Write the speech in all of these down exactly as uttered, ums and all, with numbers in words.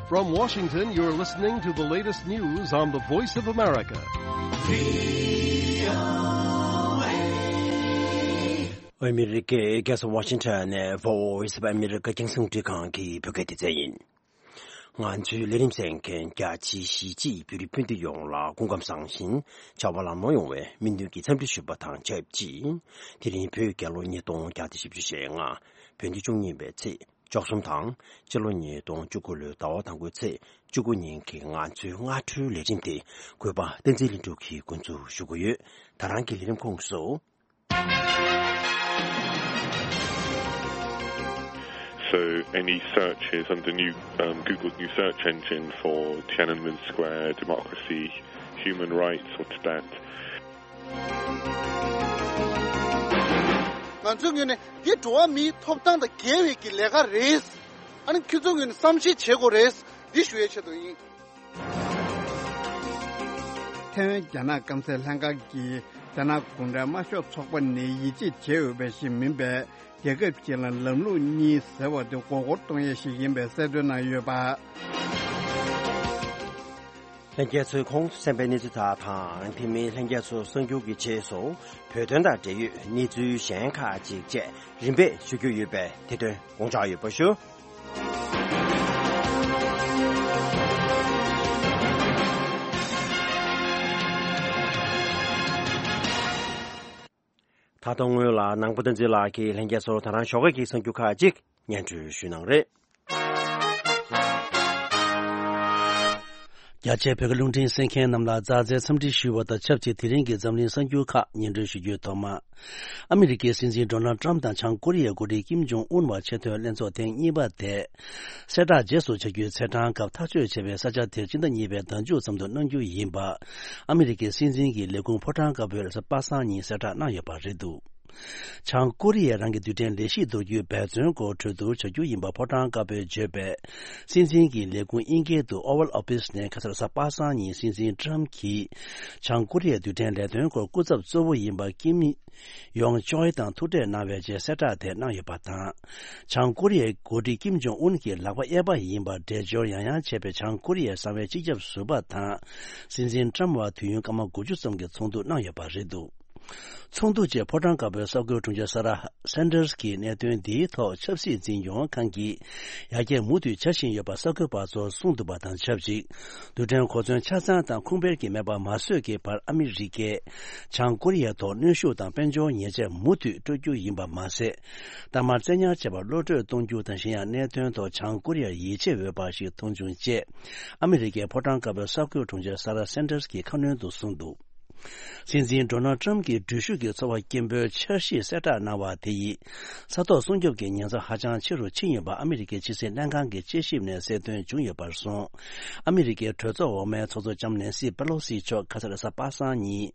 From Washington, you're listening to the latest news on the Voice of America. ཨ་མི་རི་ཀའི་རྒྱལ་ས་ཝ་ཤིང་ཊོན་ནས་Voice of America རྒྱང་སྲིང་རླུང་འཕྲིན་ཁང་གི་བོད་སྐད་སྡེ་ཚན་ཡིན། ང་ཚོའི་ལས་རིམ་གསན་མཁན་རྒྱ་ཆེའི་གཞིས་བྱེས་བོད་རིགས་སྤུན་ཟླ་ཡོངས་ལ་སྐུ་ཁམས་བཟང་ཞིང་བྱ་བ་ལམ་ལྷོང་ཡོང་བའི་སྨོན་འདུན་གྱི་འཚམས་འདྲི་ཞུ་བ་དང་ཆབས་ཅིག་དེ་རིང་བོད་རྒྱལ་ལོ་ཉིས་སྟོང་བརྒྱ་དང་བཞི་བཅུ་ཞེ་ལྔ། བོད་ཟླ་བཅུ་གཉིས་པའི་ཚེས་བཅུ་གསུམ་དང་། སྤྱི་ལོ་ཉིས་སྟོང་བཅུ་དགུ་ལོའི་ཟླ་བ་དང་པོའི་ཚེས་བཅུ་དགུ་ཉིན་གྱི་ང་ཚོའི་སྔ་དྲོའི་ལས་རིམ་དེ་གུས་པ་བསྟན་འཛིན་ལྷུན་གྲུབ་ཀྱིས་འགོ་འཛུགས་ཞུ་གི་ཡོད། ད་རང་གི་ལས་རིམ་ཁོངས་སུ། So any searches on the new, um, Google's new search engine for Tiananmen Square, democracy, human rights or Tibet, ང་ཚོའི་ངོས་ནས་འདི་འགྲོ་བ་མིའི་ཐོབ་ཐང་དང་འགལ་བའི་གི་ལས་ཀ་རེད། ཨ་ནི་ཁྱོད་ཚོའི་ངོས་ནས་བསམ་ཤེས་བྱེད་དགོས་རེད། འདི་ཞུ་ཡའི་ཆེད་དུ་ཡིན། ཐེ་ཝན་རྒྱ་ནག་སྐམ་སའི་ལྷན་ཁང་གིས་རྒྱ་ནག་གུང་ཁྲན་དམར་ཤོག་ཚོགས་པ་ནི་ཡིད་ཆེས་བྱེད་འོས་པ་ཞིག་མིན་པས། རྒྱལ་ཁབ་ཅིག་ལ་ལམ་ལུགས་གཉིས་ཟེར་བ་དེ་མགོ་སྐོར་གཏོང་ཡས་ཤིག་ཡིན་པའི་གསལ་སྟོན་གནང་ཡོད་པ། ལྷན་རྒྱས་ཚོས་གོང་དུ་གསན་པའི་གནས་ཚུལ་དག་དང་། དེ་མིན་ལྷན་རྒྱས་ཚོ་གསར་འགྱུར་གྱི་རྗེས་སུ་བོད་དོན་དང་འབྲེལ་ཡོད་གནས་ཚུལ་གཞན་ཁག་ཅིག་བཅས་རིམ་པས་ཞུ་རྒྱུ་ཡོད་པས། དེ་དོན་དགོངས་འཇགས་ཡོད་པ་ཞུ། ད་དུང་སྔོན་ལ་ནང་པ་བསྟན་འཛིན་ལགས་ཀྱིས་ལྷན་རྒྱས་ཚོར་ད་རང་ཞོགས་ཀས་ཀྱི་གསར་འགྱུར་ཁག་ཅིག་སྙན་སྒྲོན་ཞུ་གནང་རེད། རྒྱ་ཆེའི་བོད་ཀྱི་རླུང་འཕྲིན་གསན་མཁན་རྣམས་ལ་མཛའ་བརྩེའི་འཚམས་འདྲི་ཞུ་བ་དང་ཆབས་ཅིག་དེ་རིང་གི་འཛམ་གླིང་གསར་འགྱུར་ཁག་སྙན་སྒྲོན་ཞུ་རྒྱུའི་ཐོག་མ། ཨ་མི་རི་ཀའི་སྲིད་འཛིན་ཌོ་ནལ་ཏྲམ་དང་བྱང་ཀོ་རི་ཡའི་འགོ་ཁྲིད་ཀིམ་ཇོང་ཨུན་བར་ཆེས་མཐོའི་ལྷན་ཚོགས་ཐེངས་གཉིས་པ་དེ། གསལ་བསྒྲགས་རྗེས་སུ་བྱ་རྒྱུའི་ཚེས་གྲངས་སྐབས་ཐག་གཅོད་བྱས་པའི་ས་ཆ་དེར་སྤྱི་ཟླ་གཉིས་པའི་ཟླ་མཇུག་ཙམ་དུ་གནང་རྒྱུ་ཡིན་པ། ཨ་མི་རི་ཀའི་སྲིད་འཛིན་གྱི་ལས་ཁུངས་ཕོ་བྲང་དཀར་པོས་རེས་གཟའ་པ་སངས་ཉིན་གསལ་བསྒྲགས་གནང་ཡོད་པ་རེད་འདུག། བྱང་ཀོ་རི་ཡའི་རང་གི་རྡུལ་ཕྲན་ལས་གཞི་གཏོར་རྒྱུའི་འབད་བརྩོན་སྐོར་གྲོས་བསྡུར་བྱ་རྒྱུ་ཡིན་པ་ཕོ་བྲང་དཀར་པོས་བརྗོད་པས། སྲིད་འཛིན་གྱི་ལས་ཁུངས་དབྱིན་སྐད་དུ་Oval Office ནས་ཁ་སང་རེས་གཟའ་པ་སངས་ཉིན་སྲིད་འཛིན་ཏྲམ་གྱིས་བྱང་ཀོ་རི་ཡའི་རྡུལ་ཕྲན་ལས་དོན་སྐོར་སྐུ་ཚབ་གཙོ་བོ་ཡིན་པ་ཀིམ་ཡོང་ཅོའི་དང་ཐུག་འཕྲད་གནང་བའི་རྗེས་གསལ་བསྒྲགས་དེ་གནང་ཡོད་པ་དང་། བྱང་ཀོ་རི་ཡའི་འགོ་ཁྲིད་ཀིམ་ཇོང་ཨུན་གྱི་ལག་པ་གཡས་པ་ཡིན་པར་འགྲེལ་བརྗོད་ཡང་ཡང་བྱས་པའི་བྱང་ཀོ་རི་ཡའི་གསང་བའི་སྤྱི་ཁྱབ་ཟུར་པ་དང་། སྲིད་འཛིན་ཏྲམ་བར་དུས་ཡུན་སྐར་མ་དགུ་བཅུ་ཙམ་གྱི་ཚོགས་འདུ་གནང་ཡོད་པ་རེད་འདུག། ཚོགས་འདུ་རྗེས་ཕོ་བྲང་དཀར་པོའི་གསར་འགོད་དྲུང་ཆེ་ས་ར་སན་ཏར་གྱིས་གནད་དོན་འདིའི་ཐོག་ཆབ་སྲིད་འཛིན་སྐྱོང་ཁང་གིས་ཡར་རྒྱས་མུ་མཐུད་བྱ་བཞིན་ཡོད་པ་གསར་འགོད་པ་ཚོར་གསུངས་འདུག་པ་དང་ཆབས་ཅིག། རྡུལ་ཕྲན་གོ་མཚོན་ཆ་ཚང་དང་ཁུངས་སྤེལ་གྱི་མེད་པ་མ་བཟོས་ཀྱི་བར་ཨ་མི་རི་ཀས་བྱང་ཀོ་རི་ཡའི་ཐོག་གནོན་ཤུགས་དང་དཔལ་འབྱོར་ཉེས་ཆད་མུ་མཐུད་སྤྲོད་རྒྱུ་ཡིན་པ་མ་ཟད། གཏའ་མར་བཙན་ཉར་བྱས་པར་གློད་བཀྲོལ་གཏོང་རྒྱུ་དང་། གཞན་ཡང་གནད་དོན་ཐོག་བྱང་ཀོ་རི་ཡར་ཡིད་ཆེས་འོས་པ་ཞིག་མཐོང་བྱུང་ཅེས། ཨ་མི་རི་ཀའི་ཕོ་བྲང་དཀར་པོའི་གསར་འགོད་དྲུང་ཆེ་ས་ར་སན་ཏར་གྱིས་ཁ་སྣོན་དུ་གསུངས་འདུག། སྲིད་འཛིན་ཌོ་ནལ་ཏྲམ་གྱིས་འགྲུལ་བཞུད་ཀྱི་ཚོར་བ་སྐྱེན་པོའི་འཆར་གཞི་གསལ་བསྒྲགས་གནང་བ་དེ་ཡིས། ས་ཐོག་སྲུང་སྐྱོབ་ཀྱི་ཉེན་ཚབས་ཧ་ཅང་ཆེ་རུ་ཕྱིན་ཡོད་པ་ཨ་མི་རི་ཀའི་ཕྱི་སྲིད་ལྷན་ཁང་གི་དཔྱད་ཞིབ་ནས་གསལ་སྟོན་བྱུང་ཡོད་པར་སོང་། ཨ་མི་རི་ཀའི་གྲོས་ཚོགས་འོག་མའི་ཚོགས་གཙོ་ལྕམ་ནེན་སི་པེ་ལོ་སི་མཆོག་ཁ་སང་རེས་གཟའ་པ་སངས་ཉིན།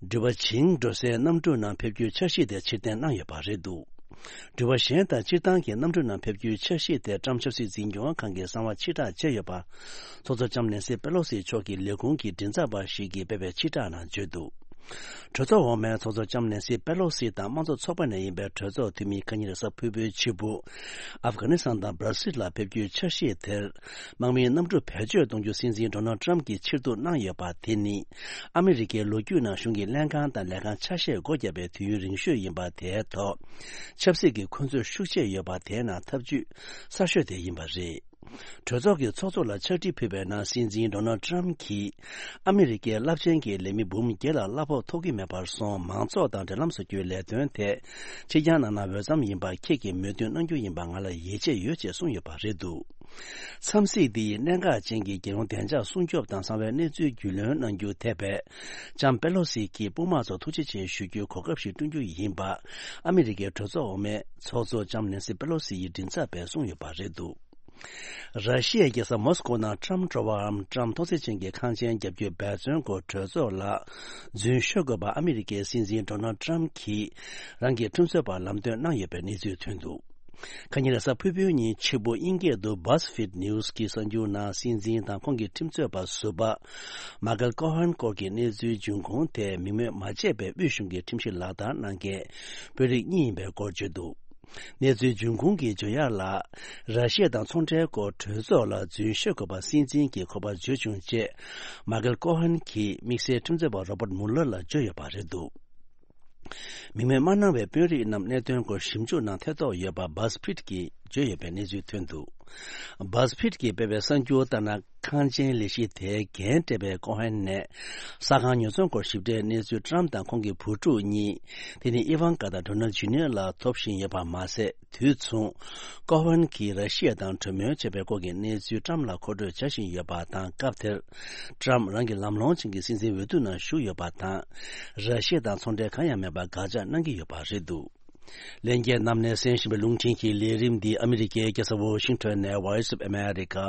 འགྲུལ་པ་བྱིངས་འགྲོ་སའི་གནམ་གྲུ་ནང་ཕེབས་རྒྱུའི་འཆར་གཞི་དེ་ཕྱིར་འཐེན་གནང་ཡོད་པ་རེད་འདུག། འགྲུལ་པ་གཞན་དང་སྤྱིར་བཏང་གི་གནམ་གྲུ་ནང་ཕེབས་རྒྱུའི་འཆར་གཞི་དེ་ཏྲམ་ཆབ་སྲིད་འཛིན་སྐྱོང་ཁང་གིས་གསང་བ་ཕྱིར་བསྒྲགས་བྱས་ཡོད་པ། ཚོགས་གཙོ་ལྕམ་ནེན་སི་པེ་ལོ་སི་མཆོག་གི་ལས་ཁུངས་ཀྱི་མགྲིན་ཚབ་པ་ཞིག་གིས་སྤེལ་བའི་ཕྱིར་བསྒྲགས་ནང་བརྗོད་འདུག། གྲོས་ཚོགས་འོག་མའི་ཚོགས་གཙོ་ལྕམ་ནེན་སི་པེ་ལོ་སི་དང་དམངས་གཙོ་ཚོགས་པ་ནས་ཡིན་པའི་གྲོས་ཚོགས་འཐུས་མི་ཁ་ཉིན་རེས་གཟའ་ཕུར་བུའི་ཕྱི་དྲོ། ཨབ་གྷ་ནི་སི་ཐན་དང་སྦྲ་སིལ་ལ་ཕེབས་རྒྱུའི་འཆར་གཞི་དེར། དམག་མིའི་གནམ་གྲུ་བེད་སྤྱོད་གཏོང་རྒྱུ་སྲིད་འཛིན་ཌོ་ནལ་ཏྲམ་གྱིས་ཕྱིར་བསྡུ་གནང་ཡོད་པ་དེ་ནི། ཨ་མི་རི་ཀའི་ལོ་རྒྱུས་ནང་གཞུང་གི་ལྷན་ཁང་དང་ལས་ཁང་ཆ་ཤས་སྒོ་བརྒྱབ་པའི་དུས་ཡུན་རིང་ཤོས་ཡིན་པ་དེའི་ཐོག། ཆབ་སྲིད་ཀྱི་འཁོན་རྩོད་ཤུགས་ཆེ་ཡོད་པ་དེའི་ནང་ཐབས་ཇུས་གསར་ཤོས་དེ་ཡིན་པ་རེད། གྲོས་ཚོགས་ཀྱི་ཚོགས་གཙོ་ལ་ཕྱག་བྲིས་ཕུལ་བའི་ནང་སྲིད་འཛིན་ཌོ་ནལ་ཏྲམ་གྱིས། ཨ་མི་རི་ཀའི་རླབས་ཆེན་གྱི་ལས་མི་འབུམ་བརྒྱད་ལ་གླ་ཕོགས་ཐོབ་ཀྱི་མེད་པར་སོང་། མང་ཚོགས་དང་འབྲེལ་ལམ་བཟོ་རྒྱུའི་ལས་དོན་ཐད་ཕྱིར་འགྱངས་གནང་ན་འོས་འཚམ་ཡིན་པ་ཁྱེད་ཀྱིས་མོས་མཐུན་གནང་རྒྱུ་ཡིན་པ་ང་ལ་ཡིད་ཆེས་ཡོད་ཅེས་གསུངས་ཡོད་པ་རེད་འདུག། འཚམས་གཟིགས་འདི་ཡིས་གནད་འགག་ཅན་གྱི་རྒྱལ་ཡོངས་བདེ་འཇགས་སྲུང་སྐྱོབ་དང་གསང་བའི་གནས་ཚུལ་རྒྱུས་ལོན་གནང་རྒྱུ་ཐེ་བའི་ལྕམ་པེ་ལོ་སི་གྱི་དཔུང་དམག་ཚོར་ཐུགས་རྗེ་ཆེ་ཞུ་རྒྱུའི་གོ་སྐབས་ཤིག་བསྐྲུན་རྒྱུ་ཡིན་པ། ཨ་མི་རི་ཀའི་གྲོས་ཚོགས་འོག་མའི་ཚོགས་གཙོ་ལྕམ་ནེན་སི་པེ་ལོ་སི་ཡི་མགྲིན་ཚབ་པས་གསུངས་ཡོད་པ་རེད་འདུག། ར་ཤི་ཡའི་རྒྱལ་ས་མོ་སི་ཀོ་ནང་ཊམ་སྤྲོ་བའམ་ཊམ་ཐོག་བརྩེགས་ཅན་གྱི་ཁང་ཆེན་བརྒྱབ་རྒྱུའི་འབད་བརྩོན་སྐོར་གྲོས་ཚོགས་ལ་རྫུན་ཤོད་དགོས་པ་ཨ་མི་རི་ཀའི་སྲིད་འཛིན་ཌོ་ནལ་ཊམ་གྱིས་རང་གི་ཁྲིམས་རྩོད་པར་ལམ་སྟོན་གནང་ཡོད་པའི་གནས་ཚུལ་ཐོན་འདུག། ཁ་ཉིན་རེས་གཟའ་ཕུར་བུའི་ཉིན་ཕྱི་པོ་དབྱིན་སྐད་དུ་BuzzFeed News གྱི་གསར་འགྱུར་ནང་སྲིད་འཛིན་དང་ཁོང་གི་ཁྲིམས་རྩོད་པ་ཟུར་པ་མ་ཀལ་ཀོ་ཧན་སྐོར་གྱི་གནས་ཚུལ་འབྱུང་ཁུངས་དེ་མིང་སྨོས་མ་བྱས་པའི་དབུས་གཞུང་གི་ཁྲིམས་གཞི་ལག་བསྟར་གནང་མཁན་དཔོན་རིགས་གཉིས་ཡིན་པའི་སྐོར་བརྗོད་འདུག། གནས་ཚུལ་འབྱུང་ཁུངས་ཀྱིས་བརྗོད་ཡག་ལ། ར་ཤི་ཡ་དང་ཚོང་འབྲེལ་སྐོར་གྲོས་ཚོགས་ལ་རྫུན་བཤད་དགོས་པ་སྲིད་འཛིན་གྱི་ཁོ་པར་བརྗོད་བྱུང་ཅེས་མ་ཀལ་ཀོ་ཧན་གྱིས་དམིགས་བསལ་ཁྲིམས་རྩོད་པ་རོ་བརྟ་མུ་ལར་ལ་བརྗོད་ཡོད་པ་རེད་འདུག་མིང་མེད་མ་གནང་བའི་དཔོན་རིགས་རྣམས་གནད་དོན་སྐོར་ཞིབ་འཇུག་ནང་ཐེ་གཏོགས་ཡོད་པ་BuzzFeed་གྱིས་བརྗོད་ཡོད་པའི་གནས་ཚུལ་ཐོན་འདུག BuzzFeed་གྱིས་སྤེལ་བའི་གསར་འགྱུར་ལྟར་ན། ཁང་ཆེན་ལས་གཞི་དེའི་འགན་སྤྲད་པའི་ཀོ་ཧན་ནས་ས་ཁང་ཉོ་ཚོང་སྐོར་ཞིབ་ཕྲའི་གནས་ཚུལ་ཏྲམ་དང་ཁོང་གི་བུ་ཕྲུག་གཉིས། དེ་ནི་ཨི་ཝང་ཀ་དང་ཌོ་ནལ་ཇུ་ནིཡར་ལ་ཐོབ་བཞིན་ཡོད་པ་མ་ཟད། དུས་མཚུངས། ཀོ་ཧན་གྱིས་ར་ཤི་ཡ་དང་གྲོས་མོལ་བྱས་པའི་སྐོར་གྱི་གནས་ཚུལ་ཏྲམ་ལ་མཁོ་སྤྲོད་བྱ་བཞིན་ཡོད་པ་དང་། སྐབས་དེར་ཏྲམ་རང་གི་ལམ་ལྷོང་ཅན་གྱི་སྲིད་འཛིན་འོས་བསྡུ་ནང་ཞུགས་ཡོད་པ་དང་། ར་ཤི་ཡ་དང་ཚོང་འབྲེལ་གང་ཡང་མེད་པར་དགག་བྱ་གནང་གི་ཡོད་པ་རེད་འདུག་ལྷན་རྒྱས་རྣམས་ནས་གསན་བཞིན་པའི་རླུང་འཕྲིན་གྱི་ལས་རིམ་འདི་ཨ་མི་རི་ཀའི་རྒྱལ་ས་ཝོ་ཤིང་ཊོན་ནས་Voice of America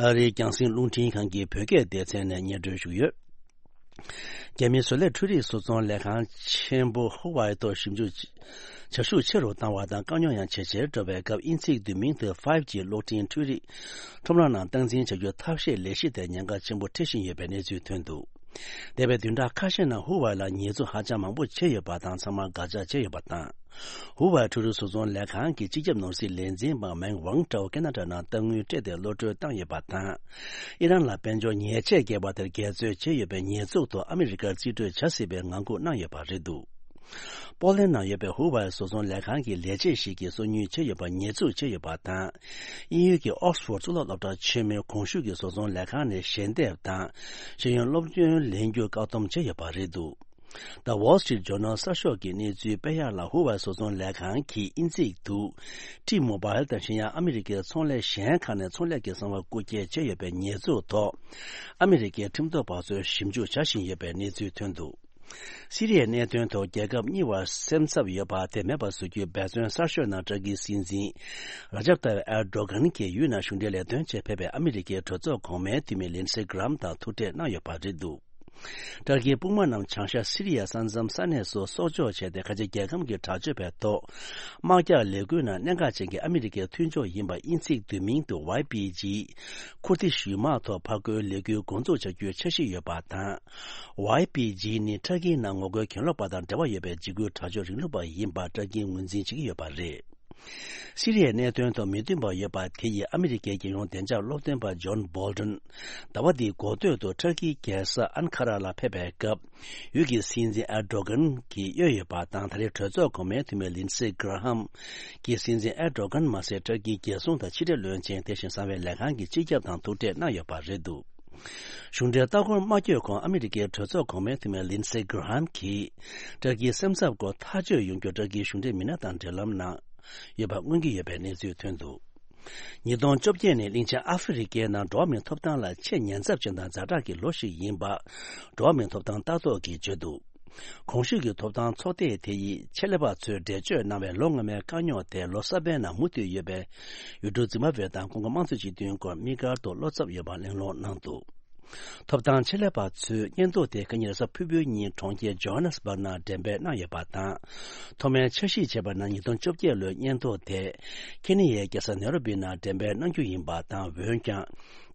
ཨ་རིའི་རྒྱང་སྲིང་རླུང་འཕྲིན་ཁང་གི་བོད་སྐད་སྡེ་ཚན་ནས་སྙན་སྒྲོན་ཞུས་ཡོད། རྒྱ་མིའི་བཟོ་ལས་འཕྲུལ་རིག་བཟོ་ཚོང་ལས་ཁང་ཆེན་པོ་ཧུ་ཝའི་ཐོག་ཞིབ་འཇུག་བྱ་ཤུགས་ཆེ་རུ་བཏང་བ་དང་དཀའ་རྙོག་ཡང་ཇེ་ཆེར་འགྲོ་བའི་སྐབས། དབྱིན་ཚིག་བསྡུས་མིང་དུ་ཕའིབ་ཇི་གློག་འཕྲིན་འཕྲུལ་རིག་ཁྲོམ་ར་ནང་སྟངས་འཛིན་བྱ་རྒྱུའི་ཐབས་ཤེས་ལས་གཞི་དེ་ཉེན་ཁ་ཆེན་པོ་འཕྲད་བཞིན་ཡོད་པའི་གནས་ཚུལ་ཐོན་འདུག་འདས་པའི་བདུན་ཕྲག་ཁ་ཤས་ནང་ཧུ་ཝའེ་ལ་ཉེས་འཛུགས་ཧ་ཅང་མང་པོ་བྱས་ཡོད་པ་དང་། ཚང་མར་དགག་བྱ་བྱས་ཡོད་པ་དང་། ཧུ་ཝའེ་འཕྲུལ་རིག་བཟོ་ཚོང་ལས་ཁང་གི་སྤྱི་ཁྱབ་ནོར་སྲིད་ལས་འཛིན་པ་མེང་ཝང་ཀྲའོ་ཁེ་ན་ཌ་ནང་གཏའ་དངུལ་སྤྲད་དེ་གློད་གྲོལ་བཏང་ཡོད་པ་དང་། ཨི་རན་ལ་དཔལ་འབྱོར་ཉེས་ཆད་བཀལ་བ་དེར་འགལ་རྩོད་བྱས་ཡོད་པའི་ཉེས་འཛུགས་ཐོག་ཨ་མི་རི་ཀར་རྩིས་སྤྲོད་བྱ་སྲིད་པའི་ངང་སྒུག་གནང་ཡོད་པ་རེད་འདུག་པོ་ལན་ནང་ཡོད་པའི་ཧུ་ཝའེ་བཟོ་ཚོང་ལས་ཁང་གི་ལས་བྱེད་ཞིག་གིས་སོ་ཉུལ་བྱས་ཡོད་པར་ཉེས་འཛུགས་བྱས་ཡོད་པ་དང་། དབྱིན་ཡུལ་གྱི་ཨོག་སི་ཕོར་གཙུག་ལག་སློབ་གྲྭ་ཆེན་མོའི་གོང་ཞུས་ཀྱི་བཟོ་ཚོང་ལས་ཁང་ནས་ཞལ་འདེབས་དང་ཤེས་ཡོན་སློབ་ཐོན་ལེན་རྒྱུར་བཀག་སྡོམ་བྱས་ཡོད་པ་རེད་འདུག The Wall Street Journal གསར་ཤོག་གི་གནས་ཚུལ་སྤེལ་ཡག་ལ། ཧུ་ཝའེ་བཟོ་ཚོང་ལས་ཁང་གིས་དབྱིན་ཚིག་ཏུ་T-Mobile དང་གཞན་ཡང་ཨ་མི་རི་ཀའི་ཚོང་ལས་གཞན་ཁག་ནས་ཚོང་ལས་ཀྱི་གསང་བ་རྐུ་འཁྱེར་བྱས་ཡོད་པའི་ཉེས་འཛུགས་ཐོག་ཨ་མི་རི་ཀའི་ཁྲིམས་ཐོག་པ་ཚོས་ཞིབ་འཇུག་བྱ་བཞིན་ཡོད་པའི་གནས་ཚུལ་ཐོན་འདུག་སི་རི་ཡའི་གནད་དོན་ཐོག་རྒྱལ་ཁབ་གཉིས་བར་སེམས་འཚབ་ཡོད་པ་དེ་མེད་པར་བཟོ་རྒྱུའི་འབད་བརྩོན་གསར་ཤོས་ནང་ཏུར་ཀིའི་སྲིད་འཛིན་ར་ཇབ་ཏཱ་ཡིབ་ཨེར་ཌོ་གྷན་གྱིས་ཡུལ་ནང་གཞུང་འབྲེལ་ལས་དོན་ཆེད་ཕེབས་པའི་ཨ་མི་རི་ཀའི་གྲོས་ཚོགས་གོང་མའི་འཐུས་མི་ལིན་སེ་གྷི་རམ་དང་ཐུག་འཕྲད་གནང་ཡོད་པ་རེད་འདུག་ཏུར་ཀིའི་དཔུང་དམག་རྣམས་བྱང་ཤར་སི་རི་ཡའི་ས་མཚམས་ས་གནས་སུ་སྲོག་སྐྱོབ་བྱས་ཏེ། ཁ་ཆེ་རྒྱལ་ཁམས་ཀྱི་དྲག་སྤྱོད་པའི་ཐོག་དམག་རྒྱག་ལས་འགུལ་ནང་གནད་འགག་ཅན་གྱི་ཨ་མི་རི་ཀའི་མཐུན་ཕྱོགས་ཡིན་པ། དབྱིན་ཚིག་བསྡུས་མིང་དུ་ཝའི་པི་ཇི། ཁུར་དིཤ་ཡུལ་དམག་ཐོག་ཕར་རྒོལ་ལས་འགུལ་འགོ་འཛུགས་བྱ་རྒྱུའི་འཆར་གཞི་ཡོད་པ་དང་། ཝའི་པི་ཇི་ནི་ཏུར་ཀིའི་ནང་ངོ་རྒོལ་གྱེན་ལོག་པ་དང་འབྲེལ་བ་ཡོད་པའི་འཇིགས་སྐུལ་དྲག་སྤྱོད་རིང་ལུགས་པ་ཡིན་པ་ཏུར་ཀིས་ངོས་འཛིན་བྱེད་ཀྱི་ཡོད་པ་རེད། སི་རི་ཡའི་གནད་དོན་ཐོག་མི་མཐུན་པ་ཡོད་པ་དེ་ཡིས་ཨ་མི་རི་ཀའི་རྒྱལ་ཡོངས་བདེ་འཇགས་སློབ་སྟོན་པ་ཇོན་བྷོལ་ཏོན་ཟླ་བ་འདིའི་འགོ་སྟོད་དུ་ཏུར་ཀིའི་རྒྱལ་ས་ཨན་ཁ་ར་ལ་ཕེབས་པའི་སྐབས། ཡུལ་གྱི་སྲིད་འཛིན་ཨེར་ཌོ་གྷན་གྱིས་གཡོལ་ཡོད་པ་དང་། ད་རེས་གྲོས་ཚོགས་གོང་མའི་འཐུས་མི་ལིན་སེ་གྷི་ར་ཧམ་གྱིས་སྲིད་འཛིན་ཨེར་ཌོ་གྷན་མ་ཟད། ཏུར་ཀིའི་རྒྱལ་སྲུང་དང་ཕྱི་འབྲེལ་བློན་ཆེན། དེ་བཞིན་གསང་བའི་ལས་ཁང་གི་སྤྱི་ཁྱབ་དང་ཐུག་འཕྲད་གནང་ཡོད་པ་རེད་འདུག་གཞུང་འབྲེལ་ལྟ་སྐོར་མ་བསྐྱོད་གོང་ཨ་མི་རི་ཀའི་གྲོས་ཚོགས་གོང་མའི་འཐུས་མི་ལིན་སེ་གྷི་ར་ཧམ་གྱིས་ཏུར་ཀིའི་སེམས་འཚབ་སྐོར་ཐག་གཅོད་ཡོང་རྒྱུར་ཏུར་ཀིའི་གཞུང་འབྲེལ་མི་སྣ་དང་འབྲེལ་ལམ་གནང་ཡོད་པ་མངོན་གྱི་ཡོད་པའི་གནས་ཚུལ་ཐོན་འདུག་ཉིས་སྟོང་བཅོ་བརྒྱད་ནི་གླིང་ཆེན་ཨ་ཧྥེ་རི་ཁའི་ནང་འགྲོ་བ་མིའི་ཐོབ་ཐང་ལ་ཆེས་ཉེན་ཚབས་ཅན་དང་ཛ་དྲག་གི་ལོ་ཞིག་ཡིན་པ། འགྲོ་བ་མིའི་ཐོབ་ཐང་ལྟ་རྟོག་གིས་བརྗོད་འདུག་གོང་ཞུས་ཀྱི་ཐོབ་ཐང་ཚོགས་སྡེ་དེ་ཡིས་ཆེད་ལས་པ་ཚོས་འགྲེལ་བརྗོད་གནང་བའི་ལོ་སྔ་མའི་དཀའ་རྙོག་དེ་ལོ་གསར་པའི་ནང་མུ་མཐུད་ཡོད་པའི་ཡུལ་གྲུ་ཛིམ་བྷ་ཝེ་དང་ཀོང་ཀོ་དམངས་གཙོའི་སྤྱི་མཐུན་སྐོར་དམིགས་བཀར་དུ་བློ་འཚབ་ཡོད་པ་གླེང་སློང་གནང་འདུག་ཐོབ་ཐང་ཆེད་ལས་པ་ཚོས་སྙན་ཐོ་དེ་ཁ་ཉིན་རེས་གཟའ་ཕུར་བུའི་ཉིན་གྲོང་ཁྱེར་ཇོ་ཧ་ནེ་སི་བྷག་ནང་འགྲེམས་སྤེལ་གནང་ཡོད་པ་དང་། ཐོག་མའི་འཆར་གཞི་བྱས་པ་ན་ཉིས་སྟོང་བཅོ་བརྒྱད་ལོའི་སྙན་ཐོ་དེ་ཁེ་ནི་ཡའི་རྒྱལ་ས་ནེ་རོ་བི་ནང་འགྲེམས་སྤེལ་གནང་རྒྱུ་ཡིན་པ་དང་། འོན་ཀྱང་།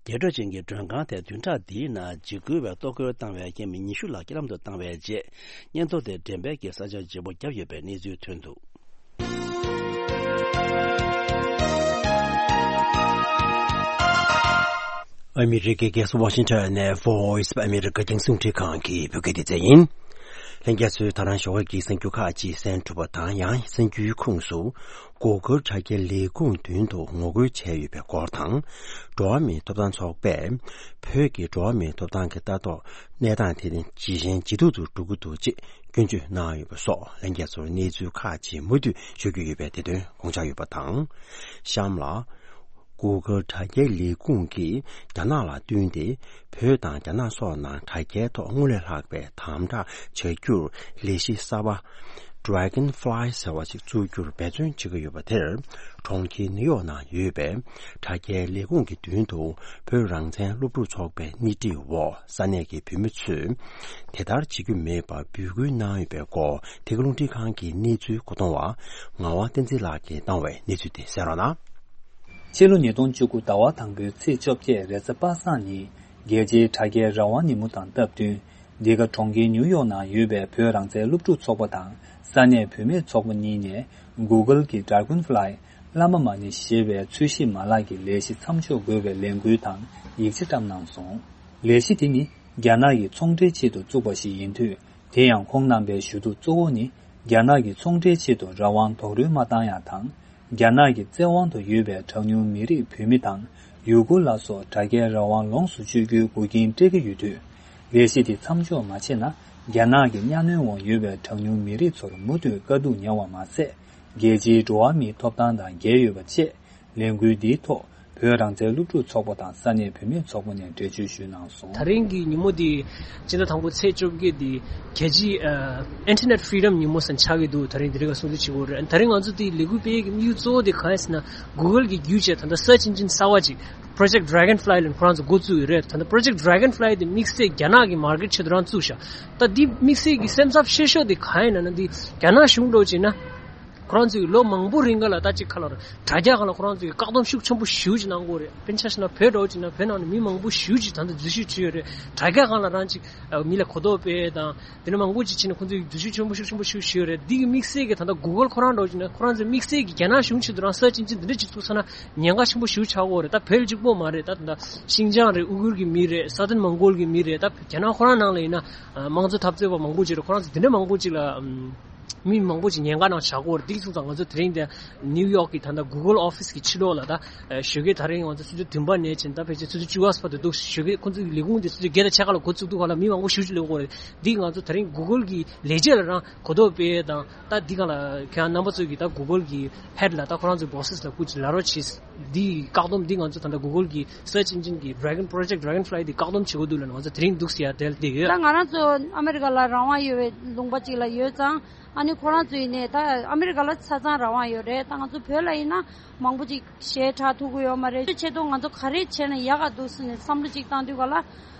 རྒྱས་སྤྲོས་ཅན་གྱི་མགྲོན་ཁང་དེ་བདུན་ཕྲག་འདིའི་ནང་འཇིགས་སྐུལ་བས་གཏོར་རྒོལ་བཏང་བའི་རྐྱེན་མི་ཉི་ཤུ་ལྷག་རྐྱེན་ལམ་དུ་བཏང་བའི་རྗེས། སྙན་ཐོ་དེ་འགྲེམས་སྤེལ་གྱིས་ས་ཆ་བརྗེ་པོ་བརྒྱབ་ཡོད་པའི་གནས་ཚུལ་ཐོན་འདུག་ཨ་མི་རི་ཀའི་རྒྱལ་ས་ཝ་ཤིང་ཊོན་ནས་Voice of America རྒྱང་སྲིང་རླུང་འཕྲིན་ཁང་གི་བོད་སྐད་སྡེ་ཚན་ཡིན། ལྷན་རྒྱས་ཚོས་ད་རང་ཞོགས་ཀྱི་གསར་འགྱུར་ཁག་ཅིག་གསན་ཐུབ་པ་དང་། ཡང་གསར་འགྱུར་ཁོངས་སུ། Google དྲ་རྒྱའི་ལས་ཁུངས་མདུན་དུ་ངོ་རྒོལ་བྱས་ཡོད་པའི་སྐོར་དང་། འགྲོ་བ་མིའི་ཐོབ་ཐང་ཚོགས་པས་བོད་ཀྱི་འགྲོ་བ་མིའི་ཐོབ་ཐང་གི་ལྟ་རྟོག་གནས་སྟངས་དེ་ཇེ་ཞན་ཇེ་སྡུག་ཏུ་འགྲོ་གི་འདུག་ཅེས་སྐྱོན་བརྗོད་གནང་ཡོད་པ་སོགས། ལྷན་རྒྱས་ཚོར་གནས་ཚུལ་ཁག་ཅིག་མུ་མཐུད་ཞུ་རྒྱུ་ཡོད་པས། དེ་དོན་དགོངས་འཇགས་ཡོད་པ་དང་། གཤམ་ལ། Google དྲ་རྒྱའི་ལས་ཁུངས་ཀྱིས་རྒྱ་ནག་ལ་བསྟུན་ཏེ། བོད་དང་རྒྱ་ནག་སོགས་ནང་དྲ་རྒྱའི་ཐོག་སྔར་ལས་ལྷག་པའི་དམ་དྲག་བྱ་རྒྱུར་ལས་གཞི་གསར་པ། Dragonfly ཟེར་བ་ཞིག་བཙུགས་རྒྱུར་འབད་བརྩོན་བྱེད་ཀྱི་ཡོད་པ་དེར། གྲོང་ཁྱེར་ནིའུ་ཡོག་ནང་ཡོད་པའི་དྲ་རྒྱའི་ལས་ཁུངས་ཀྱི་མདུན་དུ། བོད་རང་བཙན་སློབ་ཕྲུག་ཚོགས་པའི་སྣེ་ཁྲིད་འོག་ས་གནས་ཀྱི་བོད་མི་ཚོས་དེ་ལྟར་བྱེད་རྒྱུ་མེད་པར་འབོད་སྐུལ་གནང་ཡོད་པའི་སྐོར། དེ་ག་རླུང་འཕྲིན་ཁང་གི་གནས་ཚུལ་མཁོ་གཏོང་བ་ངག་དབང་བསྟན་འཛིན་ལགས་ཀྱིས་བཏང་བའི་གནས་ཚུལ་དེ་གསན་རོགས་གནང་། ཕྱི་ལོ་ཉིས་སྟོང་བཅུ་དགུ་ཟླ་བ་དང་པོའི་ཚེས་བཅོ་བརྒྱད་རེས་གཟའ་པ་སངས་ཉིན། རྒྱལ་སྤྱིའི་དྲ་རྒྱའི་རང་དབང་ཉིན་མོ་དང་སྟབས་བསྟུན། འདི་ག་གྲོང་ཁྱེར་ནིའུ་ཡོག་ནང་ཡོད་པའི་བོད་རང་བཙན་སློབ་ཕྲུག་ཚོགས་པ་དང་ ས་གནས་བུད་མེད་ཚོགས་པ་གཉིས་ནས་Google་གྱི་Dragonfly་བླ་མ་མ་ཎི་ཞེས་པའི་ཚོས་གཞི་མ་ལག་གི་ལས་གཞི་མཚམས་འཇོག་དགོས་པའི་ལས་འགུལ་དང་ཡིག་ཆ་བཀྲམ་གནང་སོང་། ལས་གཞི་དེ་ནི་རྒྱ་ནག་གི་ཚོང་འབྲེལ་ཆེད་དུ་བཙུགས་པ་ཞིག་ཡིན་དུས། དེ་ཡང་ཁོང་རྣམ་པའི་ཞུ་གཏུག་གཙོ་བོ་ནི། རྒྱ་ནག་གི་ཚོང་འབྲེལ་ཆེད་དུ་རང་དབང་རྡོག་རོལ་མ་བཏང་ཡག་དང་། རྒྱ་ནག་གི་བཙན་དབང་དུ་ཡོད་པའི་གྲངས་ཉུང་མི་རིགས་བོད་མི་དང་། ཡུ་གུར་ལ་སོགས་དྲ་རྒྱའི་རང་དབང་ལོངས་སུ་སྤྱོད་རྒྱུའི་འགུག་རྐྱེན་སྤྲད་ཀྱི་ཡོད་དུས། ལས་གཞི་དེ་མཚམས་འཇོག་མ་བྱས་ན། རྒྱ་ནག་གི་གཉའ་གནོན་འོག་ཡོད་པའི་གྲངས་ཉུང་མི་རིགས་ཚོར་མུ་མཐུད་དཀའ་སྡུག་མྱངས་པ་མ་ཟད། རྒྱལ་སྤྱིའི་འགྲོ་བ་མིའི་ཐོབ་ཐང་དང་འགལ་ཡོད་པ་བཅས། ལས་འགུལ་འདིའི་ཐོག་བོད་རང་བཙན་སློབ་ཕྲུག་ཚོགས་པ་དང་ས་གནས་བུད་མེད་ཚོགས་པ་ནས་འགྲེལ་བརྗོད་ཞུས་གནང་སོང་། ད་རིང་གི་ཉིན་མོ་འདི་སྤྱི་ཟླ་དང་པོ་ཚེས་བཅོ་བརྒྱད་འདི་རྒྱལ་སྤྱིའི་ཨ་Internet Freedom་ཉིན་མོ་ཟེར་ཆགས་ཀྱི་འདུག། ད་རིང་འདི་རིང་ལ་སྲུང་བརྩི་བྱེད་དགོས་རེད། ད་རིང་ང་ཚོ་འདི་ལས་འགུལ་སྤེལ་ཡས་ཀྱི་དམིགས་ཡུལ་གཙོ་བོ་འདི་གང་ཡིན་ཟེར་ན། Google་གི་བརྒྱུད་བྱས་ད་ལྟ་Search Engine་གསར་བ་ཅིག་Project Dragonfly་ལ་ཁོ་རང་ཚོ་འགོ་བཙུགས་ཡོད་རེད། ད་ལྟ་Project Dragonfly་འདི་དམིགས་བསལ་རྒྱ་ནག་གི་market་ཆེད་དུ་རང་བཙུགས་ཤག། ད་འདི་དམིགས་བསལ་གྱི་སེམས་འཚབ་ཆེ་ཤོས་འདི་གང་ཡིན་ན་ན་འདི་རྒྱ་ནག་གཞུང་འགྲོ་བྱས་ན། ཁོ་རང་ཚོས་ལོ་མང་པོ་རིང་ག་ལ་ད་ཅིག་ཁ་ལ་དྲ་རྒྱ་སྒང་ལ་ཁོ་རང་ཚོས་བཀག་སྡོམ་ཤུགས་ཆེན་པོ་ཞེ་པོ་ཅིག་གནང་གི་ཡོད་རེད། དཔེར་ན་ཆ་བཞག་ན་བོད་འདྲ་བོ་ཅིག་ན་བོད་ནང་ནས་མི་མང་པོ་ཞེ་པོ་ཅིག་ད་ལྟ་འཛུལ་ཞུགས་བྱས་ཡོད་རེད། དྲ་རྒྱ་སྒང་ལ་རང་ཅིག་མི་ལ་གོ་རྟོགས་སྤེལ་དང་དེ་འདྲ་མང་པོ་ཅིག་བྱས་ནས་ཁོང་ཚོས་འཛུལ་ཞུགས་ཆེན་པོ་ཤུགས་ཆེན་པོ་ཞེ་པོ་བྱས་ཡོད་རེད། འདི་གི་དམིགས་བསལ་གྱི་ད་ལྟ་Google་ཁོ་རང་འདྲ་བོ་ཅིག་ན་ཁོ་རང་ཚོས་དམིགས་བསལ་གྱི་རྒྱ་ནག་གཞུང་ཆེད་དུ་རང་Search Engine་འདི་འདྲ་ཅིག་བཙུགས་ཚར་ན་ཉེན་ཁ་ཆེན་པོ་ཞེ་པོ་ཆགས་ཀྱི་ཡོད་རེད། ད་བོད་ལ་གཅིག་པོ་མ་རེད། ད་ད་ཤིན་ཅང་རེད། ཨུ་གུར་གྱི་མི་རེད། Southern Mongol་གྱི་མི་རེད། ད་རྒྱ་ནག་ཁོ་རང་ནང་ལ་ཡིན་ན་དམངས་གཙོ་འཐབ་རྩོད་པ་མང་པོ་ཅིག་རེད། ཁོ་རང་ཚོ་དེ་འདྲ་མང་པོ་ཅིག་ལ། མི་མང་པོ་ཅིག་ཉེན་ཁ་ནང་བཞག་གི་ཡོད་རེད། འདི་སོང་ཙང་ང་ཚོ་དེ་རིང་འདི་ནིའུ་ཡོག་གི་ད་ལྟ་Google office་གི་ཕྱི་ལོགས་ལ་ད་ཞོགས་ཀས་ད་རིང་ང་ཚོ་ཆུ་ཚོད་བདུན་པ་ནས་བྱས་ད་ཕལ་ཆེར་ཆུ་ཚོད་བཅུ་པ་བར་དུ་འདུག། ཞོགས་ཀས་ཁོང་ཚོ་གི་ལས་ཁུངས་འདི་ཆུ་ཚོད་བརྒྱད་དང་ཕྱེད་ཀ་ལ་འགོ་བཙུགས་འདུག་ག་ལ་མི་མང་པོ་ཞེ་པོ་ཅིག་སླེབས་ཀྱི་ཡོད་རེད། འདི་ང་ཚོ་ད་རིང་Google་གི་ལས་བྱེད་ལ་རང་གོ་རྟོགས་སྤེལ་དང་ད་འདི་ག་ལ་ཁྱེད་རང་རྣམ་པ་ཚོ་གི་ད་Google་གི་head་ལ་ད་ཁོ་རང་ཚོའི་bosses་ལ་སྐུ་མཁྱེན་ལབ་རོགས་བྱེད། འདི་བཀག་སྡོམ་འདི་ང་ཚོ་ད་ལྟ་Google་གི་Search Engine་གི་Dragon Project Dragonfly་འདི་བཀག་སྡོམ་བྱེད་དགོས་འདུག་ལབ་ནས་ང་ཚོ་དེ་རིང་འདུག་སེ་ཡར་བསྡད་ཡོད། ད་ང་རང་ཚོ་ཨ་མེ་རི་ཀ་ལ་རང་དབང་ཡོད་པའི་ལུང་པ་ཅིག་ལ་ཡོད་ཙང་། ཨ་ནི་ཁོ་རང་ཚོ་ཡིན་ནའི་ད་ཨ་མེ་རི་ཀ་ལ་ཆ་ཚང་རང་དབང་ཡོད་རེད། ད་ང་ཚོ་བོད་ལ་ཡིན་ན་མང་པོ་ཅིག་ཞལ་གྲགས་ཐུབ་ཀྱི་ཡོད་མ་རེད། ཆེད་དུ་ང་ཚོ་ག་རེ་བྱས་ན་ཡག་ག་འདུག་ཟེར་ནས་བསམ་བློ་ཅིག་བཏང་དུས་ག་ལ།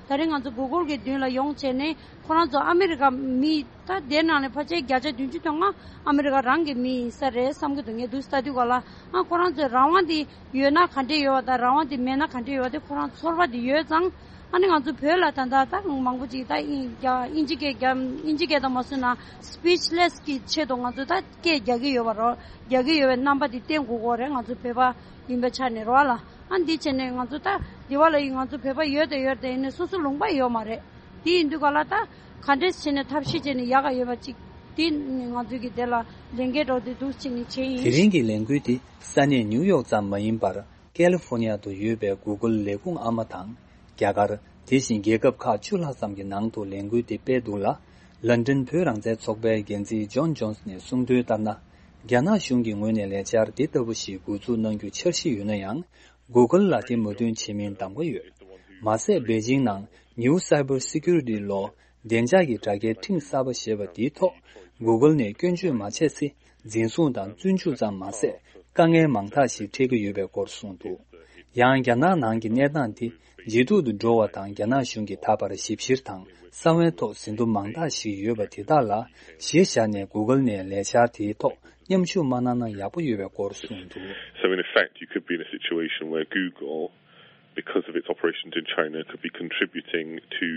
ད་རིང་ང་ཚོ་Google་གི་མདུན་ལ་ཡོང་བྱས་ནས་ཁོ་རང་ཚོ་ཨ་མེ་རི་ཀ་མི་ད་དེ་ནང་ནས་ཕལ་ཆེར་བརྒྱ་ཆ་བདུན་ཅུ་དོན་ལྔ་ཨ་མེ་རི་ཀ་རང་གི་མི་ཡིན་ས་རེད་བསམ་གྱི་འདུག། ངས་འདུག་ལྟ་དུས་ག་ལ། ཨ་ཁོ་རང་ཚོའི་རང་དབང་དེ་ཡོད་ན་ག་འདྲས་ཡོད་པ་དང་རང་དབང་དེ་མེད་ན་ག་འདྲས་ཡོད་པ་དེ་ཁོ་རང་ཚོར་བ་དེ་ཡོད་ཙང་། ཨ་ནི་ང་ཚོ་བོད་ལ་ད་ལྟ་ད་མང་པོ་ཅིག་ད་དབྱིན་རྒྱ་དབྱིན་ཇི་སྐད་རྒྱ་དབྱིན་ཇི་སྐད་དང་མ་སོན་ན་speechless་གི་ཆེད་དུ་ང་ཚོ་ད་སྐད་རྒྱག་གི་ཡོད་པ་རོ། རྒྱག་གི་ཡོད་པའི་རྣམ་པ་དེ་བསྟན་དགོས་ཀྱི་རེད། ང་ཚོ་བོད་པ་ཡིན་པའི་ཆ་ནས་རོ་ལ། ཨ་འདི་བྱས་ནས་ང་ཚོ་ད་འདི་བ་ལ་ཡིན་ང་ཚོ་བོད་པ་ཡོད་དང་ཡོད་དང་ཡིན་ནས་སོ་སོ་ལུང་པ་ཡོད་མ་རེད། དེ་ཡིན་དུས་ག་ལ་ད་ག་འདྲས་བྱས་ནས་ཐབས་ཤེས་བྱས་ནས་ཡག་ག་ཡོད་པ་ཅིག་དེ་ང་ཚོ་གི་དེ་ལ་ལས་འགན་འགྲོ་དེ་འདུག་བྱས་ནས་བྱས་ཡིན། དེ་རིང་གི་ལས་འགུལ་དེ་ས་གནས་ནིའུ་ཡོག་ཙམ་མ་ཡིན་པར། ཀལ་ལི་ཧྥོར་ནི་ཡ་དུ་ཡོད་པའི་Google་ལས་ཁུངས་ཨ་མ་དང་། རྒྱ་གར། དེ་བཞིན་རྒྱལ་ཁབ་ཁག་བཅུ་ལྷག་ཙམ་གྱི་ནང་དུ་ལས་འགུལ་དེ་སྤེལ་འདུག་ལ། ལན་ཀྲན་བོད་རང་བཙན་ཚོགས་པའི་འགན་འཛིན་ཇོན་ཇོན་སི་ནས་གསུངས་དོན་ལྟར་ན། རྒྱ་ནག་གཞུང་གི་ངོས་ནས་ལས་འཆར་དེ་ལྟ་བུ་ཞིག་འགོ་འཛུགས་གནང་རྒྱུ་འཆར་གཞི་ཡོད་ན་ཡང་། Google་ལ་དེ་མོས་མཐུན་བྱེད་མིན་གདམ་ག་ཡོད། མ་ཟད་པེ་ཅིང་ནང་New Cyber Security Law། བདེ་འཇགས་ཀྱི་དྲ་རྒྱའི་ཁྲིམས་གསར་པ་ཞེས་པ་དེའི་ཐོག་Google་ནས་སྐྱོན་བརྗོད་མ་བྱས་ཚེ། འཛིན་བཟུང་དང་བཙོན་འཇུག་ཙམ་མ་ཟད། དཀའ་ངལ་མང་དག་ཞིག་འཕྲད་ཀྱི་ཡོད་པའི་སྐོར་གསུངས་འདུག། ཡང་རྒྱ་ནག་ནང་གི་གནས་སྟངས་དེ་ཇེ་སྡུག་ཏུ་འགྲོ་བ་དང་། རྒྱ་ནག་གཞུང་གིས་ད་བར་ཞིབ་བཤེར་དང་གསང་བའི་ཐོག་ཟིན་ཐོ་མང་དག་ཞིག་ཡོད་པ་དེ་དག་ལ་གཞི་བཞག་ནས་Google་ནས་ལས་འཆར་དེའི་ཐོག་མཉམ་ཞུགས་མ་གནང་ན་ཡག་པོ་ཡོད་པའི་སྐོར་གསུངས་འདུག། So in effect, you could be in a situation where Google, because of its operations in China, could be contributing to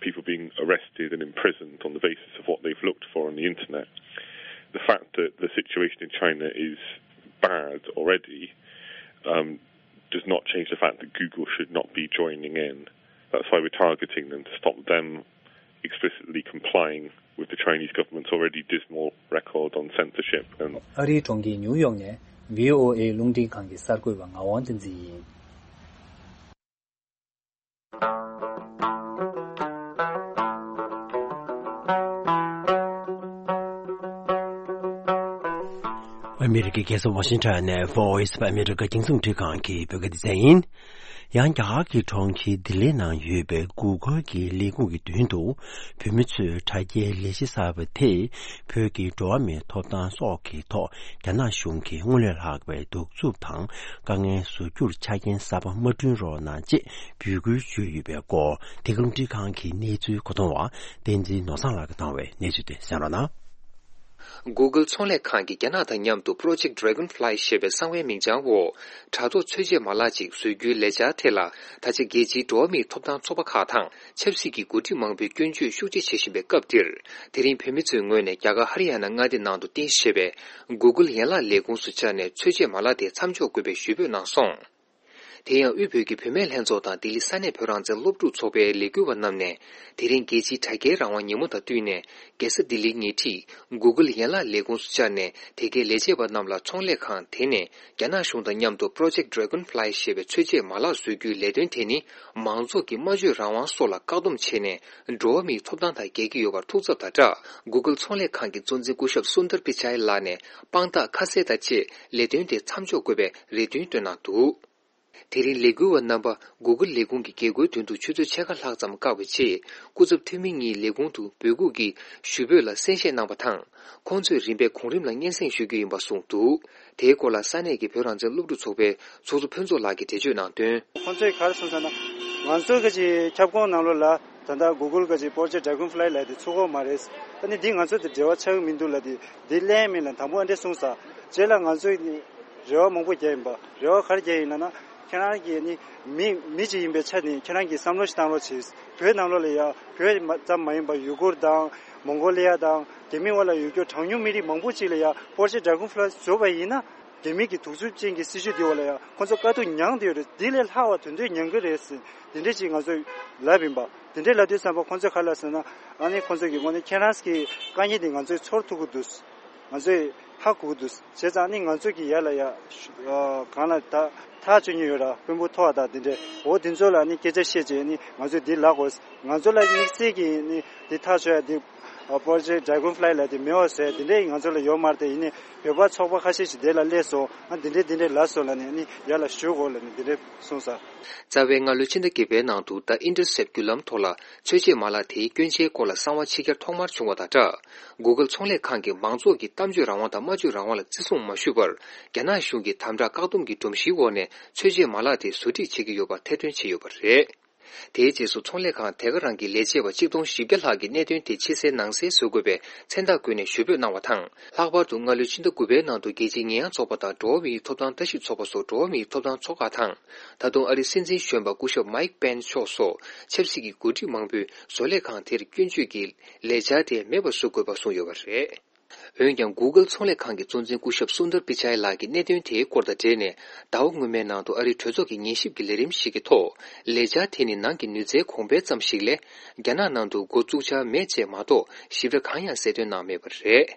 people being arrested and imprisoned on the basis of what they've looked for on the internet. The fact that the situation in China is bad already, um, does not change the fact that Google should not be joining in. That's why we're targeting them, to stop them explicitly complying with the Chinese government's already dismal record on censorship and ཨ་རིའི་གྲོང་ཁྱེར་ཉིའུ་ཡོག་ནས་བྷི་ཨོ་ཨེ་རླུང་འཕྲིན་ཁང་གི་གསར་འགོད་པ་ངག་དབང་བསྟན་འཛིན་ཡིན། ཨ་མེ་རི་ཀའི་རྒྱལ་ས་ཝ་ཤིང་ཊོན་ནས་Voice of America་རྒྱང་སྲིང་འཕྲིན་ཁང་གི་བོད་སྐད་སྡེ་ཚན་ཡིན། ཡང་རྒྱ་གར་གྱི་གྲོང་ཁྱེར་ལྡི་ལི་ནང་ཡོད་པའི་Google་གྱི་ལས་ཁུངས་ཀྱི་མདུན་དུ་བོད་མི་ཚོས་དྲ་རྒྱའི་ལས་གཞི་གསར་པ་དེས་བོད་ཀྱི་འགྲོ་བ་མིའི་ཐོབ་ཐང་སོགས་ཀྱི་ཐོག་རྒྱ་ནག་གཞུང་གིས་སྔར་ལས་ལྷག་པའི་གདུག་རྩུབ་དང་དཀའ་ངལ་བཟོ་རྒྱུར་ཆ་རྐྱེན་གསར་པ་མ་བསྐྲུན་རོགས་གནང་ཅེས་འབོད་སྐུལ་ཞུས་ཡོད་པའི་སྐོར་འདི་ག་རླུང་འཕྲིན་ཁང་གི་གནས་ཚུལ་མཁོ་གཏོང་བ་བསྟན་འཛིན་ནོར་བཟང་ལགས་ཀྱིས་བཏང་བའི་གནས་ཚུལ་དེ་གསན་རོགས་གནང་། Google་ཚོང་ལས་ཁང་གིས་རྒྱ་ནག་དང་མཉམ་དུ་Project Dragonfly་ཞེས་པའི་གསང་བའི་མིང་བྱང་འོག་དྲ་ཐོག་ཚོད་འཇལ་མ་ལག་ཅིག་བཟོ་རྒྱུའི་ལས་འཆར་ཐད་ལ། ད་ཆ་རྒྱལ་སྤྱིའི་འགྲོ་བ་མིའི་ཐོབ་ཐང་ཚོགས་པ་ཁག་དང་ཆབ་སྲིད་ཀྱི་འགོ་ཁྲིད་མང་པོས་སྐྱོན་བརྗོད་ཤུགས་ཆེ་བྱེད་བཞིན་པའི་སྐབས་འདིར། དེ་རིང་བོད་མི་ཚོའི་ངོས་ནས་རྒྱ་གར་ཧ་རི་ཡ་ན་མངའ་སྡེ་ནང་དུ་རྟེན་གཞི་བྱས་པའི་Google་ཡན་ལག་ལས་ཁུངས་སུ་བཅར་ནས་ཚོད་འཇལ་མ་ལག་དེ་མཚམས་འཇོག་དགོས་པའི་ཞུ་འབོད་གནང་སོང་། དེ་ཡང་དབུས་བོད་ཀྱི་བུད་མེད་ལྷན་ཚོགས་དང་ལྡི་ལི་ས་གནས་བོད་རང་བཙན་སློབ་ཕྲུག་ཚོགས་པའི་ལས་འགུལ་བ་རྣམས་ནས། དེ་རིང་རྒྱལ་སྤྱིའི་དྲ་རྒྱའི་རང་དབང་ཉིན་མོ་དང་བསྟུན་ནས། རྒྱལ་ས་ལྡི་ལིའི་ཉེ་འཁྲིས་Google་ཡན་ལག་ལས་ཁུངས་སུ་བཅར་ནས། དེ་གའི་ལས་བྱེད་པ་རྣམས་ལ་ཚོང་ལས་ཁང་དེ་ནས་རྒྱ་ནག་གཞུང་དང་མཉམ་དུ་Project Dragonfly་ཞེས་པའི་ཚོད་འཇལ་མ་ལག་བཟོ་རྒྱུའི་ལས་དོན་དེ་ནི། མང་ཚོགས་ཀྱི་སྨྲ་བརྗོད་རང་དབང་སོགས་ལ་བཀག་སྡོམ་བྱས་ནས། འགྲོ་བ་མིའི་ཐོབ་ཐང་དང་འགལ་གྱི་ཡོད་པར་ཐུགས་འཚབ་དང་སྦྲགས། Google་ཚོང་ལས་ཁང་གི་གཙོ་འཛིན་སྐུ་ཞབས་སུན་དར་པི་ཅའི་ལགས་ནས་དཔང་རྟགས་ཁ་གསལ་དང་བཅས་ལས་དོན་དེ་མཚམས་འཇོག་དགོས་པའི་རེ་འདུན་བཏོན་གནང་འདུག། དེ་རིང་ལས་འགུལ་བ་རྣམ་པ་Google་ལས་ཁུངས་ཀྱི་རྒྱལ་སྒོའི་མདུན་དུ་ཆུ་ཚོད་ཕྱེད་ཀ་ལྷག་ཙམ་བཀག་པའི་རྗེས། སྐུ་ཚབ་འཐུས་མི་གཉིས་ལས་ཁུངས་དུ་འབོད་འགུག་གི་ཞུ་འབོད་ལ་གསན་བཞེས་གནང་བ་དང་། ཁོང་ཚོས་རིམ་པས་གོང་རིམ་ལ་སྙན་སེང་ཞུ་རྒྱུ་ཡིན་པ་གསུངས་འདུག། དེའི་སྐོར་ལ་ས་གནས་ཀྱི་བོད་རང་བཙན་སློབ་ཕྲུག་ཚོགས་པའི་ཚོགས་གཙོ་ཕུན་ཚོགས་ལགས་ཀྱིས་འགྲེལ་བརྗོད་གནང་དོན། ཁོང་ཚོས་ག་རེ་གསུངས་ཟེར་ན། ང་ཚོའི་གི་ཅིག་ཁྱབ་ཁོངས་ནང་ལོགས་ལ་ད་ལྟ་Google་གི་ཅིག་Project Dragonfly་ལབ་དེ་ཚུགས་ཀྱི་མ་རེད། ཨ་ནི་འདི་ང་ཚོ་དང་འབྲེལ་བ་ཆགས་ཀྱི་མི་འདུག་ལབ་དེ། འདི་གླེང་མིན་ལ་དང་པོ་ཨ་འདྲས་གསུངས་ས། རྗེས་ལ་ང་ཚོས་ནི་རེ་བ་མང་པོ་བརྒྱབ་ཡིན་པ། རེ་བ་ག་རེ་བརྒྱབ་ཡིན་ལབ་ན། ཁྱེད་རང་གིས་ནི་མི་མི་གཅིག་ཡིན་པའི་ཆ་ནས་ཁྱེད་རང་གིས་བསམ་བློ་ཞིག་བཏང་རོགས་བྱེད། བོད་ནང་ལོགས་ལ་ཡ་བོད་མ་ཙམ་མ་ཡིན་པ་ཡུ་གུར་དང་མོང་གོ་ལི་ཡ་དང་རྒྱ་མི་བར་ལ་ཡོད་རྒྱུ་གྲངས་ཉུང་མི་རིགས་མང་པོ་ཅིག་ལ་ཡ་Project Dragonfly་བཟོས་པ་ཡིན་ན། རྒྱ་མི་གི་གདུག་རྩུབ་ཅན་གྱི་སྲིད་བྱུས་འདི་འོག་ལ་ཡ་ཁོང་ཚོ་དཀའ་སྡུག་མྱངས་བསྡད་ཡོད་རེད། འདི་ལས་ལྷག་པ་དོན་དོན་མྱངས་ཀྱི་རེད་ཟེར། འདི་འདྲས་ཅིག་ང་ཚོས་ལབ་ཡིན་པ། དེ་འདྲའི་ལབ་དུས་ཙམ་པ་ཁོང་ཚོས་ག་རེ་ལབ་ཟེར་ན། ཨ་ནི་ཁོང་ཚོས་ཀྱི་ངོས་ནས་ཁྱེད་རང་གི་དཀའ་ངལ་འདི་ང་ཚོས་ཚོར་ཐུབ་ཀྱི་འདུག། ང་ཚོས་ཧ་གོ་གི་འདུག། བྱས་ཙང་ཨ་ནི་ང་ཚོས་ཀྱི་ཡར་ལ་ཡ་ཨ་གང་ལ་ད་ཐག་གཅོད་མྱོང་ཡོད་ར། དཔོན་པོ་མཐོ་བ་དང་དེ་འདྲས། འོ་དེ་ཚོ་ལ་ཨ་ནི་སྐད་ཆ་བཤད་བྱས་ཨ་ནི་ང་ཚོས་འདི་ལབ་དགོས། ང་ཚོ་ལ་དམིགས་བསལ་གྱི་ཨ་ནི་འདི་ཐག་གཅོད་ཡ་འདི་Project Dragonfly་ལབ་དེ་མེད་པ་བཟོས། དེ་འདྲས་ང་ཚོ་ལ་ཡོད་མ་རེད་དེ། ཡིན་ནའི་བོད་པ་ཚོགས་པ་ཁ་ཤས་ཤིག་དེ་ལ་སླེབས་སོང་། ཨ་དེ་འདྲས་དེ་འདྲས་ལབ་སོང་ལབ་ནས་ཨ་ནི་ཡར་ལ་ཞུ་དགོས་ལབ་ནས་དེ་འདྲས་གསུངས་ས། རྩ་བའི་སྔ་ལོའི་ཕྱི་ཟླ་བརྒྱད་པའི་ནང་དུ་The Intercept་བརྒྱུད་ལམ་ཐོག་ལ་ཚོད་འཇལ་མ་ལག་དེའི་སྐྱོན་ཆའི་སྐོར་ལ་གསང་བ་ཕྱི་གྱར་ཐོག་མར་བྱུང་བ་དང་སྦྲགས། Google་ཚོང་ལས་ཁང་གིས་མང་ཚོགས་ཀྱི་གཏམ་བརྗོད་རང་དབང་དང་སྨྲ་བརྗོད་རང་དབང་ལ་བརྩི་སྲུང་མ་ཞུས་པར། རྒྱ་ནག་གཞུང་གིས་དམ་དྲག་བཀག་སྡོམ་གྱི་སྒྲོམ་གཞིའི་འོག་ནས་ཚོད་འཇལ་མ་ལག་དེ་བཟོ་སྒྲིག་བྱེད་ཀྱི་ཡོད་པ་ཐེར་འདོན་བྱས་ཡོད་པ་རེད། དེའི་རྗེས་སུ་ཚོང་ལས་ཁང་དེ་ག་རང་གི་ལས་བྱེད་པ་ཆིག་སྟོང་བཞི་བརྒྱ་ལྷག་གིས་གནད་དོན་དེ་ཕྱི་གསལ་ནང་གསལ་བཟོ་དགོས་པའི་མཚན་རྟགས་བཀོད་ནས་ཞུ་འབོད་གནང་བ་དང་། ལྷག་པར་དུ་སྔ་ལོའི་ཕྱི་ཟླ་དགུ་པའི་ནང་དུ་རྒྱལ་སྤྱིའི་ཉེས་ཡངས་ཚོགས་པ་དང་འགྲོ་བ་མིའི་ཐོབ་ཐང་ལྟ་ཞིབ་ཚོགས་པ་སོགས་འགྲོ་བ་མིའི་ཐོབ་ཐང་ཚོགས་ཁག་དང་། ད་དུང་ཨ་རིའི་སྲིད་འཛིན་གཞོན་པ་སྐུ་ཞབས་Mike Pence་མཆོག་སོགས་ཆབ་སྲིད་ཀྱི་འགོ་ཁྲིད་མང་པོས་བཟོ་ལས་ཁང་དེར་སྐྱོན་བརྗོད་ཀྱི་ལས་འཆར་དེ་མེད་པར་བཟོ་དགོས་པ་གསུངས་ཡོད་པ་རེད། འོན་ཀྱང་། Google་ཚོང་ལས་ཁང་གི་གཙོ་འཛིན་སྐུ་ཞབས་སུན་དར་པི་ཅའི་ལགས་ཀྱིས་གནད་དོན་དེའི་སྐོར་དང་འབྲེལ་ནས། ཟླ་བ་སྔོན་མའི་ནང་དུ་ཨ་རིའི་གྲོས་ཚོགས་ཀྱི་ཉན་ཞིབ་ཀྱི་ལས་རིམ་ཞིག་གི་ཐོག་ལས་འཆར་དེ་ནི་ནང་གི་ནུས་རྩལ་གོང་འཕེལ་ཙམ་ཞིག་ལས། རྒྱ་ནག་ནང་དུ་འགོ་བཙུགས་འཆར་མེད་ཅེས་མ་གཏོགས་ཞིབ་ཕྲ་གང་ཡང་གསལ་སྟོན་གནང་མེད་པ་རེད།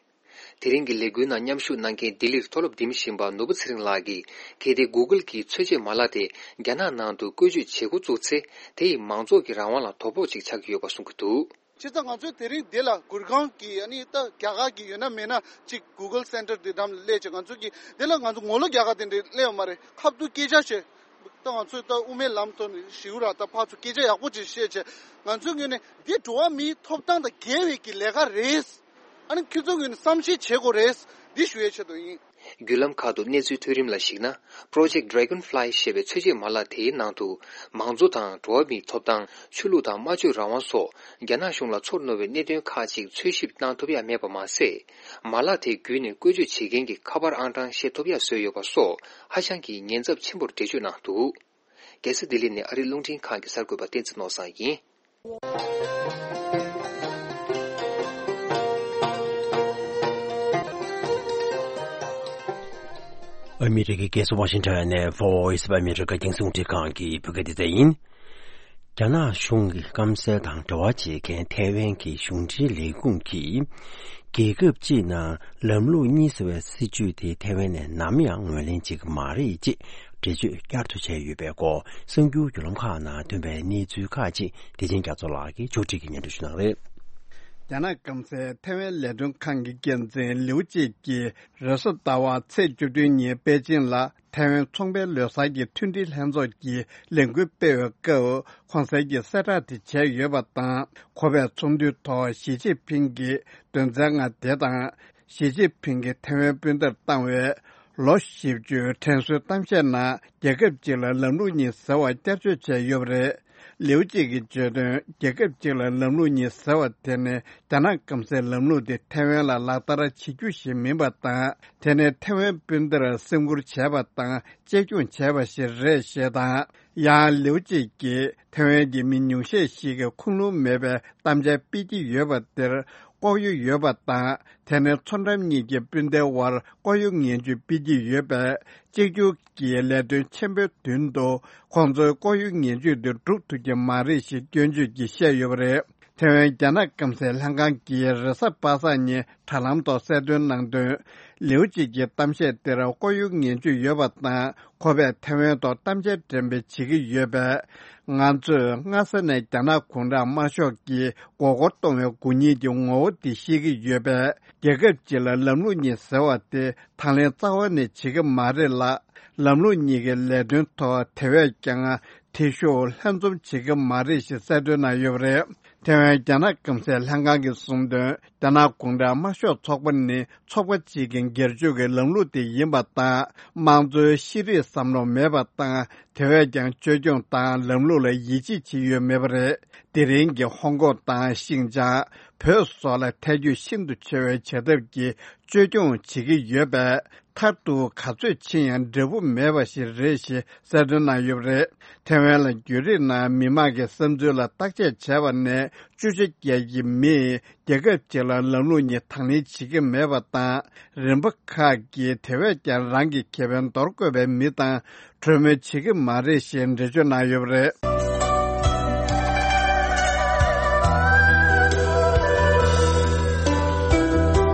དེ་རིང་གི་ལས་འགུལ་ནང་མཉམ་ཞུགས་གནང་མཁན་ལྡི་ལིར་མཐོ་སློབ་འགྲིམ་བཞིན་པ་ནོར་བུ་ཚེ་རིང་ལགས་ཀྱིས། གལ་ཏེ་Google་གྱིས་ཚོད་འཇལ་མ་ལག་དེ་རྒྱ་ནག་ནང་དུ་བཀོལ་སྤྱོད་བྱེད་འགོ་བཙུགས་ཚེ། དེ་ཡིས་མང་ཚོགས་ཀྱི་རང་དབང་ལ་དོ་ཕོག་ཅིག་ཆགས་ཀྱི་ཡོད་པ་གསུང་གི་འདུག། བྱས་ཙང་ང་ཚོས་དེ་རིང་འདི་ལ་གུར་ཁང་གི་ཨ་ནི་ད་རྒྱ་གར་གྱི་ཡོད་ན་མེད་ན་ཅིག་Google Center་འདི་འགྲམ་ལ་སླེབས་བྱས། ང་ཚོ་གི་འདི་ལ་ང་ཚོ་ངོ་ལོག་རྒྱ་གར་དེ་འདྲ་སླེབས་ཡོད་མ་རེད། ཁ་ཐུག་སྐད་ཆ་བྱས། ད་ང་ཚོས་ད་དབུ་མའི་ལམ་ཐོག་ནས་ཞིའུ་ར་ད་ཕར་ཚུར་སྐད་ཆ་ཡག་པོ་ཅིག་བཤད་བྱས། ང་ཚོའི་ངོས་ནས་འདི་འགྲོ་བ་མིའི་ཐོབ་ཐང་དང་འགལ་བའི་གི་ལས་ཀ་རེད། ཨ་ནི་ཁྱོད་ཚོའི་ངོས་ནས་བསམ་ཤེས་བྱེད་དགོས་རེད། འདི་ཞུ་ཡའི་ཆེད་དུ་ཡིན། བརྒྱུད་ལམ་ཁག་ཏུ་གནས་ཚུལ་ཐོན་རིམ་ལ་གཞིགས་ན། Project Dragonfly་ཞེས་པའི་ཚོད་འཇལ་མ་ལག་དེའི་ནང་དུ། མང་གཙོ་དང་འགྲོ་བ་མིའི་ཐོབ་ཐང་། ཆོས་ལུགས་དང་སྨྲ་བརྗོད་རང་དབང་སོགས། རྒྱ་ནག་གཞུང་ལ་ཚོར་རྣོ་བའི་གནད་དོན་ཁག་ཅིག་འཚོལ་ཞིབ་གནང་ཐུབ་ཡ་མེད་པ་མ་ཟད། མ་ལག་དེ་བརྒྱུད་ནས་བཀོལ་སྤྱོད་བྱེད་མཁན་གྱི་ཁ་པར་ཨང་གྲངས་ཤེས་ཐུབ་ཡ་བཟོས་ཡོད་པ་སོགས། ཧ་ཅང་གི་ཉེན་ཚབས་ཆེན་པོར་འགྲེལ་བརྗོད་གནང་འདུག། རྒྱལ་ས་ལྡི་ལི་ནས་ཨ་རིའི་རླུང་འཕྲིན་ཁང་གི་གསར་འགོད་པ་བསྟན་འཛིན་ནོར་བཟང་ཡིན། ཨ་མི་རི་ཀའི་རྒྱལ་ས་ཝ་ཤིང་ཊོན་ནས་Voice of America་རྒྱང་སྲིང་རླུང་འཕྲིན་ཁང་གི་བོད་སྐད་སྡེ་ཚན་ཡིན། རྒྱ་ནག་གཞུང་གི་སྐམ་སའི་དང་འབྲེལ་བ་བྱེད་མཁན་ཐའེ་ཝན་གྱི་གཞུང་འབྲེལ་ལས་ཁུངས་ཀྱིས། རྒྱལ་ཁབ་སྤྱིའི་ནང་ལམ་ལུགས་གཉིས་ཟེར་བའི་སྲིད་བྱུས་དེ་ཐའེ་ཝན་ནས་ནམ་ཡང་ངོས་ལེན་བྱེད་ཀྱི་མ་རེད་ཅེས་འགྲེལ་བརྗོད་བསྐྱར་དུ་བྱས་ཡོད་པའི་སྐོར། གསར་འགྱུར་བརྒྱུད་ལམ་ཁག་ནང་ཐོན་པའི་གནས་ཚུལ་ཁག་ཅིག་བདེ་ཆེན་རྒྱ་མཚོ་ལགས་ཀྱིས་ཕྱོགས་སྒྲིག་གིས་སྙན་སྒྲོན་ཞུ་གནང་རེད། རྒྱ་ནག་སྐམ་སའི་ཐའེ་ཝན་ལས་དོན་ཁང་གི་འགན་འཛིན་ལིའུ་ཅེ་ཀྱིས་རེས་གཟའ་ཟླ་བ་ཚེས་བཅུ་བདུན་ཉིན་པེ་ཅིང་ལ། ཐའེ་ཝན་ཚོང་པའི་ལོ་གསར་གྱི་མཐུན་སྒྲིལ་ལྷན་ཚོགས་ཀྱི་ལས་འགུལ་སྤེལ་བའི་སྐབས། གོང་གསལ་གྱི་གསལ་བསྒྲགས་དེ་བྱས་ཡོད་པ་དང་། ཁོ་པས་ཚོགས་འདུའི་ཐོག་ཞི་ཅིན་ཕིང་གི་དོན་ཚན་ལྔ་དེ་དང་། ཞི་ཅིན་ཕིང་གིས་ཐའེ་ཝན་སྤུན་ཟླར་བཏང་བའི་ལོ་བཞི་བཅུའི་དྲན་གསོའི་གཏམ་བཤད་ནང་། རྒྱལ་ཁབ་གཅིག་ལ་ལམ་ལུགས་གཉིས་ཟེར་བ་བསྐྱར་བཅོས་བྱས་ཡོད་པ་རེད། ལིའུ་ཅེ་གིས་བརྗོད་དོན། རྒྱལ་ཁབ་གཅིག་ལ་ལམ་ལུགས་གཉིས་ཟེར་བ་དེ་ནི་རྒྱ་ནག་སྐམ་སའི་ལམ་ལུགས་དེ་ཐའེ་ཝན་ལ་ལག་བསྟར་བྱེད་རྒྱུ་ཞིག་མིན་པ་དང་། དེ་ནི་ཐའེ་ཝན་སྤུན་ཟླར་སེམས་ཁུར་བྱས་པ་དང་གཅེས་སྐྱོང་བྱས་པ་ཞིག་རེད་ཞེས་དང་། ཡང་ལིའུ་ཅེ་གིས་ཐའེ་ཝན་གྱི་མི་ཉུང་ཤས་ཤིག་གིས་ཁུངས་ལུང་མེད་པའི་གཏམ་འཆལ་སྤེལ་གྱི་ཡོད་པ་དེར་ལྐོག་གཡོ་ཡོད་པ་དང་། དེ་ནི་མཚོ་འགྲམ་གཉིས་ཀྱི་སྤུན་ཟླའི་དབར་ལྐོག་གཡོ་ངན་ཇུས་སྤེལ་གྱི་ཡོད་པས། གཅིག་གྱུར་གྱི་ལས་དོན་ཆེན་པོའི་མདུན་དུ་ཁོང་ཚོའི་ལྐོག་གཡོ་ངན་ཇུས་དེ་འགྲུབ་ཐུབ་ཀྱི་མ་རེད་ཞེས་སྐྱོན་བརྗོད་ཀྱིས་བཤད་ཡོད་པ་རེད། ཐེ་ཝན་རྒྱ་ནག་སྐམ་སའི་ལྷན་ཁང་གིས་རེས་གཟའ་པ་སངས་ཉིན་དྲ་ལམ་ཐོག་གསལ་སྟོན་གནང་དོན། ལིའུ་ཅེ་གི་གཏམ་བཤད་དེར་ལྐོག་གཡོ་ངན་ཇུས་ཡོད་པ་དང་། ཁོ་པས་ཐེ་ཝན་ཐོག་གཏམ་འཆལ་འགྲེམས་སྤེལ་བྱེད་ཀྱི་ཡོད་པས། ང་ཚོས་སྔ་ས་ནས་རྒྱ་ནག་གུང་ཁྲན་དམར་ཤོག་གིས་མགོ་སྐོར་གཏོང་བའི་དགུ་ཉིད་ཀྱི་ངོ་བོ་དེ་ཤེས་ཀྱི་ཡོད་པས། རྒྱལ་ཁབ་གཅིག་ལ་ལམ་ལུགས་གཉིས་ཟེར་བ་དེ་དང་ལེན་རྩ་བ་ནས་བྱེད་ཀྱི་མ་རེད་ལ། ལམ་ལུགས་གཉིས་ཀྱི་ལས་དོན་ཐོག་དེ་བས་ཀྱང་ཐེ་ཞུགས་ལྷན་འཛོམས་བྱེད་ཀྱི་མ་རེད་ཞེས་གསལ་སྟོན་གནང་ཡོད་པ་རེད། ཐེ་ཝན་རྒྱ་ནག་སྐམ་སའི་ལྷན་ཁང་གིས་གསུངས་དོན། རྒྱ་ནག་གུང་ཁྲན་དམར་ཤོག་ཚོགས་པ་ནི་ཚོགས་པ་གཅིག་གི་སྒེར་གཅོད་ཀྱི་ལམ་ལུགས་དེ་ཡིན་པ་དང་། དམངས་གཙོའི་ཤེས་རིག་བསམ་བློ་མེད་པ་དང་། དེ་བས་ཀྱང་བཅོས་སྐྱོང་དང་ལམ་ལུགས་ལ་ཡིད་ཆེས་བྱེད་ཡོད་མེད་པ་རེད། དེ་རིང་གི་ཧོང་ཀོང་དང་ཤིན་ཅང་། བོད་སོགས་ལ་ཐལ་འགྱུར་ཤིན་ཏུ་ཆེ་བའི་བྱེད་ཐབས་ཀྱིས་བཅོས་སྐྱོང་བྱེད་ཀྱི་ཡོད་པས། མཐར་གཏུགས་ག་ཚོད་ཕྱིན་ཡང་འབྲས་བུ་མེད་པ་ཞིག་རེད་ཞེས་གསལ་སྟོན་གནང་ཡོད་པ་རེད། ཐེ་ཝན་ལ་བརྒྱུད་རིམ་ནང་མི་མང་གི་བསམ་ཚུལ་ལ་བརྟག་དཔྱད་བྱས་པ་ནས། བཅུ་ཆ་བརྒྱད་ཀྱི་མིས་རྒྱལ་ཁབ་གཅིག་ལ་ལམ་ལུགས་གཉིས་དང་ལེན་བྱེད་ཀྱི་མེད་པ་དང་། རིམ་པ་ཁག་གིས་དེ་བས་ཀྱང་རང་གི་ཁེ་ཕན་འདོར་དགོས་པའི་མི་དང་གྲོས་མོལ་བྱེད་ཀྱི་མ་རེད་ཞེས་འགྲེལ་བརྗོད་གནང་ཡོད་པ་རེད།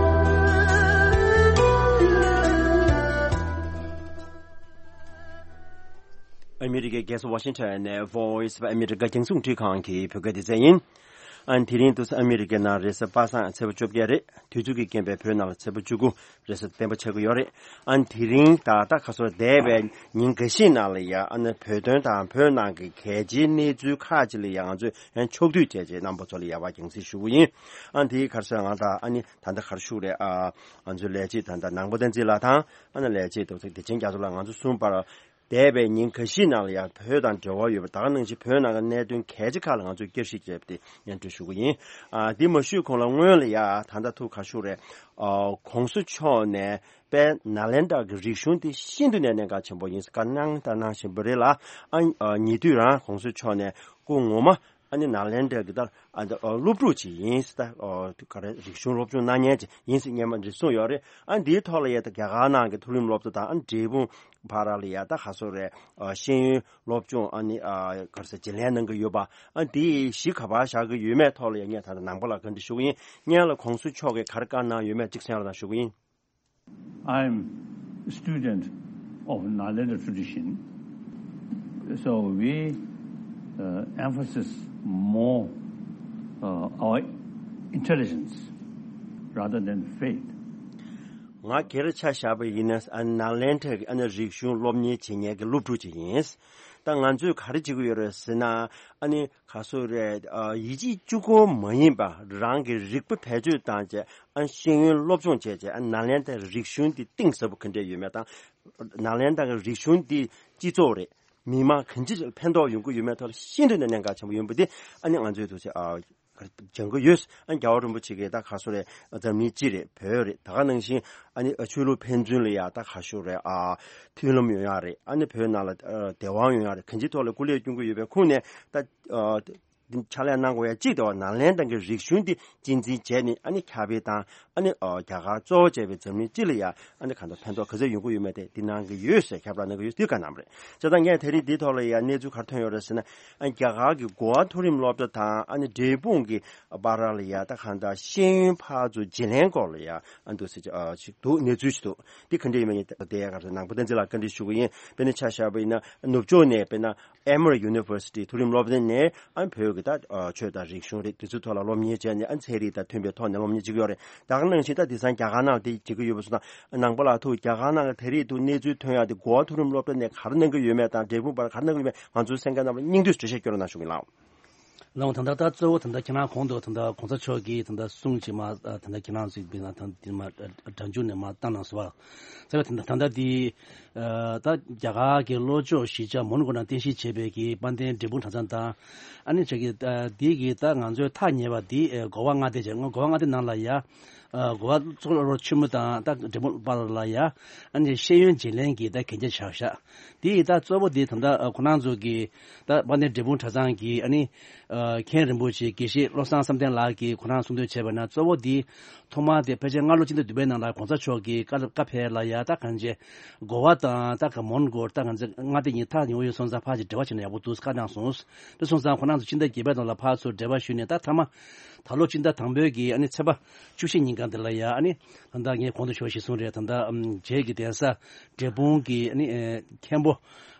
ཨ་མི་རི་ཀའི་རྒྱལ་ས་ཝ་ཤིང་ཊོན་ནས་Voice of America རྒྱང་སྲིང་རླུང་འཕྲིན་ཁང་གི་བོད་སྐད་སྡེ་ཚན་ཡིན། ཨ་ནི་དེ་རིང་དུས་ཨ་མི་རི་ཀའི་ནང་རེས་གཟའ་པ་སངས་ཚེས་པ་བཅོ་བརྒྱད་རེད། དུས་ཚོད་ཀྱི་རྐྱེན་པས་བོད་ནང་ལ་ཚེས་པ་བཅུ་དགུ་རེས་གཟའ་སྤེན་པ་ཆགས་ཀྱི་ཡོད་རེད། ཨ་ནི་དེ་རིང་ད་ལྟ་ཁ་སོ་འདས་པའི་ཉིན་འགའ་ཤས་ནང་ལ་ཡ། ཨ་ནི་བོད་དོན་དང་བོད་ནང་གི་གལ་ཆེའི་གནས་ཚུལ་ཁག་ཅིག་ལ་ཡ་ང་ཚོས་ཡང་ཕྱོགས་བསྡུས་བྱས་རྗེས་རྣམ་པ་ཚོ་ལ་ཡ་བ་རྒྱང་སྲིང་ཞུ་གི་ཡིན། ཨ་ནི་དེའི་ཁར་སོ་ང་དང་ཨ་ནི་ད་ལྟ་གར་ཞུགས་རེད། ཨ་ང་ཚོའི་ལས་བྱེད་ད་ལྟ་ནང་པ་བསྟན་འཛིན་ལགས་དང་། ཨ་ནི་ལས་བྱེད་དུ་བདེ་ཆེན་རྒྱ་མཚོ་ལགས། ང་ཚོ་གསུམ་བར་འདས་པའི་ཉིན་འགའ་ཤས་ནང་ལ་ཡང་བོད་དང་འབྲེལ་བ་ཡོད་པ། ད་ག་ནང་བཞིན་བོད་ནང་གི་གནད་དོན་གལ་ཆེ་ཁག་ལ་ང་ཚོས་བསྐྱར་ཞིབ་བྱས་ཏེ་སྙན་སྒྲོན་ཞུ་གི་ཡིན། ཨ་འདི་མ་ཞུས་གོང་ལ་སྔོན་ལ་ཡ་ད་ལྟ་ཐུག་ག་ཞུ་རེད། ཨ་༸གོང་ས་མཆོག་ནས་དཔལ་ནཱ་ལེནྡྲ་གི་རིག་གཞུང་དེ་ཤིན་ཏུ་ནས་གནད་འགག་ཆེན་པོ་ཡིན་ཟེར་བཀའ་གནང་དང་གནང་བཞིན་པ་རེད་ལ། ཨ་ཉེ་དུས་རང་༸གོང་ས་མཆོག་ནས་སྐུ་ངོ་མ་ཨ་ནི་ནཱ་ལེནྡྲ་གི་ད་ཨ་ད་སློབ་ཕྲུག་ཅིག་ཡིན་ཟེར། ད་ག་རེ་རིག་གཞུང་སློབ་སྦྱོང་གནང་མཁན་ཅིག་ཡིན་ཟེར་སྔོན་མ་འདི་གསུངས་ཡོད་རེད། ཨ་འདིའི་ཐོག་ལ་ཡ་ད་རྒྱ་གར་ནང་གི་མཐོ་རིམ་སློབ་གྲྭ་དང་ཨ་འབྲས་སྤུངས་བར་ལ་ཡ་ད་ག་སོ་རེད། ཤེས་ཡོན་སློབ་སྦྱོང་ཨ་ནི་ག་རེ་ཟེར་བརྗེ་ལེན་གནང་གི་ཡོད་པ། ཨ་འདི་གཞི་ག་པར་བཞག་གི་ཡོད་མེད་ཐོག་ལ་ཡ་ངས་ད་ལྟ་ནང་པ་ལ་བཀའ་འདྲི་ཞུ་གི་ཡིན། སྔོན་ལ་༸གོང་ས་མཆོག་གིས་ག་རེ་བཀའ་གནང་ཡོད་མེད་ཅིག་གསན་རོགས་གནང་ཞུ་གི་ཡིན། I'm a student of Nalanda tradition, so we uh, emphasize more uh, our intelligence rather than faith. ང་སྒེར་ཆ་བཞག་པ་ཡིན་ན་ཨ་ནཱ་ལེནྡྲ་གི་ཨ་ནི་རིག་གཞུང་སློབ་གཉེར་བྱེད་མཁན་གྱི་སློབ་ཕྲུག་ཅིག་ཡིན། ད་ང་ཚོས་ག་རེ་བྱེད་ཀྱི་ཡོད་རེད་ཟེར་ན། ཨ་ནི་ག་སོ་རེད། ཡིད་ཆེས་གཅིག་པོ་མ་ཡིན་པ་རང་གི་རིག་པ་བེད་སྤྱོད་བཏང་བྱས། ཨ་ཤེས་ཡོན་སློབ་སྦྱོང་བྱས་བྱས། ཨ་ནཱ་ལེནྡྲའི་རིག་གཞུང་འདི་གཏིང་ཟབ་པོ་ག་འདྲས་ཡོད་མེད་དང་། ནཱ་ལེནྡྲ་གི་རིག་གཞུང་འདི་སྤྱི་ཚོགས་རེད། མི་མང་གང་ཅི་ཕན་ཐོགས་ཡོང་གི་ཡོད་མེད་ཐོག་ལ་ཤིན་ཏུ་ནས་གནད་འགག་ཆེན་པོ་ཡིན་པ་འདི་ཨ་ནི་ང་ཚོས་འདུག་སེ་ཨ་སྦྱང་གི་ཡོད། ཨ་རྒྱལ་བ་རིན་པོ་ཆེ་གིས་ད་ག་སོ་རེད། འཛམ་གླིང་སྤྱི་རེད། བོད་རེད། ད་ག་ནང་བཞིན་ཨ་ནི་ཆོས་ལུགས་ཕན་ཚུན་ལ་ཡ་ད་ག་ཤོ་རེད། ཨ་མཐུན་ལམ་ཡོང་ཡ་རེད། ཨ་ནི་བོད་ནང་ལ་བདེ་དབང་ཡོང་ཡ་རེད། གང་ཅིའི་ཐོག་ལ་སྐུ་ལས་སྐྱོན་གྱི་ཡོད་པའི་ཁུངས་ནས་ད་ཕྱག་ལས་གནང་དགོས་ཡ་གཅིག་དེ་བ་ནཱ་ལེནྡྲ་གི་རིག་གཞུང་འདི་གཅེས་འཛིན་བྱས་ནས། ཨ་ནི་ཁྱབ་སྤེལ་དང་། ཨ་ནི་རྒྱ་གར་གཙོ་བོ་བྱས་པའི་འཛམ་གླིང་སྤྱི་ལ་ཡ་ཨ་ནི་གང་ལྟར་ཕན་ཐོགས་ག་ཚོད་ཡོང་གི་ཡོད་མེད་དེ་འདི་གནང་གི་ཡོད་ཟེར་ཁྱབ་བསྒྲགས་གནང་གི་ཡོད་ཟེར་བཀའ་གནང་བ་རེད། བྱས་ཙང་ངས་དེ་རིང་འདིའི་ཐོག་ལ་ཡ་གནས་ཚུལ་ག་རེ་ཐོན་ཡོད་རེད་ཟེར་ན། ཨ་རྒྱ་གར་གྱི་གོ་ཝ་མཐོ་རིམ་སློབ་གྲྭ་དང་ཨ་ནི་འབྲས་སྤུངས་ཀྱི་བར་ལ་ཡ་ད་གང་ལྟར་ཤེས་ཡོན་ཕར་ཚུར་བརྗེ་ལེན་སྐོར་ལ་ཡ་ཨ་འདུག་སེ་ཅིག་འདུག་གནས་ཚུལ་ཞིག་འདུག་འདི་ག་འདྲ་ཡིན་མིན་དེ་ཡ་ག་རེ་ནང་པ་བསྟན་འཛིན་ལགས་བཀའ་འདྲི་ཞུ་གི་ཡིན། དཔེར་ན་ཆ་བཞག་པ་ཡིན་ན་ནུབ་ཕྱོགས་ནས་དཔེར་ན་Emory University མཐོ་རིམ་སློབ་གྲྭ་ནས་ཨ་བོད་ཀྱི་ད་ཆོས་དང་རིག་གཞུང་རེད། དེ་ཚོའི་ཐོག་ལ་སློབ་གཉེར་བྱས་ནས་ཨ་ཚན་རིག་དང་མཐུན་པའི་ཐོག་ནས་སློབ་གཉེར་བྱེད་ཀྱི་ཡོད་རེད། ད་ག་ནང་བཞིན་ད་དེང་སང་རྒྱ་གར་ནང་དེ་བྱེད་ཀྱི་ཡོད་པ་སོང་ན། ནང་པ་ལགས་ཐུགས་རྒྱ་གར་ནང་གི་དེ་རིང་དུ་གནས་ཚུལ་ཐོན་ཡག་དེ་གོ་བ་མཐོ་རིམ་སློབ་གྲྭ་ནས་ག་རེ་གནང་གི་ཡོད་མེད་དང་། འབྲས་སྤུངས་བར་ག་རེ་གནང་གི་ཡོད་མེད། ང་ཚོའི་གསན་མཁན་རྣམས་ལ་སྙིང་བསྡུས་འགྲེལ་བཤད་སྐྱོན་རོགས་གནང་ཞུ་གི་ལགས། ལགས། ད་ལྟ་ད་གཙོ་བོ་ད་ལྟ་ཁྱེད་རང་གོང་དུ་ད་ལྟ་གོང་ས་མཆོག་གིས་ད་ལྟ་གསུང་ཅིག་མ་ད་ལྟ་ཁྱེད་རང་ཚོས་འབད་ན་ད་འདི་མ་སྒྲ་འཇུག་ནས་མ་བཏང་གནང་སོང་བ། ཚ་བའི་ད་ལྟ་ད་ལྟ་འདི་ད་རྒྱ་གར་གྱི་ལྷོ་ཕྱོགས་གཞིས་ཆགས་མོན་གྷོ་ནང་རྟེན་གཞི་བྱས་པའི་གི་དཔལ་ལྡན་འབྲས་སྤུངས་གྲྭ་ཚང་དང་ཨ་ནི་ཆ་གི་འདི་གི་ད་ང་ཚོའི་ཐག་ཉེ་བ་འདི་གོ་བ་མངའ་སྡེ་བྱས་གོ་བ་མངའ་སྡེ་ནང་ལ་ཡ། གོ་བ་གཙུག་ལག་ཆེན་མོ་དང་ད་འབྲས་སྤུངས་པ་ལ་ཡ་ཨ་ནི་ཤེས་ཡོན་བརྗེ་ལེན་གྱི་ད་གན་རྒྱ་བཞག་ཤག་དེ་ཡི་ད་གཙོ་བོ་དེ་ད་ལྟ་ཁོ་རང་ཚོ་གི་ད་དཔལ་ལྡན་འབྲས་སྤུངས་གྲྭ་ཚང་གི་ཨ་ནི་མཁན་རིན་པོ་ཆེ་དགེ་བཤེས་བློ་བཟང་བསམ་གཏན་ལགས་ཀྱིས་ཁོ་རང་གསུང་འདོན་བྱས་པ་ན་གཙོ་བོ་དེ་ཐོག་མར་དེ་ཕལ་ཆེར་སྔ་ལོ་སྤྱི་ཟླ་བདུན་པའི་ནང་ལ་གོང་ས་མཆོག་གིས་བཀའ་བཀའ་ཕེབས་ལ་ཡ་ད་གང་ཅེ་གོ་བ་དང་ད་ག་མོན་གྷོ་ད་གང་ཅེ་མངའ་སྡེ་གཉིས་ཐག་ཉེ་བོ་ཡོད་སོང་ཙང་ཕར་ཅིག་འབྲེལ་བ་བྱས་ན་ཡག་པོ་འདུག་བཀའ་གནང་སོང་། དེ་སོང་ཙང་ཁོ་རང་ཚོ་སྤྱི་ཟླ་བརྒྱད་པའི་ནང་ལ་ཕར་ཚུར་འབྲེལ་བ་ཞུས་ནས་ད་མཐའ་མ། ད་ལོ་སྤྱི་ཟླ་དང་པོའི་གི་ཨ་ནི་ཚེས་པ་བཅུ་བཞི་ཉིན་གང་དེ་ལ་ཡ་ཨ་ནི་ད་ལྟ་ངས་གོང་དུ་ཞུ་བ་ཞིག་གསུངས་རེད། ད་ལྟ་ཨམ་རྗེ་གི་གདན་ས་འབྲས་སྤུངས་ཀྱི་ཨ་ནི་ཨེ་མཁན་པོ་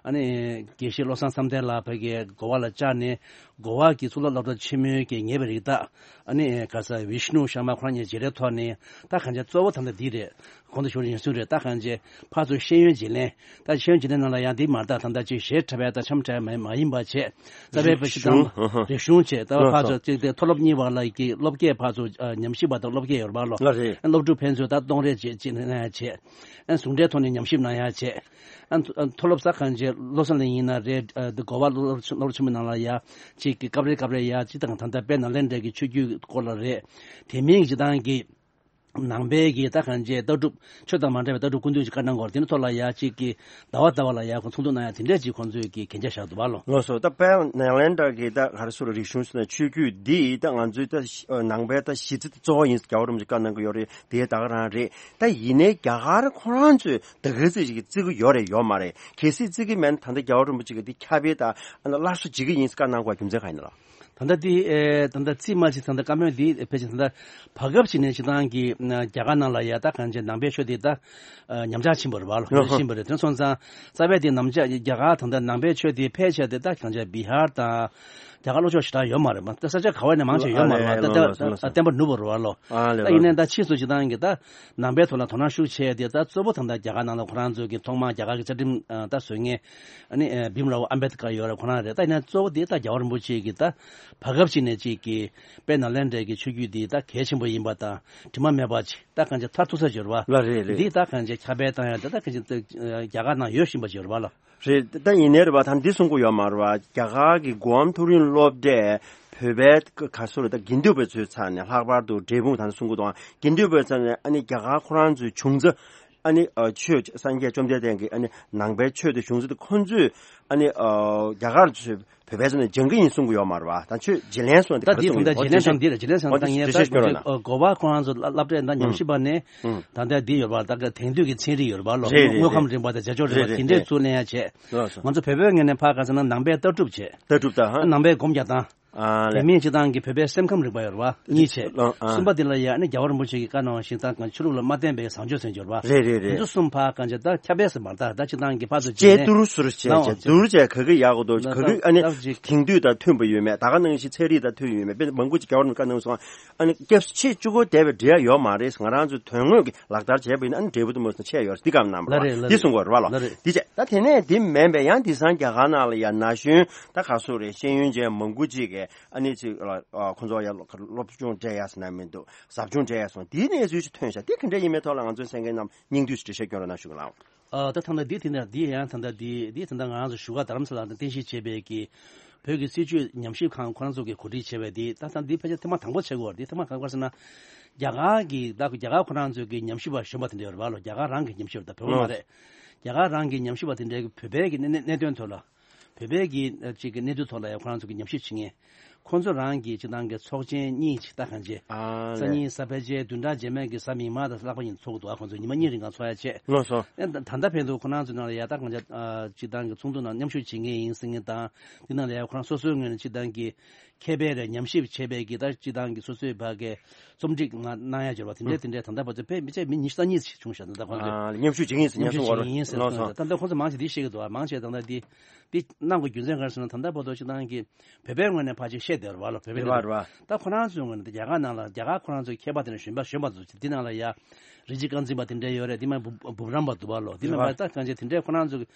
ཨ་ནི་དགེ་བཤེས་བློ་བཟང་བསམ་གཏན་ལགས་ཕ་གིའི་གོ་བ་ལ་བཅར་ནས་གོ་བ་གི་གཙུག་ལག་སློབ་གྲྭ་ཆེན་མོའི་གི་ངེས་པའི་རིགས་དག་ཨ་ནི་ཨེ་ག་ས་བི་ཤ་ནུ་ཤར་མ་ཁོ་རང་གཉིས་མཇལ་འཕྲད་ཐོག་ནས་ད་གང་ཅི་གཙོ་བོ་ད་ལྟ་འདི་རེད། གོང་དུ་ཞུ་བ་ཡིན་ཚུལ་རེད། ད་གང་ཅི་ཕར་ཚུར་ཤེས་ཡོན་བརྗེ་ལེན། ད་ཤེས་ཡོན་བརྗེ་ལེན་ནང་ལ་ཡང་འདི་མ་རེད། ད་ད་ལྟ་ཅིག་གཞས་འཁྲབ་པའི་ད་འཆམ་འཁྲབ་མ་མ་ཡིན་པ་བྱས། རྩ་བའི་རིག་གཞུང་། རིག་གཞུང་བྱས། ད་ལགས་ཕར་ཚུར་ཅིག་དེ་མཐོ་སློབ་གཉིས་བར་ལ་གི་སློབ་དགེ་ཕར་ཚུར་ཨ་ཉམས་ཞིབ་པ་དང་སློབ་དགེ་ཡོད་རེད་པ་ལོ། ལགས་རེད། ཨ་སློབ་ཕྲུག་ཕན་ཚུན་ད་གཏོང་རེས་བྱེད་བྱེད་གནང་ཡ་བྱས། ཨ་ཟུང་འབྲེལ་ཐོག་ནས་ཉམས་ཞིབ་གནང་ཡ་བྱས། ཨ་མཐོ་ཨ་མཐོ་སློབ་ས་གང་ཅི་བློ་བཟང་ལགས་ཡིན་ན་རེད། ཨ་འདི་གོ་བ་སློབ་སློབ་ཆེན་མོ་ནང་ལ་ཡ་ཅིག་གི་སྐབས་རེ་སྐབས་རེ་ཡ་ཅིག་དང་ད་ལྟ་དཔལ་ནཱ་ལེནྡྲའི་གི་ཆོས་བརྒྱུད་སྐོར་ལ་རེད། དེ་མིན་གྱི་སྤྱིར་བཏང་གི་ནང་པའི་གི་ད་གང་ཅི་ལྟ་གྲུབ་ཆོས་དང་མ་འདྲ་བའི་ལྟ་གྲུབ་སྐུ་མདུན་གྱི་བཀའ་གནང་སྐོར་དེ་ནི་ཐོག་ལ་ཡ་གཅིག་གི་ཟླ་བ་ཟླ་བ་ལ་ཡ་ཁོ་ཚོགས་འདུ་གནང་ཡ་དེ་འདྲས་ཅིག་ཁོང་ཚོས་གི་གན་རྒྱ་བཞག་འདུག་བ་ལོ། ལགས་སོ། ད་དཔལ་ནཱ་ལེནྡྲ་གི་ད་ག་རེ་ཟེར་རིག་གཞུང་ཟེར་ན་ཆོས་བརྒྱུད་འདི་ད་ང་ཚོའི་ད་ནང་པའི་ད་གཞི་རྩ་གཙོ་བོ་ཡིན་ཟེར་རྒྱལ་བ་རིན་པོ་ཆེས་བཀའ་གནང་གི་ཡོད་རེད། དེ་ད་ག་རང་རེད། ད་ཡིན་ནའི་རྒྱ་གར་ཁོ་རང་ཚོས་ད་ག་ཚོད་ཅིག་གི་བརྩི་གི་ཡོད་རེད་ཡོད་མ་རེད། གལ་སྲིད་བརྩི་གི་མེད་ན་ད་ལྟ་རྒྱལ་བ་རིན་པོ་ཆེ་གི་འདི་ཁྱབ་སྤེལ་ད་སླར་གསོ་བྱེད་ཀྱི་ཡིན་ཟེར་བཀའ་གནང་དགོས་རྒྱུ་མཚན་ག་ཡིན་ན་ལགས། ད་ལྟ་འདི་ཨེ་ད་ལྟ་རྩིས་མ་བྱས། ད་ལྟ་བཀའ་མོལ་འདི་ཕལ་ཆེར་ད་ལྟ་བར་སྐབས་ཤིག་ནས་སྤྱིར་བཏང་གི་རྒྱ་གར་ནང་ལ་ཡ་ད་གང་ཅི་ནང་པའི་ཆོས་འདི་ད་ཉམས་ཆག་ཕྱིན་པ་རེད་བ་ལོ། ལོ་ཕྱིན་པ་རེད། དེ་སོང་ཙང་རྩ་བའི་དེ་ནམ་ཆག་རྒྱ་གར་ད་ལྟ་ནང་པའི་ཆོས་འདི་ཕལ་ཆེར་དེ་ད་གང་ཅི་བི་ཧར་དང་རྒྱ་གར་ལྷོ་ཕྱོགས་ཞེ་དྲག་ཡོད་མ་རེད་མ། ད་ས་ཆ་ག་བ་ནས་མང་ཆེ་ཡོད་མ་རེད་བ། ད་ད་བསྟན་པ་ནུབ་པ་རེད་བ་ལོ། ད་ཡིན་ནའི་ད་ཕྱིས་སུ་སྤྱིར་བཏང་གི་ད་ནང་པའི་ཐོག་ལ་དོ་སྣང་ཤུགས་ཆེ་དེ་ད་གཙོ་བོ་ད་ལྟ་རྒྱ་གར་ནང་ལ་ཁོ་རང་ཚོ་གི་ཐོག་མར་རྒྱ་གར་གི་རྩ་ཁྲིམས་ད་བཟོ་མཁན་ཨ་ནི་བིམ་རའོ་ཨམ་བེད་ཀར་ཡོད་རེད། ཁོ་རང་རེད། ད་ཡིན་ན་གཙོ་བོ་དེ་ད་རྒྱལ་བ་རིན་པོ་ཆེ་གི་ད་བར་སྐབས་ཅིག་ནས་ཅིག་གི་དཔལ་ནཱ་ལེནྡྲའི་གི་ཆོས་བརྒྱུད་འདི་ད་གལ་ཆེན་པོ་ཡིན་པ་དང་དྲི་མ་མེད་པ་ཅིག་ད་གང་ཅི་མཐར་ཐུག་ས་ཅིག་ཡོད་རེད་བ། ལགས་རེད་རེད། འདི་ད་གང་ཅི་ཁྱབ་སྤེལ་བཏང་ཡ་དེ་ད་གང་ཅི་རྒྱ་གར་ནང་ཡོད་བཞིན་པ་ཅིག་ཡོད་རེད་བ་ལོ། རེད། ད་ཡིན་ནའི་རེད་བ། ད་འདི་གསུང་གི་ཡོད་མ་རེད་བ། རྒྱ་གར་གི་གོའམ་མཐོ་རིམ་སློབ་གྲྭས་བོད་པའི་ག་སོ་རེད། ད་དགེ་འདུན་པ་ཚོའི་ཚབ་ནས་ལྷག་པར་དུ་འབྲས་སྤུངས་ད་ནི་གསུང་གི་འདུག་དགེ་འདུན་པའི་ཚབ་ནས་ཨ་ནི་རྒྱ་གར་ཁོ་རང་ཚོའི་བྱུང་རྩ། ཨ་ནི་ཨ་ཆོས་སངས་རྒྱས་བཅོམ་ལྡན་འདས་ཀྱི་ཨ་ནི་ནང་པའི་ཆོས་དེ་བྱུང་ཚུལ་དེ་ཁོང་ཚོས་ཨ་ནི་ཨ་རྒྱ་གར་ཚོས་བོད་པའི་ཚབ་ནས་སྦྱང་གི་ཡིན་གསུང་གི་ཡོད་མ་རེད་བ། ད་ཆོས་བརྗེ་ལེན་སོང་དེ་ད་ག་རེ་འདི་གསུང་ད་གི་ལྟ་ཡིན། བརྗེ་ལེན་སོང་འདི་རེད། བརྗེ་ལེན་སོང་ད་ངས་ད་གོ་བ་ཁོ་རང་ཚོ་བསླབ་གྲྭའི་ད་ཉམས་ཞིབ་པ་ནས་ད་ལྟ་འདི་ཡོད་རེད་བ། ད་ག་དེང་དུས་ཀྱི་ཚན་རིག་ཡོད་རེད་བ་ལོ། རེད་རེད། དངོས་ཁམས་རིག་པ་དང་བྱ་སྤྱོད་རིག་པ་དེ་འདྲས་ཚུར་ལེན་ཡ་བྱས། ལགས་སོ། ང་ཚོ་བོད་པའི་ངོས་ནས་ཕར་ག་ཟེར་ན་ནང་པའི་ལྟ་གྲུབ་བྱས། ལྟ་གྲུབ་ད་ཧ། ནང་པའི་སྒོམ་རྒྱག་སྟངས། ཨ་དེ་ལས། མིན་སྤྱིར་བཏང་གི་བོད་པའི་སེམས་ཁམས་རིག་པ་ཡོད་རེད་བ། གཉིས་བྱས། ཨ། གསུམ་པ་འདི་ལ་ཡ་ཨ་ནི་རྒྱལ་བ་རིན་པོ་ཆེ་གི་བཀའ་གནང་བ་བཞིན་ད་གང་ཆོས་ལུགས་ལ་མ་བརྟེན་པའི་བཟང་སྤྱོད་ཟེར་འབྱོར་བ། རེད་རེད་རེད། འདི་ཚོ་གསུམ་ཕར་གང་བྱས་ད་ཁྱབ་སྤེལ་ཟེར་མ་རེད། ད་ད་སྤྱིར་བཏང་གི་ཕར་ཚུར་དཔྱད་བསྡུར་ཟུར་བྱས་བྱས་བསྡུར་བྱས་ག་གི་ཡག་གོ་འདུག་ག་གི་ཨ་ནི་ད་ཅིག་དེང་དུས་དང་མཐུན་པ་ཡོད་མེད། ད་ག་ནང་བཞིན་ཚན་རིག་དང་མཐུན་ཡོད་མེད། དཔེ་མང་པོ་ཅིག་རྒྱལ་བ་རིན་པོ་ཆེ་བཀའ་གནང་སོང་། ཨ་ནི་སྐྱབས་སུ་མཆི་བཅུ་དགུ་འདས་པའི་འབྲེལ་ཡོད་མ་རེད། ང་རང་ཚོ་དོན་དངོས་ཀྱི་ལག་བསྟར་བྱས་པ་ཡིན་ན་ཨ་ནི་འབྲས་བུ་དེ་མོ་ཟེར་ན་ཆད་ཡོད་རེད། འདི་ག་རྣམ་པ་ལ་ལ་རེད་ལ་འདི་རེད། བྱས། ད་དེ་ནས་འདི་མིན་པའི་ཡང་དེང་སང་རྒྱ་གར་ནང་ལ་ཡང་ན་གཞོན་ད་ག་སོ་རེད། ཤེས་ཡོན་ཅན་མང་པོ་ཅིག་གིས་ཨ་ནི་ཅིག་ལ་ཨ་ཁོང་ཚོ་ཡང་སློབ་སྦྱོང་སྤྲད་ཡ་ཟེར་ན་མི་འདུག་ཟབ་སྦྱོང་སྤྲད་ཡ་སོང་། དེའི་གནས་ཚུལ་ཞིག་ཐོན་ཤག་དེ་ག་འདྲ་ཡིན་མིན་ཐོག་ལ་ང་ཚོའི་གསན་མཁན་རྣམས་སྙིང་བསྡུས་ཤིག་འགྲེལ་བཤད་སྐྱོན་རོགས་གནང་ཞུ་གི་ལགས། ཨ་ད་ཐ་ན་འདི་དེ་འདྲ་འདི་ཡང་ད་ལྟ་འདི་འདི་ད་ལྟ་ང་རང་ཚོ་བཞུགས་སྒར་རྡ་རམ་ས་ལ་དང་རྟེན་གཞི་བྱས་པའི་གི་བོད་ཀྱི་སྲིད་བྱུས་ཉམས་ཞིབ་ཁང་ཁོ་རང་ཚོ་གིས་གོ་སྒྲིག་བྱས་པའི་འདི་ད་ད་འདི་ཕལ་ཆེར་ཐེངས་མ་དང་པོ་བྱེད་དགོས་པ་རེད། འདི་ཐེངས་མ་ག་པར་ཟེར་ན་རྒྱ་གར་གི་ད་རྒྱ་གར་ཁོ་རང་ཚོ་གི་ཉམས་ཞིབ་པ་གཞོན་པ་དེ་འདྲ་ཡོད་རེད་བ་ལོ། རྒྱ་གར་རང་གི་ཉམས་ཞིབ་པ་དེ་འདྲ་གི་བོད་པའི་མ་རེད། རྒྱ་གར་རང་གི་ཉམས་ཞིབ་པ་དེ་འདྲ་གི་བོད་པའི་གི་གནད་གནད་དོན་ཐོག་ལ། བོད་པའི་གི་ཅིག་གི་གནས་ཚུལ་ཐོག་ལ་ཡང་ཁོ་རང་ཚོ་གི་ཉམས་ཞིབ་བྱེད་མཁན། ཁོང་ཚོ་རང་གི་སྤྱིར་བཏང་གི་ཚོགས་ཆེན་གཉིས་ཅིག་ད་གང་བྱེད། ཨ་སང་ཉིན་གཟའ་ཕལ་ཆེར་བདུན་ཕྲག་རྗེས་མའི་གི་གཟའ་མིག་དམར་དང་ལྷག་པ་ཉིན་ཚོགས་འདུག་ཨ་ཁོང་ཚོ་ཉི་མ་གཉིས་རིང་གང་ཚོགས་ཡ་བྱེད། ལགས་སོ། ཨེ་ད་ད་ལྟ་བར་དུ་ཁོ་རང་ཚོའི་ནང་ལ་ཡ་ད་གང་བྱེད། སྤྱིར་བཏང་གི་ཚོགས་འདུ་ནང་མཉམ་ཞུགས་བྱེད་མཁན་ཡིན་ཟེར་མཁན་དང་། འདི་ནང་ལ་ཡ་ཁོ་རང་སོ་སོའི་ངོས་ནས་སྤྱིར་བཏང་གི་མཁས་པའི་རེད། ཉམས་ཞིབ་བྱས་པའི་གི་ད་སྤྱིར་བཏང་གི་སོ་སོའི་བར་གི་རྩོམ་སྒྲིག་ང་གནང་ཡ་འབྱོར་བ་དེ་འདྲས་དེ་འདྲས་ད་ལྟ་བར་དུ་ཕལ་མི་ཆེ་མི་ཉི་ཤུ་རྩ་གཉིས་ཤིག་བྱུང་ཤག་ད་ལྟ་ཁོང་ཚོས། ཨ་ཉམས་ཞིབ་བྱེད་མཁན་ཟེར་ཉམས་ཉམས་ཞིབ་སོང་བ་བྱེད་མཁན་ཡིན་ཟེར་ལགས་སོ། སོང་ད་ལྟ་ཁོང་ཚོ་མང་ཆེ་འདི་ཤེས་ཀྱི་འདུག་ཨ་མང་ཆེ་ད་ལྟ་འདི་འདི་གནང་དགོས་རྒྱུ་མཚན་ག་རེ་ཟེར་ན། ད་ལྟ་བར་དུ་སྤྱིར་བཏང་གི་བོད་པའི་ངོས་ནས་ཕར་ཅིག་བཤད་བསྡད་ཡོད་རེད་བ་ལོ། བོད་པའི་རེད་བ་རེད་བ། ད་ཁོ་རང་ཚོའི་ངོས་ནས་རྒྱ་གར་ནང་ལ་རྒྱ་གར་ཁོ་རང་ཚོའི་མཁས་པ་དེ་འདྲ་གཞོན་པ་གཞོན་པ་ཚོ་འདི་ནང་ལ་ཡ་རིན་ཆེན་རྐང་འཛིན་པ་དེ་འདྲ་ཡོད་རེད། འདི་མ་འབུམ་འབུམ་རམས་པ་འདུག་བ་ལོ། འདི་མ་རེད་བ། ད་གང་ཅི་དེ་འདྲས་ཁོ་རང་ཚོ་གི་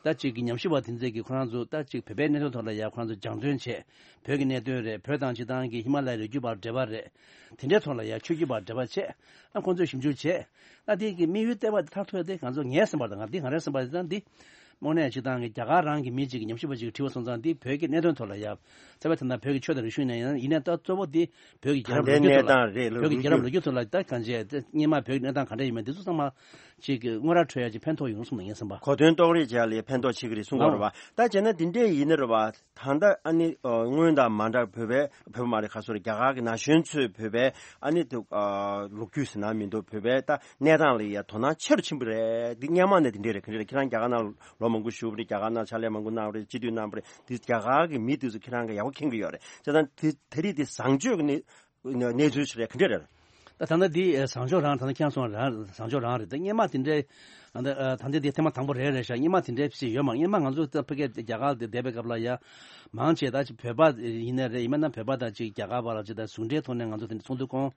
ད་ཅིག་གི་ཉམས་ཞིབ་པ་དེ་ཚོས་ཀྱི་ཁོ་རང་ཚོ་ད་ཅིག་བོད་པའི་གནད་དོན་ཐོག་ལ་ཡ་ཁོ་རང་ཚོ་སྦྱང་བརྩོན་བྱས། བོད་ཀྱི་གནད་དོན་རེད། བོད་དང་སྤྱི་བཏང་གི་ཧི་མ་ལ་ཡའི་རི་རྒྱུད་བར་འབྲེལ་བ་རེད། དེ་འདྲའི་ཐོག་ལ་ཡ་ཆོས་བརྒྱུད་བར་འབྲེལ་བ་བྱས། ཨ་ཁོང་ཚོས་ཞིབ་འཇུག་བྱས། ཨ་དེ་གི་དམིགས་ཡུལ་ལྟེ་བ་དེ་མཐར་ཐུག་ཡ་དེ་ང་ཚོ་ངའི་བསམ་པ་དང་ང་འདི་ང་རའི་བསམ་པ་དེ་དང་འདི། དངོས་གནས་སྤྱི་བཏང་གི་རྒྱ་གར་རང་གི་མི་གཅིག་གི་ཉམས་ཞིབ་པ་གཅིག་གིས་དྲིས་པ་སོང་ཙང་འདི་བོད་ཀྱི་གནད་དོན་ཐོག་ལ་ཡ། ཚ་བའི་ཐ་ན་བོད་ཀྱི་ཆོས་དང་རིག་གཞུང་ནས་ཡང་ཡིན་ནའི་ད་གཙོ་བོ་འདི་བོད་ཀྱི་རྒྱལ་རབས་ལོ་རྒྱུས་ཐོག་ལ། ད་ལྟའི་གནས་སྟངས་རེད་ལ། བོད་ཀྱི་རྒྱལ་རབས་ལོ་རྒྱུས་ཐོག་ལ་ད་གང་བྱས་ད་སྔོན་མ་བོད་ཀྱི་གནས་སྟངས་ག་འདྲ་ཡིན་མིན་འདི་ཚོ་ཚང་མ་ཅིག་གི་དངོས་ར་འཕྲོད་ཡ་ཅིག་ཕན་ཐོགས་ཡོང་བསམ་ན་ངའི་བསམ་པ། གོ་དོན་རྟོགས་རེས་བྱས་ལ་ཕན་ཐོགས་ཆེ་གི་རེད་གསུང་གི་རེད་བ། ད་བྱས་ན་འདི་འདྲས་ཡིན་ནི་རེད་བ། ད་ལྟ་ཨ་ནི་ཨ་སྔོན་དང་མ་འདྲ་བོད་པའི་བོད་པ་མ་རེད་ག་སོ་རེད། རྒྱ་གར་གྱི་ན་གཞོན་ཚོས་བོད་པའི་ཨ་ནི་དུ་ཨ་ལོ་རྒྱུས་ཟེར་ན་མི་འདུག་བོད་པའི་ད་གནས་སྟངས་ལ་ཡ་དོ་སྣང་ཆེ་རུ་ཕྱིན་པ་རེད། འདི་སྔོན་མ་ནས་འདི་འདྲས་རེད། ག་རེ་རེད། ཁྱེད་རང་རྒྱ་གར་ནང་ལོ་མང་པོ་བཞུགས་པ་རེད། རྒྱ་གར་ནང་ཕྱག་ལས་མང་པོ་གནང་བ་རེད། སྤྱི་འཐུས་གནང་བ་རེད། འདི་རྒྱ་གར་གྱི་མི་དེ་ཚོ་ཁྱེད་རང་གི་ཡག་པོ་མཁྱེན་གྱི་ཡོད་རེད། བྱས་ཙང་དེ་དེ་རིགས་དེ་བཟང་སྤྱོད་ཀྱི་གནས་གནས་ཚུལ་ཞིག་རེད། ག་འདྲས་རེད། ད་ད་ལྟ་འདི་ཨ་བཟང་ཕྱོགས་རང་ད་ལྟ་ཁྱེད་རང་གསུངས་རང་བཟང་ཕྱོགས་རང་རེད། ད་སྔོན་མ་དེ་འདྲའི་ད་ལྟ་ཨ་ད་ལྟ་འདི་ཐེངས་མ་དང་པོ་རེད་རེད་ཤག་སྔོན་མ་དེ་འདྲའི་ཞིག་ཡོད་མ་རེད། སྔོན་མ་ང་ཚོ་ད་ཕ་གིར་རྒྱ་གར་དེ་བསྡད་པའི་སྐབས་ལ་ཡ་མང་ཆེ་ད་ཅིག་བོད་པ་ཡིན་ན་རེད། ཡིན་མིན་ན་བོད་པ་དང་ཅིག་རྒྱ་གར་བར་ལ་ཅིག་ད་ཟུང་འབྲེལ་ཐོག་ནས་ང་ཚོ་དེ་འདྲ་ཚོགས་འདུ་སྐོང་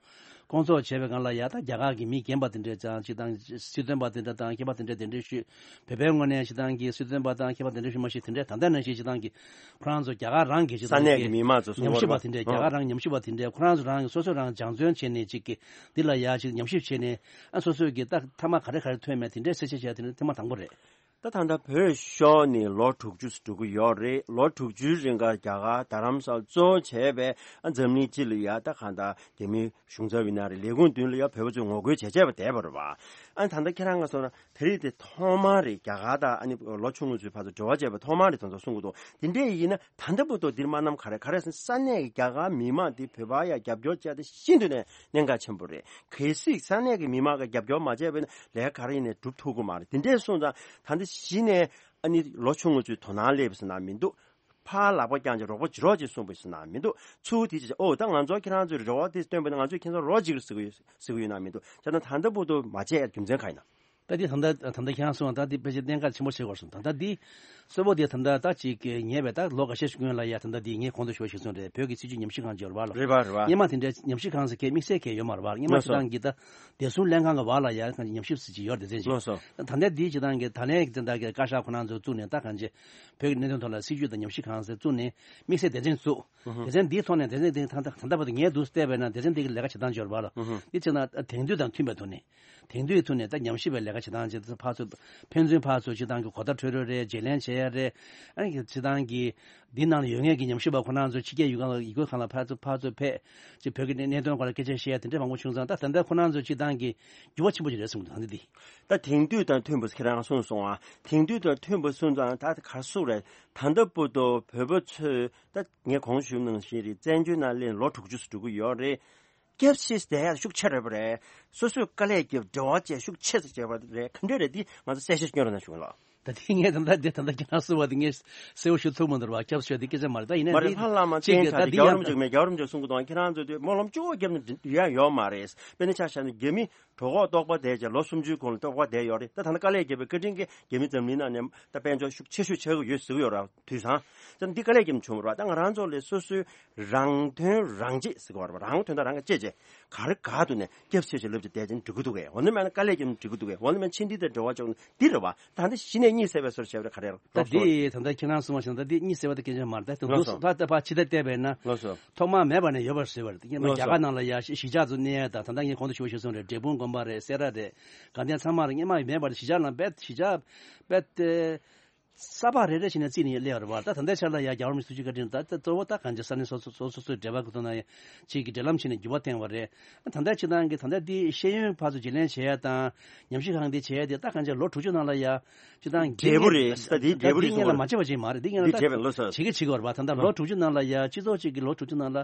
སྐོང་ཚོགས་བྱས་པའི་སྒང་ལ་ཡ་ད་རྒྱ་གར་གྱི་མི་རྒན་པ་དེ་འདྲས་ཀྱང་ཅིག་དང་སྲིད་དོན་པ་དེ་འདྲ་དང་མཁས་པ་དེ་འདྲས་གདན་འདྲེན་ཞུས། བོད་པའི་ངོས་ནས་ཅིག་དང་གི་སྲིད་དོན་པ་དང་མཁས་པ་གདན་འདྲེན་ཞུས་མ་ཤེས། དེ་འདྲས་ད་ལྟ་ནང་བཞིན་ཅིག་དང་གི་ཁོ་རང་ཚོ་རྒྱ་གར་རང་གི་ཅིག་ས་དང་གནས་ཀྱི་གི་མི་མང་ཚོ་གསུང་ཉམས་ཞིབ་པ་དེ་འདྲས། རྒྱ་གར་རང་ཉམས་ཞིབ་པ་དེ་འདྲས་ཁོ་རང་ཚོ་རང་གི་སོ་སོ་རང་སྦྱང་བརྩོན་བྱས་ནས་ཅིག་གི་འདི་ལ་ཡ་ཅིག་ཉམས་ཞིབ་བྱས་ནས་ཨ་སོ་སོས་གི་ད་མཐའ་མ་ག་རེ་ག་རེ་ཐོན་མེད་དེ་འདྲས་གསལ་བཤད་བྱས་དེ་འདྲས་ཐེངས་མ་དང་པོ་རེད། ད་ད་ལྟ་བོད་ཤོར་ནས་ལོ་དྲུག་ཅུ་འགྲོ་གི་ཡོད་རེད། ལོ་དྲུག་ཅུའི་རིང་ག་རྒྱ་གར་རྡ་རམ་ས་ལ་གཙོ་བོ་བྱས་པའི་ཨ་འཛམ་གླིང་སྤྱི་ལ་ཡ་ད་གང་ལྟར་རྒྱ་མི་གཞུང་ཚབ་ཡིན་ན་རེད། ལས་ཁུངས་མདུན་ལ་ཡ་བོད་པ་ཚོས་ངོ་རྒོལ་བྱས་བྱས་པ་བསྡད་པ་རེད་བ། ཨ་ནི་ད་ལྟ་ཁྱེད་རང་ག་སོང་ན་དེ་རིང་དེ་ཐོག་མ་རེད། རྒྱ་གར་དང་ཨ་ནི་ལོ་ཆུང་ངུ་ཚོའི་བར་དུ་འབྲེལ་བ་བྱས་པ་ཐོག་མ་རེད་དེ་ཚོ་གསུང་གི་འདུག་དེ་འདྲས་ཡིན་ན་ད་ལྟ་བར་དུ་འདིར་མ་ནམ་ག་རེ་ག་རེ་ཟེར་ན་ས་གནས་ཀྱི་རྒྱ་གར་མི་མང་དེ་བོད་པ་ཡ་རྒྱབ་སྐྱོར་བྱས་ཏེ་ཤིན་ཏུ་ནས་གནད་འགག་ཆེན་པོ་རེད། གལ་སྲིད་ས་གནས་ཀྱི་མི་མང་གི་རྒྱབ་སྐྱོར་མ་བྱས་པ་ཡིན་ན་ལས་ཀ་ག་རེ་ཡིན་ནའི་སྒྲུབ་ཐུབ་ཀྱི་མ་རེད། དེ་འདྲས་སོང་ཙང་ད་ལྟ་གཞི་ནས་ཨ་ནི་ལོ་ཆུང་ངུ་ཚོའི་དོ་སྣང་སླེབས་ཟེར་ན་མི་འདུག་ཕར་ལག་པ་བརྐྱངས་ཀྱི་རོགས་པ་བྱེད་རོགས་ཅེས་གསུངས་པ་ཟེར་ན་མི་འདུག་ཚུར་དེ་ཅེས་ཨོ་ད་ང་ཚོ་ཁྱེད་རང་ཚོའི་རེ་བ་དེ་བཏོན་པ་ན་ང་ཚོས་ཁྱེད་ཚོར་རོགས་བྱེད་ཀྱི་ཟེར་གི་ཡོད་ཟེར་གི་ཡོད་ན་མི་འདུག་བྱས་ན་ད་ལྟ་བར་དུ་མ་བྱས་རྒྱུ་མཚན་གང་ཡིན་ན། ད་འདི་ད་ལྟ་ད་ལྟ་ཁྱེད་རང་གསུངས་པ་ད་འདི་ཕལ་ཆེར་གནད་འགག་ཆེན་པོ་ཆགས་ཀྱི་ཡོད་རེད་གསུངས། ད་ལྟ་འདི་གཙོ་བོ་དེ་ད་ལྟ་ད་ཅིག་ངས་བས་ད་ལོ་འགའ་ཤས་ཤིག་སྔོན་ལ་ཡ་ད་ལྟ་འདི་ངས་གོང་དུ་ཞུས་པ་ཞིག་གསུངས་རེད། བོད་ཀྱི་སྲིད་བྱུས་ཉམས་ཞིབ་ཁང་ཅིག་ཡོད་རེད་བ་ལ། རེད་བ་རེད་བ། སྔོན་མ་དེ་འདྲའི་ཉམས་ཞིབ་ཁང་ཟེར་མཁན་དམིགས་བསལ་གང་ཡང་ཡོད་མ་རེད་བ། སྔོན་མ་ལགས་སོ། སྤྱིར་བཏང་གི་ད་བདེ་སྲུང་ལྷན་ཁང་གི་བར་ལ་ཡ་ཉམས་ཞིབ་ཟེར་གྱི་ཡོད་རེད་དེ་ཅིག་ལགས་སོ། ད་ལྟ་འདི་སྤྱིར་བཏང་གི་ད་ལན་གྱི་ད་ལྟ་གི་བཀའ་ཤག་ཁོ་རང་ཚོ་བཙུགས་ནས་ད་གང་ཅི་བོད་ཀྱི་གནད་དོན་ཐོག་ལ་སྲིད་བྱུས་དང་ཉམས་ཞིབ་ཁང་ཟེར་བཙུགས་ནས་དམིགས་བསལ་སྡེ་ཚན་བཙུགས། སྡེ་ཚན་འདིའི་ཐོག་ནས་སྡེ་ཚན་འདི་ད་ལྟ་ད་ལྟ་བར་དུ་ངས་འདུག་བལྟས་པས་ན་སྡེ་ཚན་འདི་གི་ལས་ཀ་བྱེད་སྟངས་ཅིག་ཡོད་རེད་བ་ལ། འདི་བྱས་ན་དེང་དུས་དང་མཐུན་པའི་ཐོག་ནས། དེང་དུས་ཐོག་ནས་ད་ཉམས་ཞིབ་པའི་ལས་ཀ་བྱེད་སྟངས་ཅིག་ཕན་ཚུན་ཕར་ཚུར་སྤྱིར་བཏང་གི་གོ་བརྡ་འཕྲོད་རོགས་རེད། བརྗེ་ལེན་བྱེད་ཡ་རེད། ཨ་ནི་སྤྱིར་བཏང་གི་འདི་ནང་ལ་ཡོད་མཁན་གྱི་ཉམས་ཞིབ་པ་ཁོ་རང་ཚོ་ཕྱི་རྒྱལ་ཡུལ་ཁང་ཡུལ་ཁང་ལ་ཕར་ཚུར་ཕར་ཚུར་ཕེབས་ཅིག་བོད་ཀྱི་གནད་དོན་སྐོར་ལ་སྐད་ཆ་བཤད་ཡ་དེ་འདྲ་མང་པོ་བྱུང་ཙང་། ད་ད་ལྟ་ཁོ་རང་ཚོ་སྤྱིར་བཏང་གི་འགྱུར་བ་ཆེན་པོ་ཞིག་རེད་གསུངས་འདུག་ད་འདི་འདི། ད་དེང་དུས་དང་མཐུན་པ་ཁྱེད་རང་གསུངས་སོང་ཨ། དེང་དུས་དང་མཐུན་པ་གསུངས་ཙང་ད་ག་རེ་ཟེར་དགོས་རེད། ད་ལྟ་བར་དུ་བོད་པ་ཚོས་ད་ངས་གོང་ཞུས་ནང་བཞིན་རེད། བཙན་བྱོལ་ནང་སླེབས་ལོ་དྲུག་ཅུ་ཙམ་འགྲོ་གི་ཡོད་རེད། སྐྱབས་བཅོལ་བསྡད་ཡག་ཤུགས་ཆེ་རེད་པ་རེད། སོ་སོས་དཀའ་ལས་བརྒྱབ་འབྲེལ་བ་བཅས་ཤུགས་ཆེ་ཙམ་བྱས་པ་རེད། ག་འདྲ་རེད་འདི་ང་ཚོ་གསལ་བཤད་སྐྱོན་རོགས་གནང་ཞུ་གི་ལགས། ད་དེ་ངས་ད་ལྟ་འདི་ད་ལྟ་ཁྱེད་རང་གསུངས་པ་དེ་ངས་གསལ་པོ་ཞུ་ཐུབ་མི་འདུག་བ། སྐྱབས་བཅོལ་དེ་སྐད་ཆ་མ་རེད། ད་ཡིན་ན་མ་རེད། འདི་ཕར་ལ་མ་གཅིག་གི་བསྟན་ད་ཁ་དེ་འདི་རྒྱལ་བ་རིན་པོ་ཆེ་མེད། རྒྱལ་བ་རིན་པོ་ཆེ་གསུང་གི་འདུག་ཁྱེད་རང་ཚོ་དེ་སྨོན་ལམ་གཅིག་པོ་བརྒྱབ་ནས་འདི་ཡང་ཡོད་མ་རེད། དཔེར་ན་ཆ་བཞག་ན་རྒྱ་མི་གྲོད་ཁོག་ལྟོགས་པ་བསྡད་ཀྱང་ལོ་སུམ་ཅུའི་གོང་ལ་ལྟོགས་པ་བསྡད་ཡོད་རེད། ད་ད་ལྟ་དཀའ་ལས་བརྒྱབ་པའི་བཀའ་དྲིན་གྱིས་རྒྱ་མི་འཛམ་གླིང་ནང་ནས་ད་དཔལ་འབྱོར་ཤུགས་ཆེ་ཤོས་ཆགས་ཀྱི་ཡོད་ཟེར་གྱི་ཡོད་རེད། དུས་སང་ད་འདི་དཀའ་ལས་བརྒྱབ་ནས་བྱུང་བ་རེད། ད་ང་རང་ཚོ་ལས་སོ་སོའི་རང་དོན་རང་གཅེས་ཟེར་གྱི་ཡོད་རེད། རང་དོན་དང་རང་གི་གཅེས་བྱས་ག་རེ་ག་ཐོག་ནས་སྐྱབས་བཅོལ་ཞིག་ལབ་ཅིག་བསྡད་ཅིང་འགྲིག་གི་འདུག་གས། འོ་ན་མེད་ན་དཀའ་ལས་བརྒྱབ་ནས་འགྲིག་གི་འདུག་གས། འོ་ན་མེད་ན་ཕྱིན་འདི་དང་འབྲེལ་བ་བཅོག་ནས་འདི་རེད་བ། ད་འདི་གཞི་ནས་གཉིད་སད་པའི་བཟོ་འདྲ་བྱས་པ་རེད། ག་རེ་རེད། ད་འདི་ད་ལྟ་ཁྱེད་རང་གསུངས་པ་བཞིན་ད་འདི་གཉིད་སད་པ་ད་སྐད་ཆ་མ་རེད། ད་དུང་ལགས་སོ། ད་ད་ཕར་ཕྱི་ལ་བལྟས་པས་ན་ལགས་སོ། ཐོག་མར་མེད་པ་ནས་ཡོད་པར་བཟོས་པ་རེད། ད་སྔོན་མ་ལགས་སོ། རྒྱ་གར་ནང་ལ་ཡ་གཞིས་ཆགས་ཚོ་གནས་ཡ་ད་ད་ལྟ་ངས་གོང་དུ་ཞུ་བ་ཞུས་སོང་རེད། འབྲས་སྤུངས་དགོན་པ་རེད། སེ་ར་རེད། དགའ་ལྡན་ཚང་མ་རེད། སྔོན་མ་མེད་པ་རེད། གཞིས་ཆགས་ནང་རྦད་གཞིས་ཆགས་རྦད་དེ་ས་ཕག་རེ་རེ་བྱས་ནས་བརྩིས་ནས་སླེབས་པ་རེད་བ། ད་ད་ལྟའི་ཆ་ལ་ཡ་རྒྱལ་བ་རིན་པོ་ཆེ་ཐུགས་རྗེ་བཀའ་དྲིན་ད་ད་གཙོ་བོ་ད་གང་ཅི་ས་གནས་སོ་སོ་སོ་སོ་སོའི་འབྲེལ་བ་གི་ཐོག་ན་ཡ་ཅིག་གི་འབྲེལ་ལམ་བྱས་ནས་འགྱུར་བ་བཏང་བ་རེད། ད་ལྟའི་ཕྱི་ནང་གི་ད་ལྟ་འདི་ཤེས་ཡོན་ཕར་ཚུར་བརྗེ་ལེན་བྱེད་ཡ་དང་ཉམས་ཞིབ་ཁང་འདི་བྱེད་ཡ་དེ་ད་གང་ཅི་ལོ་དྲུག་ཅུ་ནང་ལ་ཡ་སྤྱིར་བཏང་འབྲས་བུ་རེད། ད་འདི་འབྲས་བུ་རེད། འདི་སྔོན་ལ་མ་བྱས་པ་ཅིག་མ་རེད། འདི་སྔོན་ལ་འདི་ད་འབྲས་བུ་ལགས་སོ། བྱེད་ཀྱི་བྱེད་ཀྱི་ཡོད་རེད་བ། ད་ལྟ་ལོ་དྲུག་ཅུ་ནང་ལ་ཡ་སྤྱི་ཚོགས་ཅིག་གི་ལོ་དྲུག་ཅུ་ནང་ལ་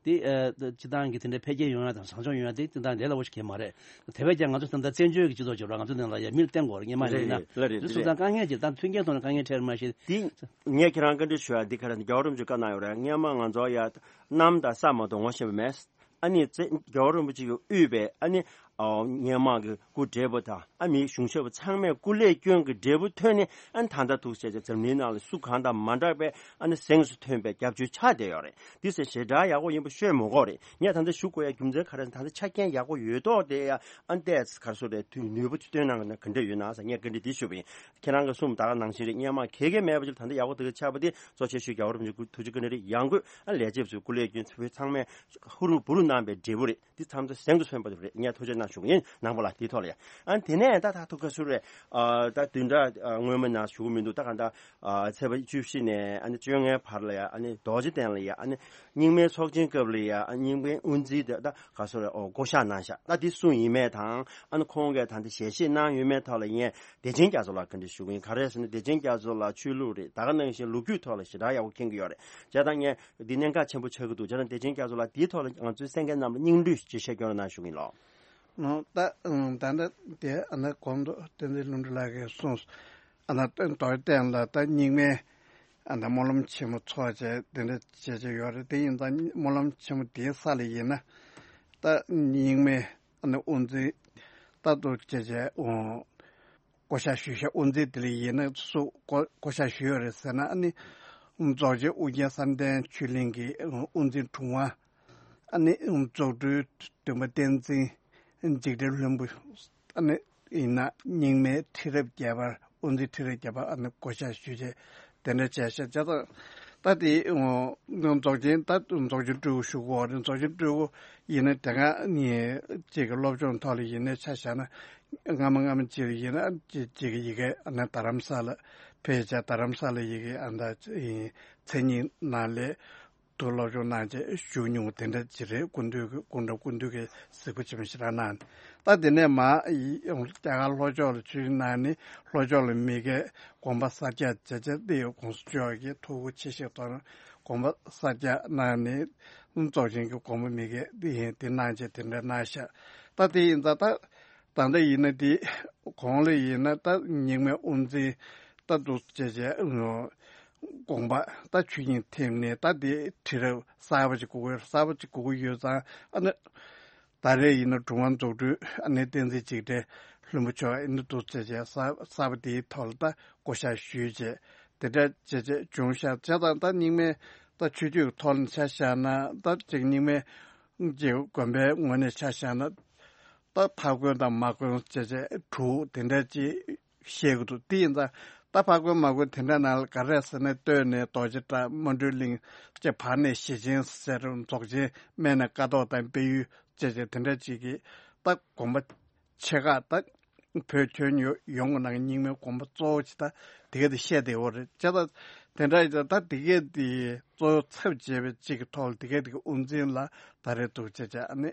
དེ་ཨ་སྤྱིར་བཏང་གི་དེ་འདྲའི་འཕེལ་རྒྱས་ཡོང་ཡ་དང་བཟང་ཕྱོགས་ཡོང་ཡ་དེ་དེ་དང་ལས་སླ་པོ་ཞིག་གང་ཡང་མ་རེད། དེ་བས་ཀྱང་ང་ཚོ་ད་ལྟ་བཙན་བྱོལ་གྱི་སྤྱི་ཚོགས་ཅིག་རེད་བ། ང་ཚོ་ནང་ལ་ཡ་མིར་བསྟན་དགོས་རེད། སྔོན་མ་ཡིན་ན་རེད་རེད་ལགས་རེད། དེ་སོང་ཙང་དཀའ་ངལ་ཅིག་ད་མཐུན་རྐྱེན་ཐོག་ནས་དཀའ་ངལ་འཕྲད་མ་ཤེས། དེ་ངས་ཁྱེད་རང་བཀའ་འདྲི་ཞུ་ཡ་འདི་ག་རེ་རྒྱལ་བ་རིན་པོ་ཆེས་བཀའ་གནང་ཡོད་རེད། སྔོན་མ་ང་ཚོ་ཡ་གནམ་དང་ས་མ་གཏོགས་ངོ་ཤེས་པ་མེད། ཨ་ནི་རྒྱལ་བ་རིན་པོ་ཆེ་གིས་དབུས་པའི་ཨ་ནི་ ཨོ་སྔོན་མ་གི་སྐུ་བགྲེས་པོ་དང་ཨ་མི་གཞུང་ཞབས་པ་ཚང་མས་སྐུ་ལས་སྐྱོན་གྱི་འབྲས་བུ་ཐོན་ནས་ཨ་ནི་ད་ལྟ་ཐུག་བྱས་ཙང་འཛམ་གླིང་ནང་ལ་སུ་གང་དང་མ་འདྲ་བའི་ཨ་ནི་གཟེངས་སུ་ཐོན་པའི་སྐྱབས་བཅོལ་ཆགས་བསྡད་ཡོད་རེད། འདི་ཟེར་ཞེ་དྲག་ཡག་པོ་ཡིན་པ་ཤོད་མི་དགོས་རེད། ངས་ད་ལྟ་ཞུ་དགོས་ཡ་རྒྱུ་མཚན་ག་རེ་ཟེར་ན་ད་ལྟ་ཆ་རྐྱེན་ཡག་པོ་ཡོད་མདོག་དེ་ཡ་ཨ་ནི་ཏོག་ཙམ་ག་རེ་ཟེར་རེད། དུས་ནུས་པ་བཏོན་གནང་གི་ན་ག་འདྲ་ཡོད་ན་ཟེར་ངས་བཀའ་འདྲི་འདི་ཞུས་པ་ཡིན། ཁྱེད་རང་གི་གསུངས་ད་ག་ནང་བཞིན་རེད། སྔོན་མ་གལ་གལ་མེད་པ་ཅིག་ད་ལྟ་ཡག་པོ་དེ་ག་ཆགས་པ་དེ་གཙོ་ཆེ་ཤོས་རྒྱལ་བ་རིན་པོ་ཆེ་སྐུ་ཐུགས་རྗེ་བཀའ་དྲིན་རེད། ཡང་སྒོས་ཨ་ལས་བྱེད་ཚོས་སྐུ་ལས་སྐྱོན་ཚོས་ཚང་མས་ཧུར་བུ་རུ་གནང་པའི་འབྲས་བུ་རེད། འདི་ཐམས་ཅད་གཟེངས་སུ་སོན་པ་རེད། ངས་ཐུགས་རྗེ་གནང་ཞུ་གི་ཡིན་ནང་པ་ལ་འདིའི་ཐོག་ལ་ཡ། ཨ་དེ་ནས་ད་ད་ཐུག་ག་སུ་རེད། ཨ་ད་བདུན་ཕྲག་ཨ་སྔོན་མ་ནང་ཞུ་གི་མི་འདུག་ད་ག་ད་ཨ་ཚེས་པ་བཅུ་བཞི་ནས་ཨ་ནི་བཅོ་ལྔའི་བར་ལ་ཡ་ཨ་ནི་རྡོ་རྗེ་གདན་ལ་ཡ་ཨ་ནི་རྙིང་མའི་ཚོགས་ཆེན་སྐབས་ལ་ཡ་ཨ་རྙིང་མའི་དབུ་འཛིན་དེ་ད་ག་སུ་རེད། ཨོ་བསྐོ་བཞག་གནང་ཤག་ད་འདི་སུ་ཡིན་མིན་དང་ཨ་ནི་ཁོང་གིས་ད་འདི་ཞལ་བཞེས་གནང་ཡོད་མེད་ཐོག་ལ་ངས་བདེ་ཆེན་རྒྱ་མཚོ་ལ་བཀའ་འདྲི་ཞུ་གི་ཡིན། ག་རེ་ཟེར་ན་བདེ་ཆེན་རྒྱ་མཚོ་ལགས་ཆོས་ལུགས་རེད། ད་ག་ནང་བཞིན་ལོ་རྒྱུས་ཐོག་ལ་ཞེ་དྲག་ཡག་པོ་མཁྱེན་གྱི་ཡོད་རེད། བྱས་ཙང་ངས་འདི་གནད་འགག་ཆེན་པོ་ཆགས་ཀྱི་འདུག་བྱས་ཙང་བདེ་ཆེན་རྒྱ་མཚོ་ལགས་འདིའི་ཐོག་ལ་ང་ཚོའི་གསན་མཁན་རྣམས་ལ་སྙིང་བསྡུས་ཅིག་བཤད་སྐྱོར་གནང་ཞུ་གི་ཡིན་ལགས། ཨོ་ད་ཨང་ད་ལྟ་དེ་ཨ་ན་གོང་དུ་བསྟན་འཛིན་ལྷུན་གྲུབ་ལགས་ཀྱིས་གསུངས། ཨ་ན་རྡོ་རྗེ་གདན་ལ་ད་རྙིང་མའི་ཨ་ན་སྨོན་ལམ་ཆེན་མོ་ཚོགས་བྱས་དེ་འདྲ་བྱས་བྱས་ཡོད་རེད། དེ་ཡིན་ཙང་སྨོན་ལམ་ཆེན་མོ་དེའི་ས་ལ་ཡིན་ན་ད་རྙིང་མའི་ཨ་ན་དབུ་འཛིན་ད་དུ་བྱས་བྱས་ཨོ། བསྐོ་བཞག་ཞུས་ཤག་དབུ་འཛིན་དེ་ལ་ཡིན་ན་སུ་བསྐོ་བསྐོ་བཞག་ཞུས་ཡོད་རེད་ཟེར་ན། ཨ་ནི་རྫོགས་ཆེན་ཨོ་རྒྱན་བསམ་གཏན་ཆོས་གླིང་གི་དབུ་འཛིན་དྲུང་པ། ཨ་ནི་རྫོགས་སྤྲུལ་སྟོན་པ་བསྟན་འཛིན་འཇིགས་བྲལ་ལྷུན་པོ། ཨ་ནི་ཡིན་ན་རྙིང་མའི་ཁྲི་རབས་བརྒྱད་པར་དབུ་འཛིན་ཁྲི་རབས་བརྒྱད་པ་ཨ་ནི་བསྐོ་བཞག་ཞུས་བྱས་དེ་འདྲ་བྱས་ཤག་བྱས་ཙང་ད་དེ་རྫོགས་ཆེན་ད་རྫོགས་ཆེན་སྤྲུལ་སྐུ་ཞུ་གི་ཡོད་རེད། རྫོགས་ཆེན་སྤྲུལ་སྐུ་ཡིན་ན་དེ་སྔ་ནས་ཅིག་གི་སློབ་སྦྱོང་ཐོག་ལ་ཡིན་ན་ཆ་བཞག་ན། སྔ་མ་སྔ་མ་ཅིག་ལ་ཡིན་ན་ཅིག་ཅིག་གི་ཡི་གེ་ཨ་ནི་རྡ་རམ་ས་ལ་ཕེབས་བྱས་རྡ་རམ་ས་ལ་ཡི་གེ་ཨ་ནི་མཚན་ཉིད་ནང་ལས་དུ་སློབ་སྦྱོང་གནང་བྱས་བཞུགས་མྱོང་དེ་འདྲ་ཅིག་རེད། སྐུ་མདུན་གྱི་སྐུ་འདྲ་སྐུ་མདུན་གྱི་གཟིགས་པ་ཆེན་པོ་ཞེ་དྲག་གནང་། ད་དེ་ནས་མ་རྒྱ་གར་ལྷོ་ཕྱོགས་ལ་ཆོས་གནང་ནས་ལྷོ་ཕྱོགས་ལ་མི་གའི་དགོངས་པ་གསལ་རྒྱག་བྱས་བྱས་ཏེ་གོང་ས་མཆོག་གིས་ཐུགས་ཁུར་ཆེ་བཞེས་ཐོག་ནས་དགོངས་པ་གསལ་རྒྱག་གནང་ནས་རྫོགས་ཆེན་གྱི་དགོངས་པ་མི་གའི་དེ་གནང་བྱས་དེ་འདྲ་གནང་ཤག་ད་དེ་ཡིན་ཙང་ད། ད་ལྟ་ཡིན་ན་དེ་གོང་ལ་ཡིན་ན་ད་རྙིང་མའི་དབུ་འཛིན་ད་འདུག་བྱས་བྱས་དགོངས་པ་ད་ཆོས་དབྱིངས་ཐིམ་ནས་ད་དེ་ཁྲི་རབས་གསར་པ་ཅིག་དགོས་ཀྱི་གསར་པ་ཅིག་དགོས་ཀྱི་ཡོད་ཙང་། ཨ་ནི་ད་རེས་ཡིན་ན་དྲུང་པ་རྫོགས་སྤྲུལ་ཨ་ནི་བསྟན་འཛིན་འཇིགས་བྲལ་ལྷུན་པོ་མཆོག་ཨ་ནི་འདུག་བྱས་བྱས་གསར་གསར་པ་དེའི་ཐོག་ལ་ད་བསྐོ་བཞག་ཞུས་བྱས་དེ་འདྲ་བྱས་བྱས་བྱུང་ཤག་བྱས་ཙང་ད་རྙིང་མའི་ད་ཆོས་བརྒྱུད་ཀྱི་ཐོག་ནས་ཆ་བཞག་ན་ད་ཅིག་རྙིང་མའི་ཅིག་དགོན་པའི་ངོས་ནས་ཆ་བཞག་ན། ད་ཕ་དགོན་དང་མ་དགོན་བྱས་བྱས་དྲུག་དེ་འདྲ་ཅིག་བཤད་ཀྱི་འདུག་དེ་ཡིན་ཙང་ད་ཕ་དགོན་མ་དགོན་དེ་འདྲ་ནང་ལ་ག་རེ་ཟེར་ན། སྟོད་ནས་རྡོ་རྗེ་བྲག་སྨོན་གྲོལ་གླིང་བཅས། བར་ནས་ཞེ་ཆེན་ཟེར་རྫོགས་ཆེན། སྨད་ནས་ཀ་ཐོག་དང་དཔལ་ཡུལ་བཅས་བྱས་དེ་འདྲ་ཅིག་གིས་ད་དགོན་པ་ཆེ་ཁག་ད་བོད་ཁྱོན་ཡོ་ཡོངས་ཀྱི་ནང་གི་རྙིང་མའི་དགོན་པ་གཙོ་བོ་ཅིག་ད་དེ་ག་དེ་བཤད་བསྡད་ཡོད་རེད། བྱས་ཙང་དེ་འདྲ་ཡིན་ཙང་ད་དེ་ག་དེ་གཙོ་བོ་ཚབ་བྱས་པའི་ཅིག་གི་ཐོག་ལ་དེ་ག་དེ་གི་དབུ་འཛིན་ལ་ད་རེས་འདུག་བྱས་བྱས་ཨ་ནི།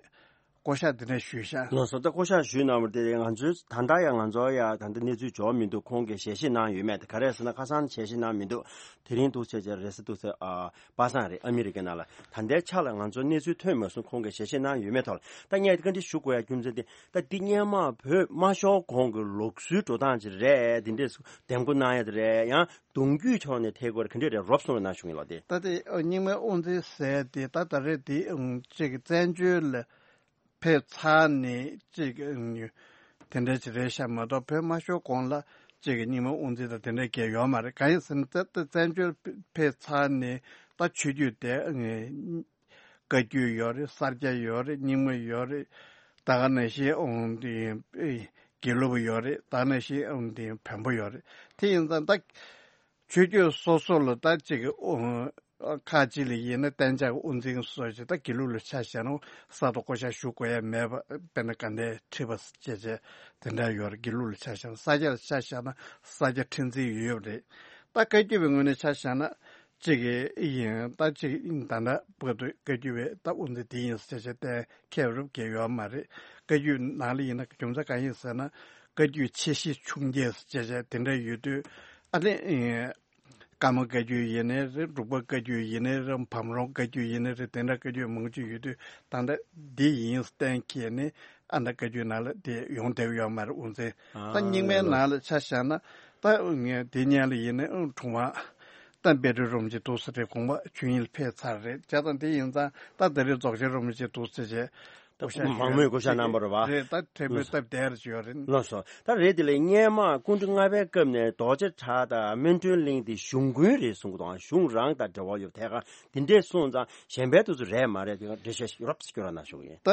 བསྐོ་བཞག་འདི་འདྲ་ཞུས་ཤག་ལགས་སོ། ད་བསྐོ་བཞག་ཞུས་གནང་བ་དེ་ང་ཚོའི་ད་ལྟ་ཡང་ང་ཚོ་ཡང་ད་ལྟ་གནས་ཚུལ་འབྱོར་མི་འདུག་ཁོང་གིས་ཞལ་བཞེས་གནང་ཡོད་མེད་དེ། ག་རེ་ཟེར་ན་ཁ་སང་ཞལ་བཞེས་གནང་མི་འདུག་དེ་རིང་འདུག་བྱས་བྱས་རེས་གཟའ་འདུག་སེ་ཨ་པ་སངས་རེད། ཨ་མི་རི་ཀའི་ནང་ལ། ད་ལྟའི་ཆ་ལ་ང་ཚོ་གནས་ཚུལ་ཐོན་མ་སོང་། ཁོང་གིས་ཞལ་བཞེས་གནང་ཡོད་མེད་ཐོག་ལ་ད་ངས་བཀའ་འདྲི་ཞུ་དགོས་ཡ་རྒྱུ་མཚན་དེ། ད་འདི་སྔོན་མ་བོད་མ་ཤོར་གོང་གི་ལུགས་སྲོལ་འགྲོ་སྟངས་ཅིག་རེད། འདི་འདྲས་འདེམས་བསྐོ་གནང་ཡ་དེ་རེད། ཡང་གདུང་རྒྱུད་ཕྱོགས་ནས་ཐད་ཀར་ག་འདྲས་རེད། རོབ་གསུངས་རོགས་གནང་ཞུ་གི་ཡིན་ལགས་དེ། ད་དེ་རྙིང་མའི་དབུ་འཛིན་ཟེར་དེ་ད་ད་རེས་དེ་ཅིག་བཙན་བྱོལ་ལ་ཕེབས་ཚར་ནས་ཅིག་དེ་འདྲ་ཅིག་རེད་ཤག་མ་གཏོགས་བོད་མ་ཤོར་གོང་ལ་ཅིག་རྙིང་མའི་དབུ་འཛིན་དང་དེ་འདྲ་གང་ཡང་ཡོད་མ་རེད། གང་ཡིན་ཟེར་ན་ད་བཙན་བྱོལ་ཕེབས་ཚར་ནས་ད་ཆོས་བརྒྱུད་དེ་བཀའ་བརྒྱུད་ཡོད་རེད། ས་སྐྱ་ཡོད་རེད། རྙིང་མ་ཡོད་རེད། ད་ག་ནང་བཞིན་འོང་དེ་དགེ་ལུགས་པ་ཡོད་རེད། ད་ག་ནང་བཞིན་འོང་དེ་བོན་པོ་ཡོད་རེད། དེ་ཡིན་ཙང་ད་ཆོས་བརྒྱུད་སོ་སོ་ལ་ད་ཅིག་ཨོ་ཁག་ཅིག་ལ་ཡིན་ན་གཏན་འཇགས་དབུ་འཛིན་སོགས་ཀྱི་ད་དགེ་ལུགས་ལ་ཆ་བཞག་ན་གསར་དུ་བསྐོ་བཞག་ཞུ་དགོས་ཡ་མེད་པ། དཔེར་ན་དགའ་ལྡན་ཁྲི་པ་བཅས་བཅས་དེ་འདྲ་ཡོད་རེད། དགེ་ལུགས་ལ་ཆ་བཞག་ན། ས་སྐྱ་ལ་ཆ་བཞག་ན་ས་སྐྱ་ཁྲི་འཛིན་ཡོད་རེད། ད་བཀའ་བརྒྱུད་པའི་ངོས་ནས་ཆ་བཞག་ན་གཅིག་གི་ཡིན། ད་གཅིག་ད་ལྟ་བར་དུ་བཀའ་བརྒྱུད་པའི་ད་དབུ་འཛིན་དེ་ཡིན་ཟེར་བྱས་གཏན་འཁེལ་རུབ་ཀྱི་ཡོད་མ་རེད། བཀའ་བརྒྱུད་ནང་ལ་ཡིན་ན་རྒྱུ་མཚན་གང་ཡིན་ཟེར་ན་བཀའ་བརྒྱུད་ཆེ་བཞི་ཆུང་བརྒྱད་ཟེར་བྱས་དེ་འདྲ་ཡོད་དུས་ཨ་ནི། ཀརྨ་བཀའ་བརྒྱུད་ཡིན་ནའི་རེད། འབྲུག་པ་བཀའ་བརྒྱུད་ཡིན་ནའི་རེད། བམ་རོམ་བཀའ་བརྒྱུད་ཡིན་ནའི་རེད། དེ་འདྲ་བཀའ་བརྒྱུད་མང་པོ་ཅིག་ཡོད་དུས་ད་ལྟ་འདི་ཡིན་གཏན་འཁེལ་ནས་ཨ་ནི་བཀའ་བརྒྱུད་ནང་ལ་དེ་ཡོང་བསྡད་ཡོད་མ་རེད། དབུ་འཛིན་ད་རྙིང་མའི་ནང་ལ་ཆ་བཞག་ན་ད་ངས་དེ་སྔོན་ལ་ཡིན་ནའི་དྲུང་པ་ད་དཔལ་སྤྲུལ་རིན་པོ་ཆེ་འདུག་སེ་རེད། དགོངས་པ་ཆོས་དབྱིངས་ལ་ཕེབས་ཚར་རེད། བྱས་ཙང་དེ་ཡིན་ཙང་ད་ད་རེས་རྫོགས་ཆེན་རིན་པོ་ཆེ་འདུག་སེ་བྱས། བསྐོ་བཞག་ཞུས། མང་མོས་བསྐོ་བཞག་གནང་བ་རེད་བ། རེད། ད་མགྲོན་འབོད་སྟབས་བདེ་རུ་བྱས་ཡོད་རེད། ལགས་སོ། ད་རེད། དེ་ལས་སྔོན་མ་སྐུ་ཕྲེང་ལྔ་པའི་སྐབས་ནས་རྡོ་རྗེ་བྲག་དང་སྨིན་གྲོལ་གླིང་དེ་གཞུང་དགོན་རེད་གསུང་གི་འདུག་གཞུང་རང་དང་འབྲེལ་བ་ཡོད་དེ་ག་དེ་འདྲས་གསུངས་ཙང་གཞན་པའི་དུས་ཚོད་རེད་མ་རེད། དེ་ག་འགྲེལ་བཤད་ཡོད་རབས་སྐྱོན་ར་ན་ཞུ་གི་ཡིན། ད་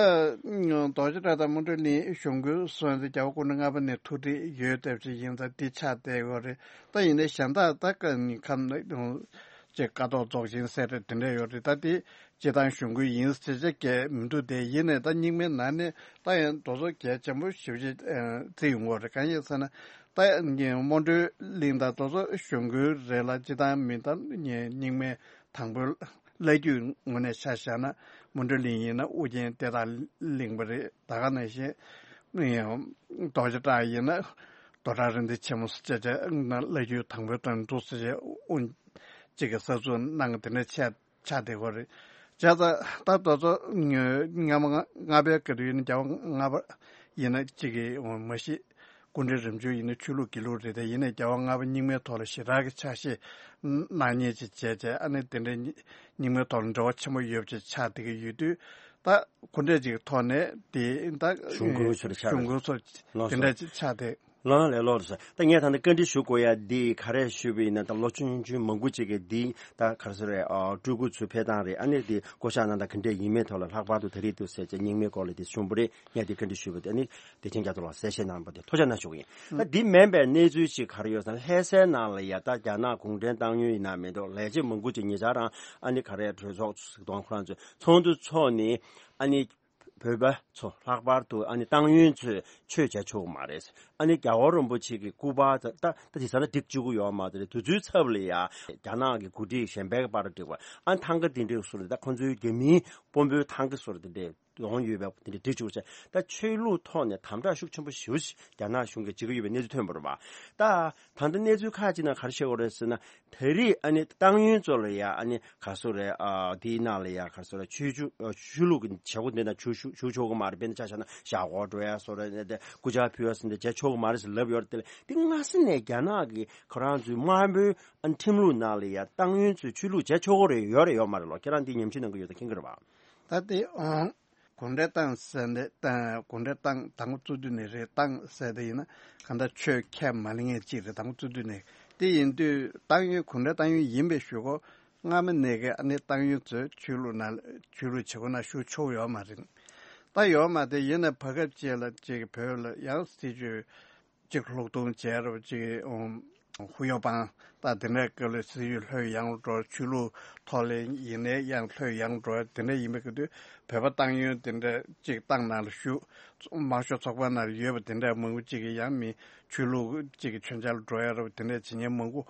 རྡོ་རྗེ་བྲག་དང་སྨིན་གྲོལ་གླིང་གཞུང་དགོན་སོང་ཙང་རྒྱལ་བ་སྐུ་ཕྲེང་ལྔ་པ་ནས་ཐུགས་འདྲིས་ཡོད་སྟབས་ཅིག་ཡིན་ཙང་དེ་ཆགས་བསྡད་ཡོད་རེད། ད་ཡིན་ནའི་གཞན་དག་ད་ཀ་ནི་ཁམས་ཅིག་ཀ་ཐོག་རྫོགས་ཆེན་ཟེར་རེད། དེ་འདྲས་ཡོད་རེད། ད་དེ་སྤྱི་བཏང་གཞུང་དགོན་ཡིན་ཟེར་བྱས་ཀྱི་མི་འདུག་དེ་ཡིན་ནའི་ད་རྙིང་མའི་ནང་ནས་ད་ཡང་དེ་ཚོ་གལ་ཆེན་པོ་ཞེ་པོ་ཅིག་བརྩི་ཡོང་གི་ཡོད་རེད། གང་ཡིན་ཟེར་ན་ད་སྨིན་གྲོལ་གླིང་དང་དེ་ཚོ་གཞུང་དགོན་རེད་ལ་སྤྱི་བཏང་མི་ད་རྙིང་མའི་དང་པོའི་བླ་བརྒྱུད་ངོས་ནས་ཆ་བཞག་ན་སྨིན་གྲོལ་གླིང་ཡིན་ན་ཨོ་རྒྱན་གཏེར་བདག་གླིང་པ་རེད། ད་ག་ནང་བཞིན་རྡོ་རྗེ་བྲག་ཡིན་ན་རྡོར་བྲག་རིག་འཛིན་ཆེན་མོ་ཟེར་བྱས་བྱས་ན་བླ་བརྒྱུད་དང་པོའི་དོན་འདུག་ཟེར་བྱས་དབུ་གཅིག་གི་གསར་འཛུགས་གནང་གི་དེ་འདྲ་ཆགས་ཆགས་བསྡད་ཡོད་རེད། བྱས་ཙང་ད་དེ་ཚོ་སྔ་མ་ལྔ་པའི་སྐབས་དུས་ཡིན་ན་རྒྱལ་བ་ལྔ་པ་ཡིན་ན་གཅིག་གི་མ་གཞི་སྐུ་ཕྲེང་རིམ་བྱོན་ཡིན་ན་ཆོས་ལུགས་དགེ་ལུགས་རེད་དེ། ཡིན་ནའི་རྒྱལ་བ་ལྔ་པ་རྙིང་མའི་ཐོག་ལ་ཞེ་དྲག་གི་ཕྱག་བཞེས་གནང་མཁན་ཅིག་བྱས་བྱས་ཨ་ནི་དེ་འདྲའི་རྙིང་མའི་ཐོག་ལ་འབྲེལ་བ་ཆེན་པོ་ཡོད་པ་ཅིག་ཆགས་བསྡད་ཀྱི་ཡོད་དུས་ད་སྐུ་འབྲས་ཅིག་གི་ཐོག་ནས་དེ་ད་གཞུང་དགོན་ཚོ་ཆགས་གཞུང་དགོན་ཚོ་ལགས་དེ་སོ། འདྲ་ཅིག་ཆགས་བསྡད། ལགས་ལགས་ལགས་སོ། ད་ངས་ད་ལྟ་བཀའ་འདྲི་ཞུ་དགོས་ཡ་འདི་ག་རེ་ཞུས་པ་ཡིན་ན། ད་ལོ་ཆུང་ཆུང་མང་པོ་ཅིག་གིས་འདི་ད་ག་རེ་ཟེར་རེད། ཨ་སྤྲུལ་སྐུ་ཚོའི་ཕེབས་སྟངས་རེད། ཨ་ནི་འདི་བསྐོ་བཞག་གནང་སྟངས་ག་འདྲས་ཡིན་མིན་ཐོག་ལ་ལྷག་པར་དུ་ད་རེས་འདུག་ཟེར་བྱས་རྙིང་མའི་སྐོར་ལ་འདི་གསུངས་པ་རེད། ངས་འདི་བཀའ་འདྲི་ཞུས་པ་དེ་ཨ་ནི་བདེ་ཆེན་རྒྱ་མཚོ་ལགས་གསལ་བཤད་གནང་པ་དེ་ཐུགས་རྗེ་གནང་ཞུ་གི་ཡིན། ད་འདི་མིན་པའི་གནས་ཚུལ་ཅིག་ག་རེ་ཡོད་ཟེར་ན། ལྷ་སའི་ནང་ལ་ཡ་ད་རྒྱ་ནག་གུང་ཁྲན་ཏང་ཡོན་ཡིན་ན་མི་འདུག་ལས་བྱེད་མང་པོ་ཅིག་ཉེ་ཆར་རང་ཨ་ནི་ག་རེ་གྲོས་ཚོགས་ཟེར་དང་ཁོ་རང་ཚོས་ཚོགས་འདུ་ཚོགས་ནས་ཨ་ནི་བོད་པ་ཚོ་ལྷག་པར་དུ་ཨ་ནི་ཏང་ཡོན་ཚོས་ཆོས་བྱ་ཆོག་གི་མ་རེད། ཨ་ནི་རྒྱལ་བ་རིན་པོ་ཆེ་གི་སྐུ་པར་ད་ད་ད་དེ་ས་ན་སྒྲིག་བཅུག་གི་ཡོད་མ་རེད། དེ་ཚོའི་ཚབ་ལ་ཡ་རྒྱ་ནག་གི་འགོ་ཁྲིད་གཞན་པའི་པར་སྒྲིག་པ། ཨ་ནི་ཐང་ག་དེ་འདྲའི་ཟུར་ད་ཁོ་ཚོའི་རྒྱ་མིའི་དཔོན་པོའི་ཐང་ག་ཟུར་དེ་འདྲའི་ཡོང་ཡོད་པ་དེ་འདྲའི་སྒྲིག་བཅུག་བྱས། ད་ཆོས་ལུགས་ཐོག་ནས་དམ་དྲག་ཤུགས་ཆེན་པོ་ཞེ་པོ་ཞིག་རྒྱ་ནག་གཞུང་གིས་བྱེད་ཀྱི་ཡོད་པའི་གནས་ཚུལ་ཐོན་པ་རེད་པ། ད་ད་ལྟ་གནས་ཚུལ་ཁག་ཅིག་ནང་ག་རེ་བཤད་ཡོད་རེད་ཟེར་ན། ད་རེས་ཨ་ནི་ཏང་ཡོན་ཚོ་ལ་ཡ་ཨ་ནི་ག་སོ་རེད། ཨ་དེའི་ནང་ལ་ཡ་ག་སོ་རེད། ཆོས་ཆོས་ཆོས་ལུགས་ཀྱི་བྱེད་སྒོ་འདི་ན་ཞུགས་ཞུགས་ཞུགས་ཆོག་གི་མ་རེད། དཔེར་ན་ཆ་བཞག་ན་ཞག་སྒོར་འགྲོ་ཡ་སོ་རེད། ནས་དེ་སྐུ་ཕྱག་ཕུལ་བ་སོ་འདི་བྱེད་ཆོག་གི་མ་རེད་ཟེར་ལབ་ཡོད་རེད། དེ་ལས་དེ་སྔ་ས་ནས་རྒྱ་ནག་གི་ཁོ་རང་ཚོའི་དམར་པོའི་ཨ་ནི་ཁྲིམས་ལུགས་ནང་ལ་ཡ་ཏང་ཡོན་ཚོས་ཆོས་ལུགས་བྱེད་ཆོག་གི་རེད་ཡོད་རེད་ཡོད་མ་རེད་ལོ། ཁྱེད་རང་འདི་ཉམས་ཞིབ་གནང་གི་ཡོད་ད་མཁྱེན་གི་རེད་པ། ད་དེ་ཨང་། གུང་ཁྲན་ཏང་ཟེར་ནས་ཏང་གུང་ཁྲན་ཏང་དང་པོ་བཙུགས་དུས་ནས་རེད། ཏང་ཟེར་དེ་ཡིན་ན་གང་ལྟར་ཆོས་ཁས་མ་ལེན་མཁན་གཅིག་རེད། དང་པོ་བཙུགས་དུས་ནས། དེ་ཡིན་དུས་ཏང་ཡོན་གུང་ཁྲན་ཏང་ཡོན་ཡིན་པའི་གཞུག་གུ་སྔ་མ་ནས་ཀྱི་ཨ་ནི་ཏང་ཡོན་ཚོས་ཆོས་ལུགས་ནང་ཆོས་ལུགས་བྱེད་སྒོ་ནང་ཞུགས་ཆོག་ཡོད་མ་རེད། ད་ཡོད་མ་རེད། ཡིན་ན་བར་སྐབས་ཅིག་ལ་ཅིག་བོད་ལ་ཡང་སྲིད་བྱུས་གཅིག་ལྷུག་གཏོང་བྱས་རབས་ཅིག་ཨུམ། ཧུ་ཡོ་པང་ད་དེ་འདྲའི་སྐབས་ལ་སྲིད་བྱུས་ལྷོད་ཡངས་འགྲོ། ཆོས་ལུགས་ཐོག་ལ་ཡིན་ནའི་ཡང་ལྷོད་ཡངས་འགྲོ། དེ་འདྲ་ཡིན་པའི་སྐབས་དུས་བོད་པ་ཏང་ཡོན་དེ་འདྲ་ཅིག་ཏང་ནང་ལ་ཞུགས། དམར་ཤོག་ཚོགས་པ་ནང་ལ་ཡོད་པ་དེ་འདྲ་མང་པོ་ཅིག་གིས་ཡང་མི་ཆོས་ལུགས་ཅིག་གི་མཆོད་མཇལ་འགྲོ་ཡ་རབས་དེ་འདྲ་བྱེད་མཁན་མང་པོ་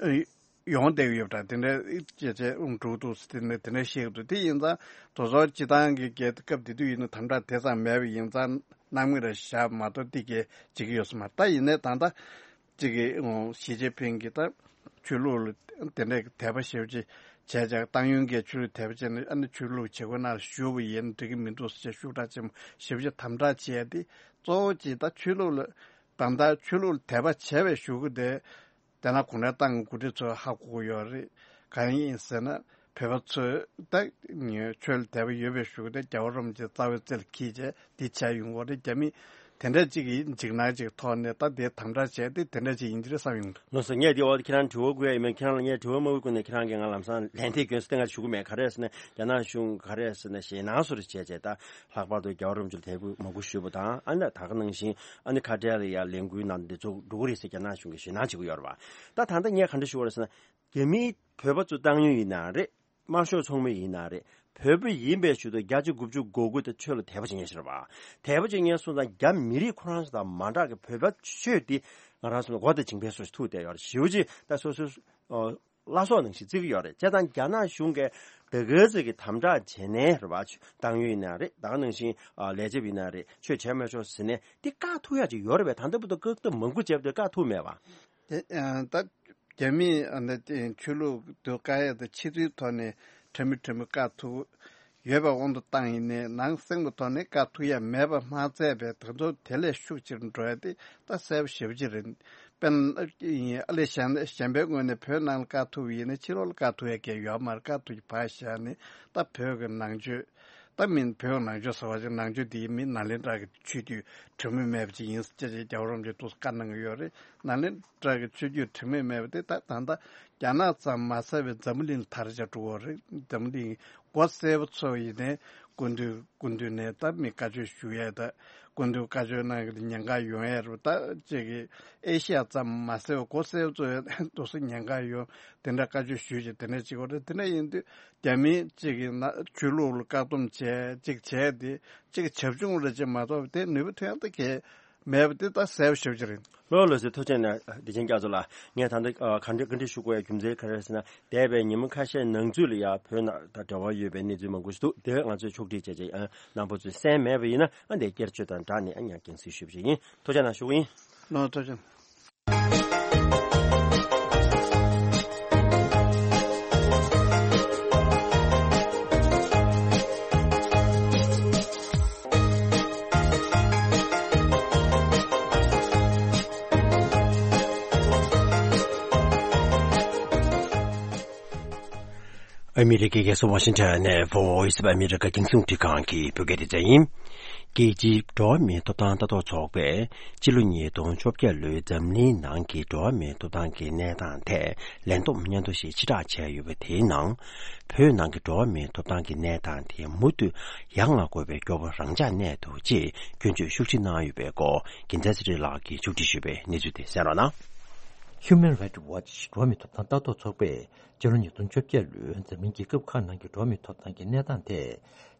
ཨེ་ཡོང་བསྡད་ཡོད་པ་འདྲ། དེ་འདྲ་བྱས་བྱས་འགྲོ་འདུག་ཟེར་དེ་འདྲ་དེ་འདྲ་བཤད་ཀྱི་འདུག་དེ་ཡིན་ཙང་དེ་ཚོ་སྤྱི་བཏང་གི་སྐབས་དེ་དུས་ཡིན་ན་དམ་དྲག་དེ་ཙམ་མེད་པ་ཡིན་ཙང་། གནང་མི་རེ་བཞག་མ་གཏོགས་འདི་གས་བྱེད་ཀྱི་ཡོད་ས་མ་རེད། ད་ཡིན་ནའི་ད་ལྟ་གཅིག་གི་ཞི་ཅིན་ཕིང་གིས་ད་ཆོས་ལུགས་ལ་དེ་འདྲའི་དད་པ་ཞེ་པོ་ཅིག་བྱས་ཀྱང་ཏང་ཡོན་གྱིས་ཆོས་ལུགས་དད་པ་བྱས་ནས་ཨ་ནི་ཆོས་ལུགས་བྱེད་སྒོ་ནང་ཞུགས་པ་ཡིན་འགྲིག་གི་མི་འདུག་ཟེར་ཤུགས་དྲག་ཆེན་པོ་ཞེ་པོ་ཅིག་དམ་དྲག་བྱས་ཏེ་གཙོ་བོ་གཅིག་ད་ཆོས་ལུགས་ལ་གང་ལྟར་ཆོས་ལུགས་ལ་དད་པ་བྱས་པའི་གཞུག་གུ་དེ། དེ་ན་གུང་ཁྲན་ཏང་གི་འགོ་ཁྲིད་ཚོས་ཧ་གོ་གི་ཡོད་རེད། གང་ཡིན་ཟེར་ན་བོད་པ་ཚོས་ད་ཆོས་ལ་དད་པ་ཡོད་པའི་གཞུག་དེ་རྒྱལ་བ་རིན་པོ་ཆེ་རྩ་བའི་རྩེ་ལ་འཁྱེར་བྱས་འདི་བྱས་ཡོང་གི་རེད། རྒྱ་མི་དེ་འདྲ་ཅིག་གི་འཇིགས་སྣང་ཅིག་ཐོག་ནས་ད་དེ་དམ་དྲག་བྱས་ཏེ་དེ་འདྲ་ཅིག་ཡིན་གྱི་རེད་བསམ་ཡོང་གི་འདུག་ལགས་སོ། ངས་དེ་འོག་ཁྱེད་རང་དྲི་བ་བཀོད་ཡ་ཡིན་མིན། ཁྱེད་རང་ལ་ངས་དྲི་བ་མ་བཀོད་གོང་ནས་ཁྱེད་རང་གིས་ང་ལམ་སང་ལན་འདེབས་སྐྱོན་སོ་དེ་ང་ཞུ་གི་མེད། ག་རེ་ཟེར་ན་རྒྱ་ནག་གཞུང་ག་རེ་ཟེར་ན་ཞེད་སྣང་བཟོ་འདྲ་བྱས་བྱས་ད། ལྷག་པར་དུ་རྒྱལ་བ་རིན་པོ་ཆེར་དད་གུས་མོས་གུས་ཞུས་པ་དང་། ཨ་ནི་ད་ག་ནང་བཞིན་ཨ་ནི་ཁ་བྲལ་ལ་ཡ་ལས་འགུལ་ནང་འདི་ཚོ་འགྲོ་གི་རེད་ཟེར་རྒྱ་ནག་གཞུང་གིས་ཞེད་སྣང་བྱེད་ཀྱི་ཡོད་རེད་བ། ད་ད་ལྟ་ངས་ག་འདྲ་ཞུ་བ་རེད་ཟེར་ན། རྒྱ་མིའི་བོད་པ་ཚོ་ཏང་ཡོན་ཡིན་ན་རེད། དམར་ཤོག་ཚོགས་མི་ཡིན་ན་རེད། བོད་པ་ཡིན་པའི་ཕྱིར་དུ་བརྒྱ་ཆ་དགུ་བཅུ་གོ་དགུ་དེ་ཆོས་ལ་དད་པ་བྱེད་མཁན་ཞིག་རེད་བ། དད་པ་བྱེད་མཁན་སོང་ཙང་རྒྱ་མི་རིགས་ཁོ་རང་ཚོ་དང་མ་འདྲ་གི་བོད་པ་ཆོས་འདི་ང་རང་ཚོ་ལ་མགོ་དང་མཇིང་པའི་སོ་ཞིག་ཐུག་བསྡད་ཡོད་རེད། ཞེ་པོ་ཅིག་ད་སོ་སོའི་བླ་སྲོག་ནང་བཞིན་བརྩི་གི་ཡོད་རེད། བྱས་ཙང་རྒྱ་ནག་གཞུང་གིས་ད་ག་ཚོད་ཀྱི་དམ་དྲག་བྱས་ནའི་རེད་བ། ཏང་ཡོན་ཡིན་ན་རེད། ད་ག་ནང་བཞིན་ལས་བྱེད་པ་ཡིན་ན་རེད། ཆོས་བྱས་མི་ཆོག་ཟེར་ནས་འདི་བཀག་ཐུབ་ཡ་ཅིག་ཡོད་རེད་པས། ད་ལྟ་བར་དུ་བཀག་ཐབས་མང་པོ་བྱས་པ་དེ་བཀག་ཐུབ་མེད་པ། དེ་ད་རྒྱ་མིས་ཨ་ནི་དེ་ཆོས་ལུགས་སྡུག་དཀའ་ཡ་དང་ཕྱི་ཚུལ་ཐོག་ནས་ཁྲ་མི་ཁྲ་མི་བཀག་ཐུབ་ཡོད་པའི་དབང་དུ་བཏང་ཡིན་ནའི་ནང་གསེས་པའི་ཐོག་ནས་བཀག་ཐུབ་ཡ་མེད་པ་མ་ཚད་པའི་དེ་ཚོ་དེ་ལས་ཤུགས་ཆེར་འགྲོ་ཡ་དེ་ད་གསལ་པོ་ཞེ་པོ་ཅིག་རེད། དཔེར་ན་ཨ་ལེ་གཞན་གཞན་པའི་ངོས་ནས་བོད་ནང་ལ་བཀག་ཐུབ་ཡིན་ན་ཕྱི་ལོགས་ལ་བཀག་ཐུབ་ཡ་གལ་ཡོད་མ་རེད། བཀག་ཐུབ་ཀྱི་བར་བཞག་ནས་ད་བོད་ཀྱི་ནང་ཆོས་ ད་མིན་བོད་ནང་ཆོས་ཟེར་བ་ཅིག་ནང་ཆོས་དེའི་མི་ནཱ་ལེནྡྲ་གི་ཆོས་བརྒྱུད་དྲི་མེད་མེད་པ་ཅིག་ཡིན་ཟེར་ཅེས་རྒྱལ་བ་རིན་པོ་ཆེས་ཏོག་ཙམ་བཀའ་གནང་གི་ཡོད་རེད། ནཱ་ལེནྡྲ་གི་ཆོས་བརྒྱུད་དྲི་མེད་མེད་པ་དེ་ད་ད་ལྟ་རྒྱ་ནག་ཙམ་མ་ཟད་པའི་འཛམ་བུ་གླིང་དར་ཆ་འགྲོ་གི་རེད། འཛམ་བུ་གླིང་སྒོ་གསལ་པོ་ཚོ་ཡིན་ནའི་སྐུ་མདུན་སྐུ་མདུན་ནས་ད་མི་བཀའ་ཆོས་ཞུ་ཡས་ད་སྐུ་མདུན་བཀའ་ཆོས་གནང་གི་ཉེན་ཁ་ཡོང་ཡས་རེད། ད་ཅིག་གི་ཨེ་ཤི་ཡ་ཙམ་མ་ཟད་པའི་སྒོ་གསལ་པོ་ཚོ་ཡང་ཏོག་ཙམ་ཉེན་ཁ་ཡོང་དེ་འདྲ་བཀའ་ཆོས་ཞུས་ཅིག་དེ་འདྲ་ཅིག་གོ་རེད། དེ་འདྲ་ཡིན་དུས། རྒྱ་མི་གཅིག་གིས་ན་ཆོས་ལུགས་ལ་བཀག་སྡོམ་བྱས་གཅིག་བྱས་ཏེ་གཅིག་བྱབ་ཆུང་རེ་བྱེད་མ་གཏོགས་དེ་ནུས་པ་ཐོན་ཡག་ད་གས་མེད་པ་དེ་ད་གསལ་པོ་ཞེ་པོ་ཅིག་རེད། ལོ་ལོ་ཟེར་ཐུགས་རྗེ་ཆེ་ན་བདེ་ཆེན་སྐྱབས་ཚོ་ལ་ངས་ད་ལྟ་ཨ་ག་འདྲ་བཀའ་འདྲི་ཞུ་དགོས་ཡ་རྒྱུ་མཚན་ག་རེ་ཟེར་ན། འདས་པའི་ཉིན་མོ་ཁ་ཤས་ནང་ཚུད་ལ་ཡ་བོད་ནང་ད་འབྲེལ་བ་ཡོད་པའི་གནས་ཚུལ་མང་པོ་ཞིག་འདུག་དེ་ང་ཚོས་ཕྱོགས་སྒྲིག་བྱས་བྱས་ཨ་རྣམ་པ་ཚོས་གསན་མེད་པ་ཡིན་ན་ཨ་འདས་བསྐྱར་བཅོས་དང་སྦྲགས་ནས་ཨ་ཉག་རྒྱང་སྲིང་ཞུས་པ་ཞིག་ཡིན། ཐུགས་རྗེ་ཆེ་ན་ཞུ་གི་ཡིན། ལོ་ཐུགས་རྗེ་ཆེ། ཨ་མི་རི་ཀའི་རྒྱལ་ས་ཝ་ཤིང་ཊོན་ནས་Voice of America རྒྱང་སྲིང་རླུང་འཕྲིན་ཁང་གི་བོད་སྐད་སྡེ་ཚན་ཡིན། རྒྱལ་སྤྱིའི་འགྲོ་བ་མིའི་ཐོབ་ཐང་ལྟ་རྟོག་ཚོགས་པས་ཕྱི་ལོ་ཉིས་སྟོང་བཅོ་བརྒྱད་ལོའི་འཛམ་གླིང་ནང་གི་འགྲོ་བ་མིའི་ཐོབ་ཐང་གི་གནས་སྟངས་ཐད་ལས་བསྡོམས་སྙན་ཐོ་ཞིག་ཕྱིར་བསྒྲགས་བྱས་ཡོད་པ་དེའི་ནང་། བོད་ནང་གི་འགྲོ་བ་མིའི་ཐོབ་ཐང་གི་གནས་སྟངས་དེ་མུ་མཐུད་ཡར་བསྔགས་དགོས་པའི་སྐྱོ་པོ་རང་འཇགས་གནས་འདུག་ཅེས་སྐྱོན་བརྗོད་ཤུགས་ཆེ་གནང་ཡོད་པའི་སྐོར་རྒྱལ་མཚན་ཚེ་རིང་ལགས་ཀྱིས་ཕྱོགས་སྒྲིག་ཞུས་པའི་གནས་ཚུལ་དེ་གསན་རོགས་གནང་། Human Rights Watch འགྲོ་བ་མིའི་ཐོབ་ཐང་ལྟ་རྟོག་ཚོགས་པས་སྤྱི་ལོ་ཉིས་སྟོང་བཅོ་བརྒྱད་ལོའི་འཛམ་གླིང་རྒྱལ་ཁབ་ཁག་ནང་གི་འགྲོ་བ་མིའི་ཐོབ་ཐང་གི་གནས་སྟངས་ཐད་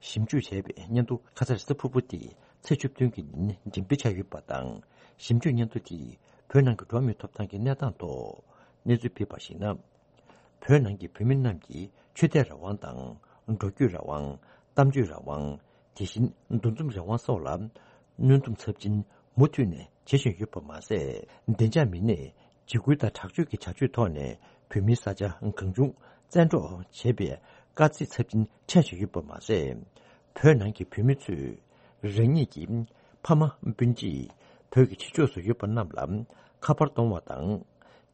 ཞིབ་འཇུག་བྱས་པའི་སྙན་ཐོ་ཁ་སང་རེས་གཟའ་ཕུར་བུ་སྟེ་ཚེས་བཅུ་བདུན་གྱི་ཉིན་འགྲེམས་སྤེལ་བྱས་ཡོད་པ་དང་། ཞིབ་འཇུག་སྙན་ཐོ་དེས་བོད་ནང་གི་འགྲོ་བ་མིའི་ཐོབ་ཐང་གི་གནས་སྟངས་ཐོག་གནས་ཚུལ་སྤེལ་བར་གཞིགས་ན། བོད་ནང་གི་བོད་མི་རྣམས་ཀྱི་ཆོས་དད་རང་དབང་དང་། འགྲོ་སྐྱོད་རང་དབང་། གཏམ་བརྗོད་རང་དབང་། དེ་བཞིན་འདུ་འཛོམས་རང་དབང་སོགས་ལ་གནོན་སྡོམ་ཚབས་ཆེན་མུ་མཐུད་ནས་བྱེད་བཞིན་ཡོད་པ་མ་ཟད། བདེ་འཇགས་མི་སྣས་འཇིགས་སྐུལ་དང་དྲག་སྤྱོད་ཀྱི་བྱ་སྤྱོད་ཐོག་ནས་བོད་མིའི་ས་ཆ་གང་བྱུང་བཙན་འཕྲོག་བྱེད་པའི་དཀའ་ཚེགས་ཚབས་ཆེན་འཕྲད་བཞིན་ཡོད་པ་མ་ཟད། བོད་ནང་གི་བོད་མི་ཚོས་རང་ཉིད་ཀྱི་ཕ་མ་སྤུན་མཆེད་བོད་ཀྱི་ཕྱི་ཕྱོགས་སུ་ཡོད་པ་རྣམས་ལ་ཁ་པར་གཏོང་བ་དང་།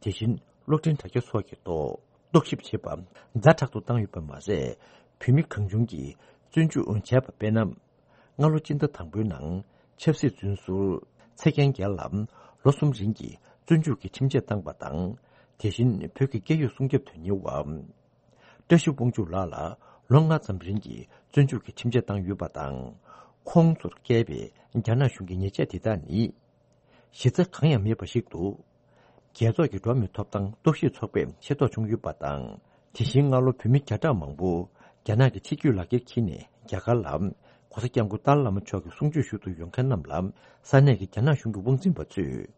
དེ་བཞིན་གློག་འཕྲིན་དྲ་རྒྱ་སོགས་ཀྱི་ཐོག་རྟོག་ཞིབ་བྱེད་པ་ཛ་དྲག་ཏུ་བཏང་ཡོད་པ་མ་ཟད། བོད་མི་གང་བྱུང་གིས་བཙོན་འཇུག་བྱས་པ་དཔེར་ན། སྔ་ལོ་སྤྱི་ཟླ་དང་པོའི་ནང་ཆབ་སྲིད་བཙོན་ཟུར་ཚེ་རྒྱལ་རྒྱལ་ལ་ལོ་གསུམ་རིང་གི་བཙོན་འཇུག་གི་ཁྲིམས་ཆད་བཏང་པ་དང་། དེ་བཞིན་བོད་ཀྱི་སྐད་ཡིག་སྲུང་སྐྱོབ་དོན་གཉེར་བ་བཀྲ་ཤིས་དབང་ཕྱུག་ལགས་ལ་ལོ་ལྔ་ཙམ་རིང་གི་བཙོན་འཇུག་གི་ཁྲིམས་ཆད་བཏང་ཡོད་པ་དང་། ཁོང་ཚོར་བཀལ་བའི་རྒྱ་ནག་གཞུང་གི་ཉེས་ཆད་དེ་དག་ནི། གཞི་རྩ་གང་ཡང་མེད་པ་ཞིག་འདུག་རྒྱལ་ཚོགས་ཀྱི་འགྲོ་བ་མིའི་ཐོབ་ཐང་རྟོག་ཞིབ་ཚོགས་པས་ཤེས་རྟོགས་བྱུང་ཡོད་པ་དང་། དེ་བཞིན་སྔ་ལོ་བོད་མི་བརྒྱ་ཕྲག་མང་པོ་རྒྱ་ནག་གི་ཕྱི་སྐྱོད་ལག་འཁྱེར་འཁྱེར་ནས་རྒྱ་གར་ལ་གོང་ས་སྐྱབས་མགོན་ཏཱ་ལའི་བླ་མ་མཆོག་གི་གསུང་ཆོས་ཞུ་དུ་ཡོང་མཁན་རྣམས་ལ་ས་གནས་ཀྱི་རྒྱ་ནག་གཞུང་གི་དབང་འཛིན་པ་ཚོས་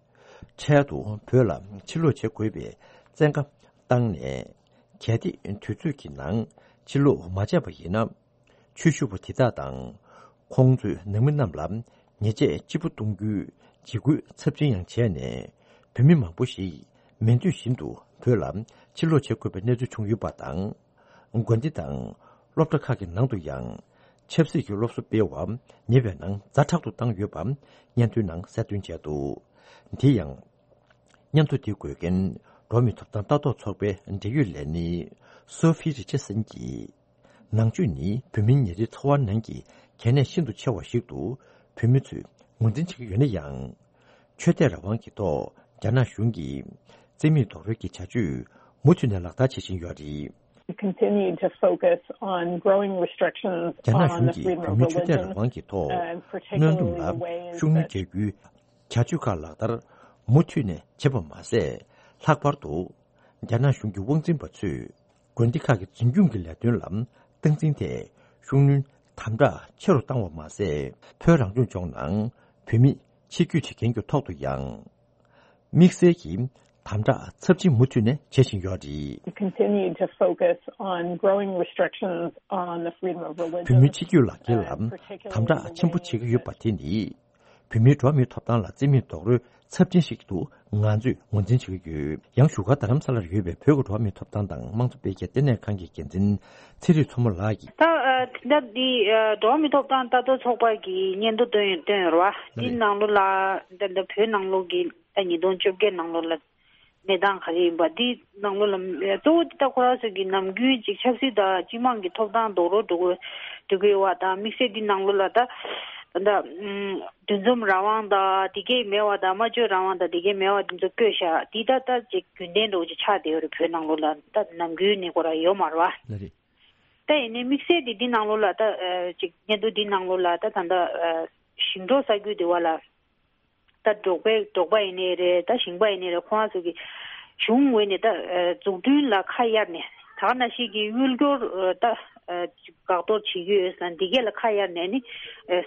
འཕྲལ་དུ་བོད་ལ་ཕྱིར་ལོག་བྱེད་དགོས་པའི་བཙན་བཀའ་བཏང་ནས། གལ་ཏེ་དུས་ཚོད་ཀྱི་ནང་ཕྱིར་ལོག་མ་བྱས་པ་ཡིན་ན། ཆོས་ཞུ་བ་དེ་དག་དང་། ཁོང་ཚོས་ནང་མི་རྣམས་ལ་ཉེས་ཆད་ལྕི་པོ་གཏོང་རྒྱུའི་འཇིགས་སྐུལ་ཚབས་ཆེན་ཡང་བྱས་ནས། བོད་མི་མང་པོ་ཞིག་མི་འདོད་བཞིན་དུ་བོད་ལ་ཕྱིར་ལོག་བྱེད་དགོས་པའི་གནས་ཚུལ་བྱུང་ཡོད་པ་དང་། དགོན་སྡེ་དང་སློབ་གྲྭ་ཁག་གི་ནང་དུ་ཡང་ཆབ་སྲིད་ཀྱི་སློབ་གསོ་སྤེལ་བ་ཉེ་བའི་ནང་ཛ་དྲག་ཏུ་བཏང་ཡོད་པ་སྙན་ཐོའི་ནང་གསལ་སྟོན་བྱས་འདུག་དེ་ཡང་། སྙན་ཐོ་དེ་འགོད་མཁན་འགྲོ་བ་མིའི་ཐོབ་ཐང་ལྟ་རྟོག་ཚོགས་པའི་འབྲེལ་ཡོད་ལས་སྣེ་སོ་ཕི་རི་ཆར་སན་གྱིས། ནང་ཆོས་ནི་བོད་མིའི་ཉིན་རེའི་འཚོ་བ་ནང་གི་གལ་གནད་ཤིན་ཏུ་ཆེ་བ་ཞིག་ཏུ་བོད་མི་ཚོས་ངོས་འཛིན་བྱེད་ཀྱི་ཡོད་ན་ཡང་། ཆོས་དད་རང་དབང་གི་ཐོག་རྒྱ་ནག་གཞུང་གིས་བཙན་མིག་རྡོག་རོལ་གྱི་བྱ་སྤྱོད་མུ་མཐུད་ནས་ལག་བསྟར་བྱེད་བཞིན་ཡོད་རེད། We continue to focus on growing restrictions on the freedom of religion, uh, particularly ways that, um, རྒྱ་ནག་གཞུང་གིས་བོད་མིའི་ཆོས་དད་རང་དབང་གི་ཐོག་གནོན་སྡོམ་ལ་ཤུགས་སྣོན་རྒྱག་རྒྱུའི་བྱ་སྤྱོད་ཁག་ལག་བསྟར་མུ་མཐུད་ནས་བྱེད་པ་མ་ཟད། ལྷག་པར་དུ་རྒྱ་ནག་གཞུང་གི་དབང་འཛིན་པ་ཚོས་དགོན་སྡེ་ཁག་གི་འཛིན་སྐྱོང་གི་ལས་དོན་ལ་སྟངས་འཛིན་ཐད་ཤུགས་སྣོན་དམ་དྲག་ཆེ་རུ་བཏང་བ་མ་ཟད། བོད་རང་སྐྱོང་ལྗོངས་ནང་བོད་མི་ཕྱིར་སྐྱོད་བྱེད་མཁན་གྱི་ཐོག་ཏུ་ཡང་དམིགས་བསལ་གྱི་དམ་དྲག་ཚབས་ཆེན་མུ་མཐུད་ནས་བྱེད་བཞིན་ཡོད་རེད། We continue to focus on growing restrictions on the freedom of religion, uh, particularly ways that, um, བོད་མི་ཕྱིར་སྐྱོད་ལག་འཁྱེར་ལ་དམ་དྲག་ཆེན་པོ་བྱེད་ཀྱི་ཡོད་པ་དེ་ནི། བོད་མིའི་འགྲོ་བ་མིའི་ཐོབ་ཐང་ལ་བརྩི་མེད་རྡོག་རོལ་ཚབས་ཆེན་ཞིག་ཏུ་ང་ཚོས་ངོས་འཛིན་བྱེད་ཀྱི་ཡོད། ཡང་བཞུགས་སྒར་རྡ་རམ་ས་ལར་ཡོད་པའི་བོད་ཀྱི་འགྲོ་བ་མིའི་ཐོབ་ཐང་དང་དམངས་གཙོ་འཕེལ་རྒྱས་ལྟེ་གནས་ཁང་གི་འགན་འཛིན་ཚེ་རིང་མཚོ་མོ་ལགས་ཀྱིས། ད་ཨ་དེ་འདྲ་འདི་ཨ་འགྲོ་བ་མིའི་ཐོབ་ཐང་ལྟ་རྟོག་ཚོགས་པ་གིས་སྙན་ཐོ་བཏོན་བཏོན་ཡོད་རེད་བ། འདི་ནང་ལོགས་ལ་ད་ལྟ་བོད་ནང་ལོགས་ཀྱི་ད་ཉིས་སྟོང་བཅོ་བརྒྱད་ནང་ལོགས་ལ། གནས་སྟངས་ག་རེ་ཡིན་པ་འདི་ནང་ལོགས་ལ་གཙོ་བོ་འདི་ད་ཁོ་རང་ཚོ་གི་ནམ་རྒྱུན་ཅིག་ཆབ་སྲིད་དང་སྤྱི་དམངས་ཀྱི་ཐོབ་ཐང་རྡོག་རོལ་འགྲོ་དགོས་འགྲོ་གི་ཡོད་པ་དང་དམིགས་བསལ་འདི་ནང་ལོགས་ལ་ད་ད་འདུ་འཛོམས་རང་དབང་དང་དེ་གས་མེད་པ་དང་སྨྲ་བརྗོད་རང་དབང་དང་དེ་གས་མེད་པ་འདི་ཚོ་བཀོད་བཞག་འདི་ད་ད་ཅིག་རྒྱུན་ལྡན་འགྲོ་ཅིག་ཆགས་བསྡད་ཡོད་རེད། བོད་ནང་ལོགས་ལ་ད་ནམ་རྒྱུན་ནས་ཁོ་རང་ཡོད་མ་རེད་པ། ལགས་རེད། ད་ཡིན་ནའི་དམིགས་བསལ་དེ་འདི་ནང་ལོགས་ལ་ད་ཅིག་སྙན་ཐོ་འདི་ནང་ལོགས་ལ་ད་ད་ད་ཞིང་འབྲོག་ས་ཁུལ་དེ་བ་ལ། ད་འབྲོག་པའི་འབྲོག་པ་ཡིན་ནའི་རེད། ད་ཞིང་པ་ཡིན་ནའི་རེད། ཁོང་རང་ཚོ་གི་གཞུང་ངོས་ནས་ད་འཛུགས་སྐྲུན་ལ་ཁ་གཡར་ནས་ད་ག་ནང་བཞིན་གི་དབུལ་སྐྱོར་ད་འགག་གཏོར་བྱེད་ཀྱི་ཡོད་ཟེར་ན་འདི་གས་ལ་ཁ་གཡར་ནས་ནི་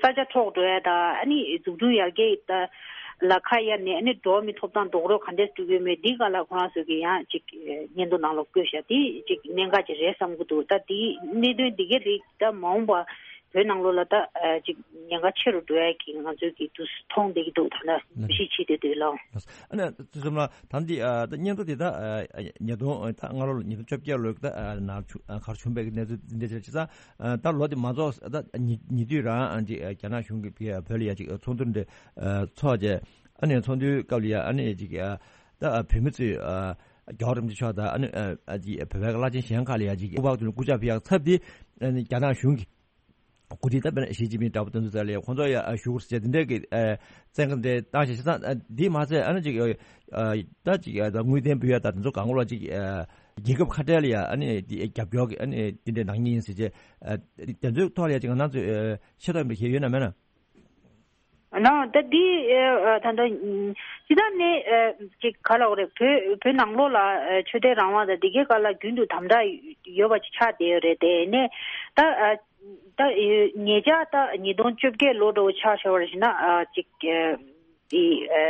ས་ཆ་འཕྲོག་འགྲོ་ཡ་ད་ཨ་ནི་འཛུགས་སྐྲུན་ཡར་རྒྱས་ད་ལ་ཁ་གཡར་ནས་ཨ་ནི་འགྲོ་བ་མིའི་ཐོབ་ཐང་རྡོག་རོལ་ག་འདྲས་སྤྲོད་ཀྱི་ཡོད་མེད་འདི་ག་ལ་ཁོང་རང་ཚོ་གི་ཡང་ཅིག་སྙན་ཐོ་ནང་ལ་བཀོད་བཞག་དེ་ཅིག་གནད་འགག་ཅིག་རེད་བསམ་གྱི་འདུག་ད་དེའི་གནད་དོན་འདི་གས་རིགས་ད་མ་འོངས་པ། བོད་ནང་ལོགས་ལ་ད་ཨ་ཅིག་ཉེན་ཁ་ཆེ་རུ་འགྲོ་ཡ་གི་ང་ཚོའི་གི་དུས་སུ་མཐོང་བསྡད་ཀྱི་འདུག་ད་ལྟ་ལགས་འགྲེལ་བཤད་བྱེད་བསྡད་འདུག་ལགས། ཨ་ནི་ཚུལ་ཁྲིམས་ལགས་ད་འདི་ཨ་ད་སྙན་ཐོ་དེ་ད་ཨ་ཉིས་སྟོང་ད་སྔ་ལོ་ཉིས་སྟོང་བཅོ་བརྒྱད་ལོའི་ད་ཨ་ནང་ཆུ་ཨ་གར་བྱུང་བའི་གནས་ཚུལ་འདི་འདྲ་བྱས་ཙང་ཨ་ད་ལོ་དེ་མ་རྫོགས་ད་ཉེ་ཉེ་དུས་རང་ཨ་འདི་ཨ་རྒྱ་ནག་གཞུང་གིས་བོད་བོད་ལ་ཡ་ཅིག་ཚོགས་འདུ་འདྲ་ཨ་ཚོགས་རྗེས་ཨ་ནི་ཚོགས་འདུའི་སྐབས་ལ་ཡ་ཨ་ནི་ཅིག་ཨ་ད་ཨ་བོད་མི་ཚོས་ཨ་རྒྱལ་བ་རིན་པོ་ཆེ་མཆོག་དང་ཨ་ནི་ཨ་ཅིག་བོད་པའི་བླ་ཆེན་གཞན་ཁག་ལ་ཡ་ཅིག་སྐུ་པར་དེ་ལ་སྐུ་ཕྱག་ཕུལ་ཡག་ཚབ་དེ་ཨ་ནི་རྒྱ་ནག་གཞུང་གིས་གོ་སྒྲིག་ད་དཔེར་ན་ཞི་ཅིན་ཕིང་འདྲ་པོ་དེ་ཚོ་ཚོ་ལ་ཡ་ཁོང་ཚོ་ཡ་བཞུགས་ཟེར་དེ་འདྲའི་གི་ཨ་བཙན་བཀའ་འདྲ་བཏང་ཞིག་བྱས་ཙང་ཨ་འདི་མ་ཟད་ཨ་ནི་ཅིག་ཨ་ད་ཅིག་ཨ་ད་དངུལ་རྟེན་ཕུལ་ཡ་ད་དེ་ཚོ་གང་ག་ལ་ཅིག་ཨ་རྒྱལ་ཁབ་ཁ་བྲལ་ལ་ཡ་ཨ་ནི་དེ་རྒྱབ་སྐྱོར་གི་ཨ་ནི་དེ་འདྲའི་གནང་མཁན་ཡིན་ཟེར་བྱས་ཨ་དེ་ཚོའི་ཐོག་ལ་ཡ་ཅིག་ང་རང་ཚོས་ཨ་ཤེས་རྟོགས་ཡིན་པ་ཞིག་ཡོད་ན་མེད་ན། ནའོ་ད་འདི་ཨ་ད་ལྟ་སྤྱི་བཏང་ནས་ཨ་ཅིག་ག་ལ་འོ་རེད། བོད་བོད་ནང་ལོགས་ལ་ཨ་ཆོས་དད་རང་དབང་དང་འདི་གའི་སྐོར་ལ་རྒྱུན་དུ་དམ་དྲག་ཡོད་པ་ཅིག་ཆགས་བསྡད་ཡོད་རེད། དེ་ནས་ད་ཨ་ད་ཨ་ཉེ་ཆར་ད་ཉིས་སྟོང་བཅོ་བརྒྱད་ལོ་འདྲ་བོ་ཆ་བཞག་པ་ཞིག་ན་ཨ་ཅིག་ཨ་འདི་ཨ་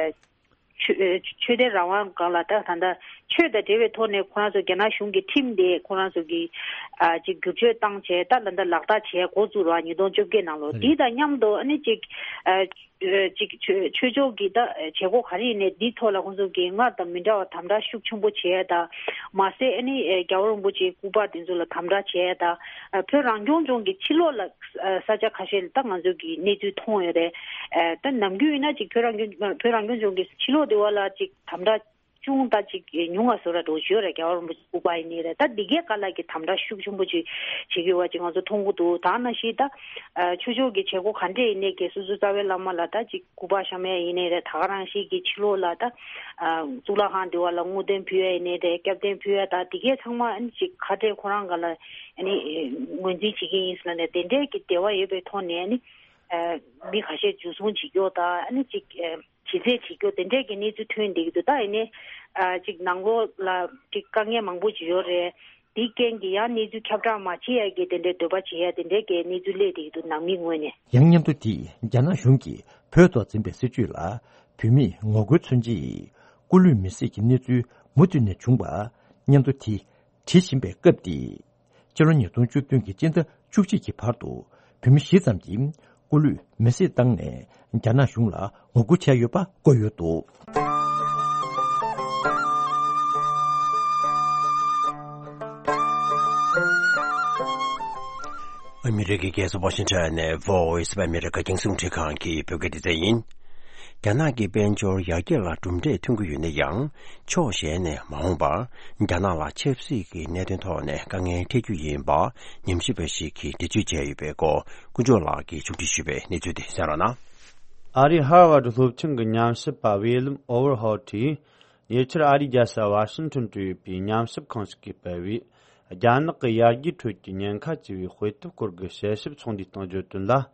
ཆོས་ཨ་ཆོས་དད་རང་དབང་སྒང་ལ་ད་ད་ལྟ་ཆོས་དང་འབྲེལ་བའི་ཐོག་ནས་ཁོ་རང་ཚོ་རྒྱ་ནག་གཞུང་གི་ཁྲིམས་དེ་ཁོ་རང་ཚོ་གི་ཨ་ཅིག་བསྒྱུར་བཅོས་བཏང་བྱས་ད་ད་ལྟ་ལག་བསྟར་བྱས་འགོ་བཙུགས་ར་ཉིས་སྟོང་བཅོ་བརྒྱད་ནང་ལོ་འདི་དང་མཉམ་དུ་ཨ་ནི་ཅིག་ཨ། ཨ་ཅིག་ཆོས་ཆོས་ཕྱོགས་ཀྱི་ད་བྱེད་སྒོ་ག་རེ་ཡིན་ནའི་འདིའི་ཐོག་ལ་ཁོང་ཚོ་གིས་སྔར་དང་མི་འདྲ་བ་དམ་དྲག་ཤུགས་ཆེན་པོ་བྱས་དང་མ་ཟད་ཨ་ནི་ཨ་རྒྱལ་བ་རིན་པོ་ཆེའི་སྐུ་པར་དེ་ཚོ་ལ་དམ་དྲག་བྱས་དང་ཨ་བོད་རང་སྐྱོང་ལྗོངས་ཀྱི་ཕྱི་ལོགས་ལ་ཨ་ས་ཆ་ཁ་ཤས་ལ་ད་ང་ཚོ་གིས་གནས་ཚུལ་མཐོང་ཡོད་རེད། ཨ་ད་ནམ་རྒྱུན་ཡིན་ན་ཅིག་བོད་རང་སྐྱོང་བོད་རང་སྐྱོང་ལྗོངས་ཀྱི་ཕྱི་ལོགས་དེ་བ་ལ་ཅིག་དམ་དྲག་ཅུང་ད་ཅིག་ཉུང་བ་བཟོ་འདྲ་འདྲ་བོ་ཅིག་ཡོད་རེད། རྒྱལ་བ་རིན་པོ་ཆེ་སྐུ་པར་ཡིན་ནའི་རེད། ད་འདི་གའི་སྒང་ལ་གི་དམ་དྲག་ཤུགས་ཆེན་པོ་ཅིག་བྱེད་ཀྱི་ཡོད་པ་ཅིག་ང་ཚོ་མཐོང་གི་འདུག་ད་ནང་བཞིན་ད་ཨ་ཆོས་ཕྱོགས་ཀྱི་བྱེད་སྒོ་ག་འདྲས་ཡིན་ནའི་གི་སོ་སོའི་རྩ་བའི་བླ་མ་ལ་ད་ཅིག་སྐུ་པར་བཤམས་ཡ་ཡིན་ནའི་རེད། ད་ག་རང་བཞིན་གྱི་ཕྱི་ལོགས་ལ་ད་ཨ་གཙུག་ལག་ཁང་འདི་བ་ལ་དངུལ་རྟེན་ཕུལ་ཡ་ཡིན་ནའི་རེད། སྐྱབས་རྟེན་ཕུལ་ཡ་ད་འདི་གའི་ཚང་མ་ཨ་ནི་ཅིག་ཁ་བྲལ་ཁོ་རང་སྒང་ལ་ཨ་ནི་ངོས་འཛིན་བྱེད་ཀྱི་ཡིན་ཟེར་ལབ་ནས་དེ་འདྲའི་གི་འབྲེལ་བ་ཡོད་པའི་ཐོག་ནས་ཨ་ནི་ཨ་མི་ཁ་ཤས་འཇུ་བཟུང་བྱེད་རྒྱུ་ད་ཨ་ནི་ཅིག་ཨ། ཇེ་ཆེར་བྱེད་རྒྱུ་དེ་འདྲས་ཀྱི་གནས་ཚུལ་ཐོན་བསྡད་ཀྱི་འདུག་ད་ཡིན་ནའི་ཨ་ཅིག་ནང་ལོགས་ལ་ཅིག་དཀའ་ངལ་མང་པོ་ཅིག་ཡོད་རེད། དེའི་རྐྱེན་གྱིས་ཡང་གནས་ཚུལ་ཁྱབ་བསྒྲགས་མ་བྱེད་ཡ་གི་དེ་འདྲའི་འདོད་པ་བྱེད་ཡ་དེ་འདྲས་ཀྱི་གནས་ཚུལ་སླེབས་བསྡད་ཀྱི་འདུག་ནང་མིའི་ངོས་ནས། ཡང་སྙན་ཐོ་དེས་རྒྱ་ནག་གཞུང་གིས་བོད་ཐོག་འཛིན་པའི་སྲིད་བྱུས་ལ་བོད་མིས་ངོ་རྒོལ་མཚོན་ཆེད་སྐུ་ལུས་མེར་སྲེག་གི་གནས་ཚུལ་མུ་མཐུད་ནས་བྱུང་བ་སྙན་ཐོ་དེས་བྲིས་བཞིན་པའི་སྐབས་དེ། ཕྱི་ལོ་ཉིས་སྟོང་བཅུ་བདུན་གྱི་སྤྱི་ཟླ་བཅུ་གཅིག་གི་བར་དུ་བོད་མི་བཞི་ཙམ་གྱིས་སྐུ་ལུས་མེར་སྲེག་བཏང་ནས་རྒྱ་ནག་གཞུང་ལ་ངོ་རྒོལ་བྱས་ཡོད་པ་བཀོད་ཡོད་འདུག་ཨ་མི་རི་ཀའི་རྒྱལ་ས་ཝ་ཤིང་ཊོན་ནས་Voice of America རྒྱང་སྲིང་རླུང་འཕྲིན་ཁང་གི་བོད་སྐད་སྡེ་ཚན་ཡིན། རྒྱ་ནག་གི་དཔལ་འབྱོར་ཡར་རྒྱས་ལ་གྲུབ་འབྲས་ཐོན་གྱི་ཡོད་ན་ཡང་། ཕྱོགས་གཞན་ནས་མ་འོངས་པར་རྒྱ་ནག་ལ་ཆབ་སྲིད་ཀྱི་གནད་དོན་ཐོག་ནས་དཀའ་ངལ་འཕྲད་རྒྱུ་ཡིན་པ་ཉམས་ཞིབ་པ་ཞིག་གིས་འགྲེལ་བརྗོད་བྱས་ཡོད་པའི་སྐོར་ཀུན་སྦྱོར་ལགས་ཀྱིས་ཕྱོགས་སྒྲིག་ཞུས་པའི་གནས་ཚུལ་དེ་གསན་རོགས་གནང་། ཨ་རིའི་ཧར་ཝར་སློབ་ཆེན་གྱི་ཉམས་ཞིབ་པ་ཝི་ལམ་ཨོ་ཝར་ཧོལ་གྱིས་ཉེ་ཆར་ཨ་རིའི་རྒྱལ་ས་ཝ་ཤིང་ཊོན་དུ་ཡོད་པའི་ཉམས་ཞིབ་ཁང་ཞིག་གིས་སྤེལ་བའི་རྒྱ་ནག་གི་ཡར་རྒྱས་ཁྲོད་ཀྱི་ཉེན་ཁ་ཅེས་པའི་དཔེ་དེབ་སྐོར་གྱི་དཔྱད་ཞིབ་ཚོགས་འདུའི་སྟེང་བརྗོད་དོན་ལ།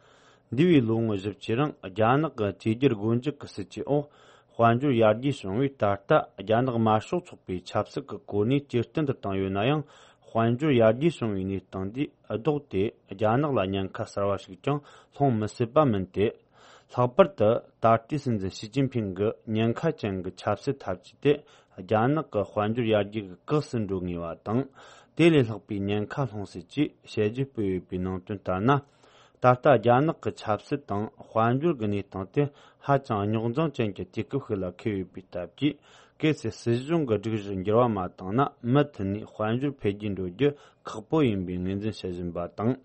འདས་པའི་ལོ་ངོ་བཞི་བཅུའི་རིང་རྒྱ་ནག་གི་བཅོས་བསྒྱུར་སྒོ་འབྱེད་ཀྱི་སྲིད་ཇུས་འོག་དཔལ་འབྱོར་ཡར་རྒྱས་བྱུང་བས། ད་ལྟ་རྒྱ་ནག་དམར་ཤོག་ཚོགས་པའི་ཆབ་སྲིད་ཀྱི་གོ་གནས་ཇེ་བརྟན་དུ་བཏང་ཡོད་ན་ཡང་། དཔལ་འབྱོར་ཡར་རྒྱས་བྱུང་བའི་གནས་སྟངས་འདིས་ལྡོག་སྟེ། རྒྱ་ནག་ལ་ཉེན་ཁ་གསར་བ་ཞིག་ཀྱང་སློང་མི་སྲིད་པ་མིན་ཏེ། ལྷག་པར་དུ་ད་ལྟའི་སྲིད་འཛིན་ཞི་ཅིན་ཕིང་གི་ཉེན་ཁ་ཅན་གྱི་ཆབ་སྲིད་འཐབ་ཇུས་དེ་རྒྱ་ནག་གི་དཔལ་འབྱོར་ཡར་རྒྱས་ཀྱི་གེགས་སུ་འགྲོ་ངེས་པ་དང་། དེ་ལས་ལྷག་པའི་ཉེན་ཁ་སློང་སྲིད་ཅེས་དཔྱད་བརྗོད་སྤེལ་ཡོད་པའི་ནང་དོན་ལྟར་ན། ད་ལྟ་རྒྱ་ནག་གི་ཆབ་སྲིད་དང་དཔལ་འབྱོར་གྱི་གནས་སྟངས་དེ་ཧ་ཅང་རྙོག་འཛིང་ཅན་གྱི་དུས་སྐབས་ཤིག་ལ་འཁེལ་ཡོད་པའི་སྟབས་ཀྱིས། གལ་སྲིད་སྲིད་གཞུང་གི་སྒྲིག་གཞི་འགྱུར་བ་མ་བཏང་ན། མུ་མཐུད་ནས་དཔལ་འབྱོར་འཕེལ་རྒྱས་འགྲོ་རྒྱུ་ཁག་པོ་ཡིན་པའི་ངོས་འཛིན་བྱེད་བཞིན་པ་དང་།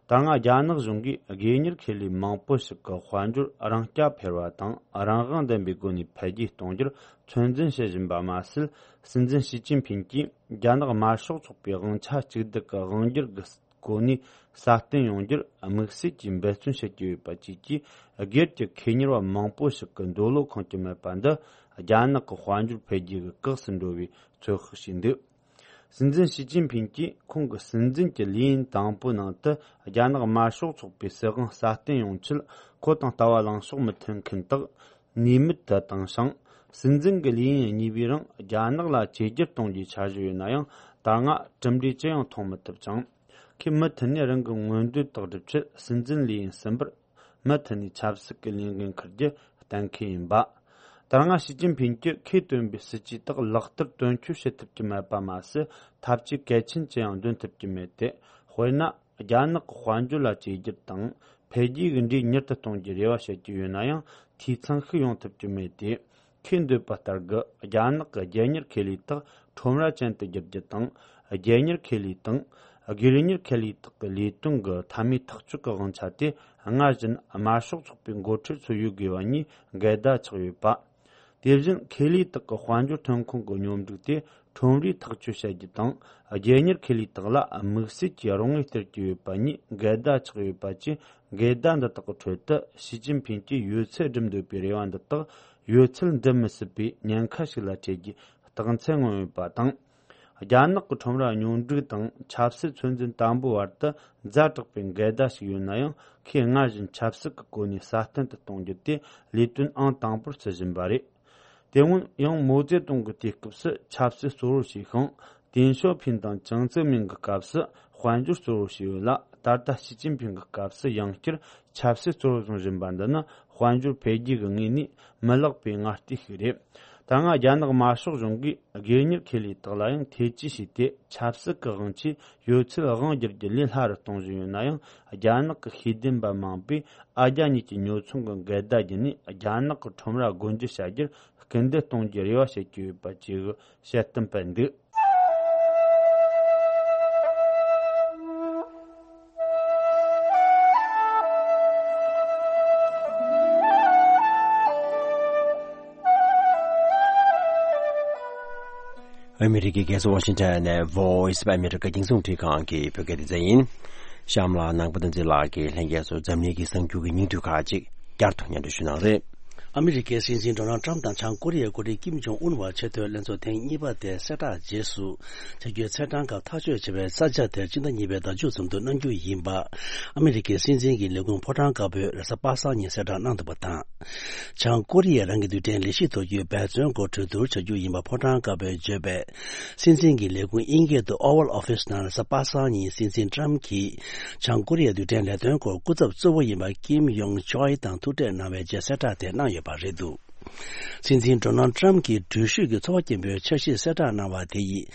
ད་སྔ་རྒྱ་ནག་གཞུང་གིས་དགོས་གཉེར་ཁེ་ལས་མང་པོ་ཞིག་གི་དཔལ་འབྱོར་རང་རྐྱ་འཕེར་བ་དང་རང་དབང་ལྡན་པའི་སྒོ་ནས་འཕེལ་རྒྱས་གཏོང་རྒྱུར་ཚོད་འཛིན་བྱེད་བཞིན་པ་མ་ཟད། སྲིད་འཛིན་ཞི་ཅིན་ཕིན་གྱིས་རྒྱ་ནག་དམར་ཤོག་ཚོགས་པའི་དབང་ཆ་གཅིག་སྡུད་ཀྱི་དབང་སྒྱུར་གྱི་སྒོ་ནས་སྲ་བརྟན་ཡོང་རྒྱུར་དམིགས་བསལ་གྱིས་འབད་བརྩོན་བྱེད་ཀྱི་ཡོད་པ་བཅས་ཀྱིས། སྒེར་གྱི་ཁེ་གཉེར་བ་མང་པོ་ཞིག་གི་འདོད་བློ་ཁེངས་ཀྱི་མེད་པ་འདི། རྒྱ་ནག་གི་དཔལ་འབྱོར་འཕེལ་རྒྱས་ཀྱི་གེགས་སུ་འགྲོ་བའི་ཚོད་དཔག་བྱས་འདུག་སྲིད་འཛིན་ཞི་ཅིན་ཕིན་གྱིས་ཁོང་གི་སྲིད་འཛིན་གྱི་ལས་ཡུན་དང་པོའི་ནང་དུ། རྒྱ་ནག་དམར་ཤོག་ཚོགས་པའི་སྲིད་དབང་སྲ་བརྟན་ཡོང་ཆེད་ཁོ་དང་ལྟ་བ་ལངས་ཕྱོགས་མི་མཐུན་མཁན་དག་ནུས་མེད་དུ་བཏང་ཞིང་། སྲིད་འཛིན་གྱི་ལས་ཡུན་གཉིས་པའི་རིང་རྒྱ་ནག་ལ་བཅོས་བསྒྱུར་གཏོང་རྒྱུའི་འཆར་གཞི་ཡོད་ན་ཡང་། ད་སྔ་གྲུབ་འབྲས་ཅི་ཡང་མཐོང་མི་ཐུབ་ཅིང་། ཁོས་མུ་མཐུད་ནས་རང་གི་མངོན་འདོད་དག་སྒྲུབ་ཆེད་སྲིད་འཛིན་ལས་ཡུན་གསུམ་པར་མུ་མཐུད་ནས་ཆབ་སྲིད་ཀྱི་ལས་འགན་འཁུར་རྒྱུ་གཏན་འཁེལ་ཡིན་པ། ད་སྔ་ཞི་ཅིན་ཕིན་གྱིས་ཁོས་བཏོན་པའི་སྲིད་ཇུས་དག་ལག་བསྟར་དོན་འཁྱོལ་བྱེད་ཐུབ་ཀྱི་མེད་པ་མ་ཟད། ཐབས་ཇུས་གལ་ཆེན་ཅི་ཡང་འདོན་ཐུབ་ཀྱི་མེད་དེ། དཔེར་ན། རྒྱ་ནག་གི་དཔལ་འབྱོར་ལ་བཅོས་བསྒྱུར་དང་འཕེལ་རྒྱས་ཀྱི་འབྲས་མྱུར་དུ་གཏོང་རྒྱུའི་རེ་བ་བྱེད་ཀྱི་ཡོད་ན་ཡང་། འཐུས་ཚང་ཞིག་ཡོང་ཐུབ་ཀྱི་མེད་དེ། ཁོས་འདོད་པ་ལྟར་གྱི་རྒྱ་ནག་གི་རྒྱལ་གཉེར་ཁེ་ལས་དག་ཁྲོམ་ར་ཅན་དུ་བསྒྱུར་རྒྱུ་དང་། རྒྱལ་གཉེར་ཁེ་ལས་དང་། སྒེར་གཉེར་ཁེ་ལས་དག་གི་ལས་དོན་གྱི་མཐའ་མའི་ཐག་གཅོད་ཀྱི་དབང་ཆ་དེ། སྔར་བཞིན་དམར་ཤོག་ཚོགས་པའི་འགོ་ཁྲིད་ཚོ་ཡོད་དགོས་པ་གཉིས་འགལ་ཟླ་ཆགས་ཡོད་པ། དེ་བཞིན་ཁེ་ལས་དག་གི་དཔལ་འབྱོར་ཐོན་ཁུངས་ཀྱི་སྙོམས་སྒྲིག་དེ་ཁྲོམ་རའི་ཐག་གཅོད་བྱ་རྒྱུ་དང་། རྒྱལ་གཉེར་ཁེ་ལས་དག་ལ་དམིགས་བསལ་གྱི་རོགས་དངུལ་སྟེར་གྱི་ཡོད་པ་གཉིས་འགལ་ཟླ་ཆགས་ཡོད་པ་བཅས། འགལ་ཟླ་འདི་དག་གི་ཁྲོད་དུ་ཞི་ཅིན་ཕིན་གྱིས་ཡོད་ཚད་སྒྲུབ་འདོད་པའི་རེ་བ་འདི་དག་ཡོད་ཚད་འགྲུབ་མི་སྲིད་པའི་ཉེན་ཁ་ཞིག་ལ་འཕྲད་རྒྱུའི་རྟགས་མཚན་མངོན་ཡོད་པ་དང་། རྒྱ་ནག་གི་ཁྲོམ་ར་སྙོམས་སྒྲིག་དང་ཆབ་སྲིད་ཚོད་འཛིན་དམ་པོའི་བར་དུ་ཛ་དྲག་པའི་འགལ་ཟླ་ཞིག་ཡོད་ན་ཡང་། ཁོས་སྔར་བཞིན་ཆབ་སྲིད་ཀྱི་སྒོ་ནས་སྲ་བརྟན་དུ་གཏོང་རྒྱུ་དེ་ལས་དོན་ཨང་དང་པོར་བརྩི་བཞིན་པ་རེད། དེ་སྔོན་ཡང་མའོ་ཙེ་ཏུང་གི་དུས་སྐབས་སུ་ཆབ་སྲིད་གཙོ་བོར་བྱས་ཤིང་། ཏེང་ཞའོ་ཕིན་དང་ཅང་ཙེ་མིན་གྱི་སྐབས་སུ་དཔལ་འབྱོར་གཙོ་བོར་བྱས་ཡོད་ལ། ད་ལྟ་ཞི་ཅིན་ཕིན་གྱི་སྐབས་སུ་ཡང་བསྐྱར་ཆབ་སྲིད་གཙོ་བོར་བཟུང་བཞིན་པ་འདི་ནི། དཔལ་འབྱོར་འཕེལ་རྒྱས་ཀྱི་ངོས་ནས་མི་ལེགས་པའི་ངར་ལྟོས་ཤིག་རེད། ད་སྔ་རྒྱ་ནག་དམར་ཤོག་གཞུང་གིས་སྒེར་གཉེར་ཁེ་ལས་དག་ལ་ཡང་ཐེ་ཇུས་བྱས་ཏེ། ཆབ་སྲིད་ཀྱི་དབང་ཆས་ཡོད་ཚད་དབང་བསྒྱུར་རྒྱུ་ལས་སླ་རུ་གཏོང་བཞིན་ཡོད་ན་ཡང་། རྒྱ་ནག་གི་ཤེས་ལྡན་པ་མང་པོས་ཨ་རྒྱ་གཉིས་ཀྱི་ཉོ་ཚོང་གི་འགལ་ཟླ་བརྒྱུད་ནས་རྒྱ་ནག་གི་ཁྲོམ་ར་སྒོ་འབྱེད་བྱ་རྒྱུར་སྐུལ་འདེད་གཏོང་རྒྱུའི་རེ་བ་བྱེད་ཀྱི་ཡོད་པ་བཅས་ཀྱི་བཤད་སྟོན་སྤེལ་འདུག་ཨ་མི་རི་ཀའི་རྒྱལ་ས་ཝ་ཤིང་ཊོན་ནས་Voice of America རྒྱང་སྲིང་རླུང་འཕྲིན་ཁང་གི་བོད་སྐད་སྡེ་ཚན་ཡིན། གཤམ་ལ་ནང་པ་བསྟན་འཛིན་ལགས་ཀྱིས་ལྷན་རྒྱས་ཚོར་འཛམ་གླིང་གི་གསར་འགྱུར་གྱི་སྙིང་བསྡུས་ཁག་ཅིག་བསྐྱར་དུ་སྙན་སྒྲོན་ཞུ་གནང་རེད། ཨ་མི་རི་ཀའི་སྲིད་འཛིན་ཌོ་ནལ་ཊམ་དང་བྱང་ཀོ་རི་ཡའི་འགོ་ཁྲིད་ཀིམ་ཇོང་ཨུན་བར་ཆེས་མཐོའི་ལྷན་ཚོགས་ཐེངས་གཉིས་པ་དེ་གསལ་བསྒྲགས་རྗེས་སུ། བྱ་རྒྱུའི་ཚེས་གྲངས་སྐབས་ཐག་གཅོད་བྱས་པའི་ས་ཆ་དེར་སྤྱི་ཟླ་གཉིས་པའི་ཟླ་མཇུག་ཙམ་དུ་གནང་རྒྱུ་ཡིན་པ། ཨ་མི་རི་ཀའི་སྲིད་འཛིན་གྱི་ལས་ཁུངས་ཕོ་བྲང་དཀར་པོས་རེས་གཟའ་པ་སངས་ཉིན་གསལ་བསྒྲགས་གནང་འདུག་པ་དང་། བྱང་ཀོ་རི་ཡས་རང་གི་རྡུལ་ཕྲན་ལས་གཞི་གཏོར་རྒྱུའི་འབད་བརྩོན་སྐོར་གྲོས་བསྡུར་བྱ་རྒྱུ་ཡིན་པ་ཕོ་བྲང་དཀར་པོས་བརྗོད་པས། སྲིད་འཛིན་གྱི་ལས་ཁུངས་དབྱིན་སྐད་དུ་Oval Office ནང་རེས་གཟའ་པ་སངས་ཉིན་སྲིད་འཛིན་ཊམ་གྱིས་བྱང་ཀོ་རི་ཡའི་རྡུལ་ཕྲན་ལས་དོན་སྐོར་སྐུ་ཚབ་གཙོ་བོ་ཡིན་པ་ཀིམ་ཡོང་ཆོལ་དང་ཐུག་འཕྲད་གནང་བའི་རྗེས་གསལ་བསྒྲགས་དེ་གནང་ཡོད་པ་རེད་འདུག་སྲིད་འཛིན་ཌོ་ནལ་ཊམ་གྱིས་འགྲུལ་བཞུད་ཀྱི་ཚོར་བ་སྐྱེན་པོའི་འཆར་གཞི་གསལ་བསྒྲགས་གནང་བ་དེ་ཡིས།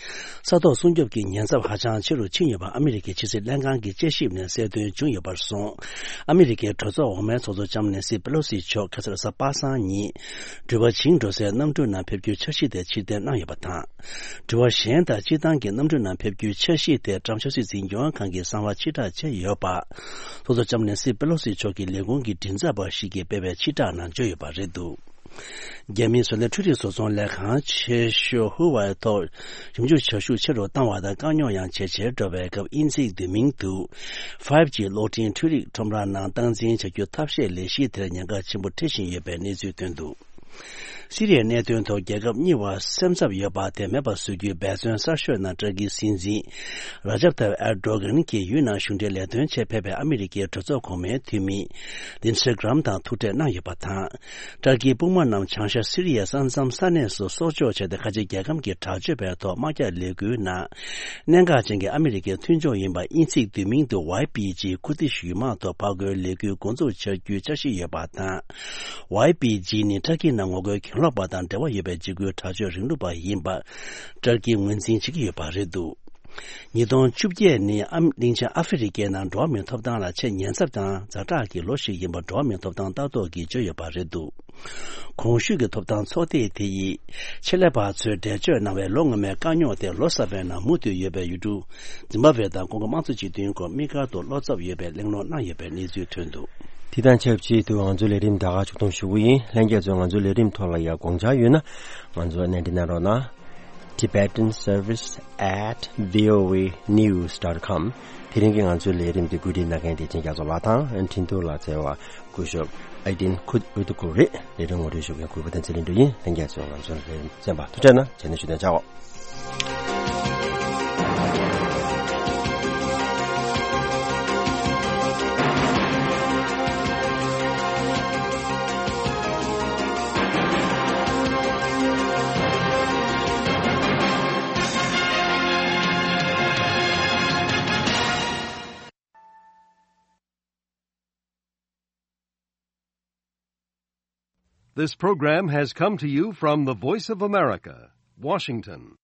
ས་ཐོག་སྲུང་སྐྱོབ་ཀྱི་ཉེན་ཚབས་ཧ་ཅང་ཆེ་རུ་ཕྱིན་ཡོད་པ་ཨ་མི་རི་ཀའི་ཕྱི་སྲིད་ལྷན་ཁང་གི་དཔྱད་ཞིབ་ནས་གསལ་སྟོན་བྱུང་ཡོད་པར་སོང་། ཨ་མི་རི་ཀའི་གྲོས་ཚོགས་འོག་མའི་ཚོགས་གཙོ་ལྕམ་ནེན་སི་པེ་ལོ་སི་མཆོག་ཁ་སང་རེས་གཟའ་པ་སངས་ཉིན། འགྲུལ་པ་བྱིངས་འགྲོ་སའི་གནམ་གྲུའི་ནང་ཕེབས་རྒྱུའི་འཆར་གཞི་དེ་ཕྱིར་འཐེན་གནང་ཡོད་པ་དང་། འགྲུལ་པ་གཞན་དག་སྤྱིར་བཏང་གི་གནམ་གྲུའི་ནང་ཕེབས་རྒྱུའི་འཆར་གཞི་དེ་ཊམ་ཆབ་སྲིད་འཛིན་སྐྱོང་ཁང་གིས་གསང་བ་ཕྱིར་བསྒྲགས་བྱས་ཡོད་པ། ཚོགས་གཙོ་ལྕམ་ནེན་སི་པེ་ལོ་སི་མཆོག་གི་ལས་ཁུངས་ཀྱི་མགྲིན་ཚབ་པ་ཞིག་གིས་སྤེལ་བའི་ཕྱིར་བསྒྲགས་ནང་བརྗོད་ཡོད་པ་རེད་འདུག་རྒྱ་མིའི་བཟོ་ལས་འཕྲུལ་རིག་བཟོ་ཚོང་ལས་ཁང་ཆེ་ཤོས་ཧུ་ཝའི་ཐོག་ཞིབ་འཇུག་བྱ་ཤུགས་ཆེ་རུ་བཏང་བ་དང་དཀའ་རྙོག་ཡང་ཇེ་ཆེར་འགྲོ་བའི་སྐབས། དབྱིན་ཚིག་བསྡུས་མིང་དུ་ཕའིབ་ཇི་གློག་འཕྲིན་འཕྲུལ་རིག་ཁྲོམ་ར་ནང་སྟངས་འཛིན་བྱ་རྒྱུ་ཐབས་ཤེས་ལས་གཞི་དེར་ཉེན་ཁ་ཆེན་པོ་འཕྲད་བཞིན་ཡོད་པའི་གནས་ཚུལ་ཐོན་འདུག་སི་རི་ཡའི་གནད་དོན་ཐོག་རྒྱལ་ཁབ་གཉིས་བར་སེམས་འཚབ་ཡོད་པ་དེ་མེད་པར་བཟོ་རྒྱུའི་འབད་བརྩོན་གསར་ཤོས་ནང་ཏུར་ཀིའི་སྲིད་འཛིན་ར་ཇབ་ཐའིབ་ཨེར་ཌོ་གྷན་གྱིས་ཡུལ་ནང་གཞུང་འབྲེལ་ལས་དོན་ཆེད་ཕེབས་པའི་ཨ་མི་རི་ཀའི་གྲོས་ཚོགས་གོང་མའི་འཐུས་མི་ལིན་སི་གྷི་རམ་དང་ཐུག་འཕྲད་གནང་ཡོད་པ་དང་། ཏུར་ཀིའི་དཔུང་དམག་རྣམས་བྱང་ཤར་སི་རི་ཡའི་ས་མཚམས་ས་གནས་སུ་སྲོག་སྐྱོབ་བྱས་ཏེ། ཁ་ཆེ་རྒྱལ་ཁམས་ཀྱི་དྲག་སྤྱོད་པའི་ཐོག་དམག་རྒྱག་ལས་འགུལ་ནང་གནད་འགག་ཅན་གྱི་ཨ་མི་རི་ཀའི་མཐུན་ཕྱོགས་ཡིན་པ་དབྱིན་ཚིག་བསྡུས་མིང་དུ་ཝའི་པི་ཇི་ཁུར་དིཤ་ཡུལ་དམག་ཐོག་ཕར་རྒོལ་ལས་འགུལ་འགོ་འཛུགས་བྱ་རྒྱུའི་འཆར་གཞི་ཡོད་པ་དང་། ཝའི་པི་ཇི་ནི་ཏུར་ཀིའི་ནང་ངོ་རྒོལ་གྱེན་ལོག་པ་དང་འབྲེལ་བ་ཡོད་པའི་འཇིགས་སྐུལ་དྲག་སྤྱོད་རིང་ལུགས་པ་ཡིན་པ་ཏུར་ཀིས་ངོས་འཛིན་བྱེད་ཀྱི་ཡོད་པ་རེད་འདུག་ཉིས་སྟོང་བཅོ་བརྒྱད་ནི་ཨམ་གླིང་ཆེན་ཨ་ཧྥེ་རི་ཀའི་ནང་འགྲོ་བ་མིའི་ཐོབ་ཐང་ལ་ཆེས་ཉེན་ཚབས་དང་ཛ་དྲག་གི་ལོ་ཞིག་ཡིན་པ་འགྲོ་བ་མིའི་ཐོབ་ཐང་ལྟ་རྟོག་གིས་བརྗོད་ཡོད་པ་རེད་འདུག་གོང་ཞུས་ཀྱི་ཐོབ་ཐང་ཚོགས་སྡེ་དེ་ཡིས་ཆེད་ལས་པ་ཚོས་འགྲེལ་བརྗོད་གནང་བའི་ལོ་སྔོན་མའི་དཀའ་རྙོག་དེ་ལོ་གསར་པའི་ནང་མུ་མཐུད་ཡོད་པའི་ཡུལ་གྲུ་ཛིམ་བྷ་ཝེ་དང་ཀོང་ཀོ་དམངས་གཙོ་སྤྱི་མཐུན་སྐོར་དམིགས་བཀར་དུ་བློ་འཚབ་ཡོད་པའི་གླེང་སློང་གནང་ཡོད་པའི་གནས་ཚུལ་ཐོན་འདུག་དེ་དང་ཆབས་ཅིག་ཏུ་ང་ཚོའི་ལས་རིམ་ད་ག་མཇུག་སྡོམ་ཞུ་གི་ཡིན། ལྷན་རྒྱས་ཚོས་ང་ཚོའི་ལས་རིམ་ཐོག་ལ་ཡང་དགོངས་འཆར་ཡོད་ན་ང་ཚོར་གནད་འདྲི་གནང་རོགས་གནང་། Tibetan Service at V O A news dot com། དེ་རིང་གི་ང་ཚོའི་ལས་རིམ་འདི་བཀོད་སྒྲིག་གནང་མཁན་དེ་ཅན་རྒྱ་མཚོ་ལགས་དང་འཕྲིན་ཐུང་ལ་འཚོལ་བ་སྐུ་ཞབས་ཨའི་ཏིན་ཁུད་ཨུ་ཏུ་ཀུ་རེད། ལས་རིམ་ངོ་སྤྲོད་ཞུ་མཁན་གུས་པ་བསྟན་འཛིན་ལྷུན་གྲུབ་ཡིན། ལྷན་རྒྱས་ཚོས་ང་ཚོའི་ལས་རིམ་གསན་པ་ཐུགས་རྗེ་གནང་། རྗེས་ནས་ཞུ་དོན་བྱའོ། This program has come to you from the Voice of America, Washington.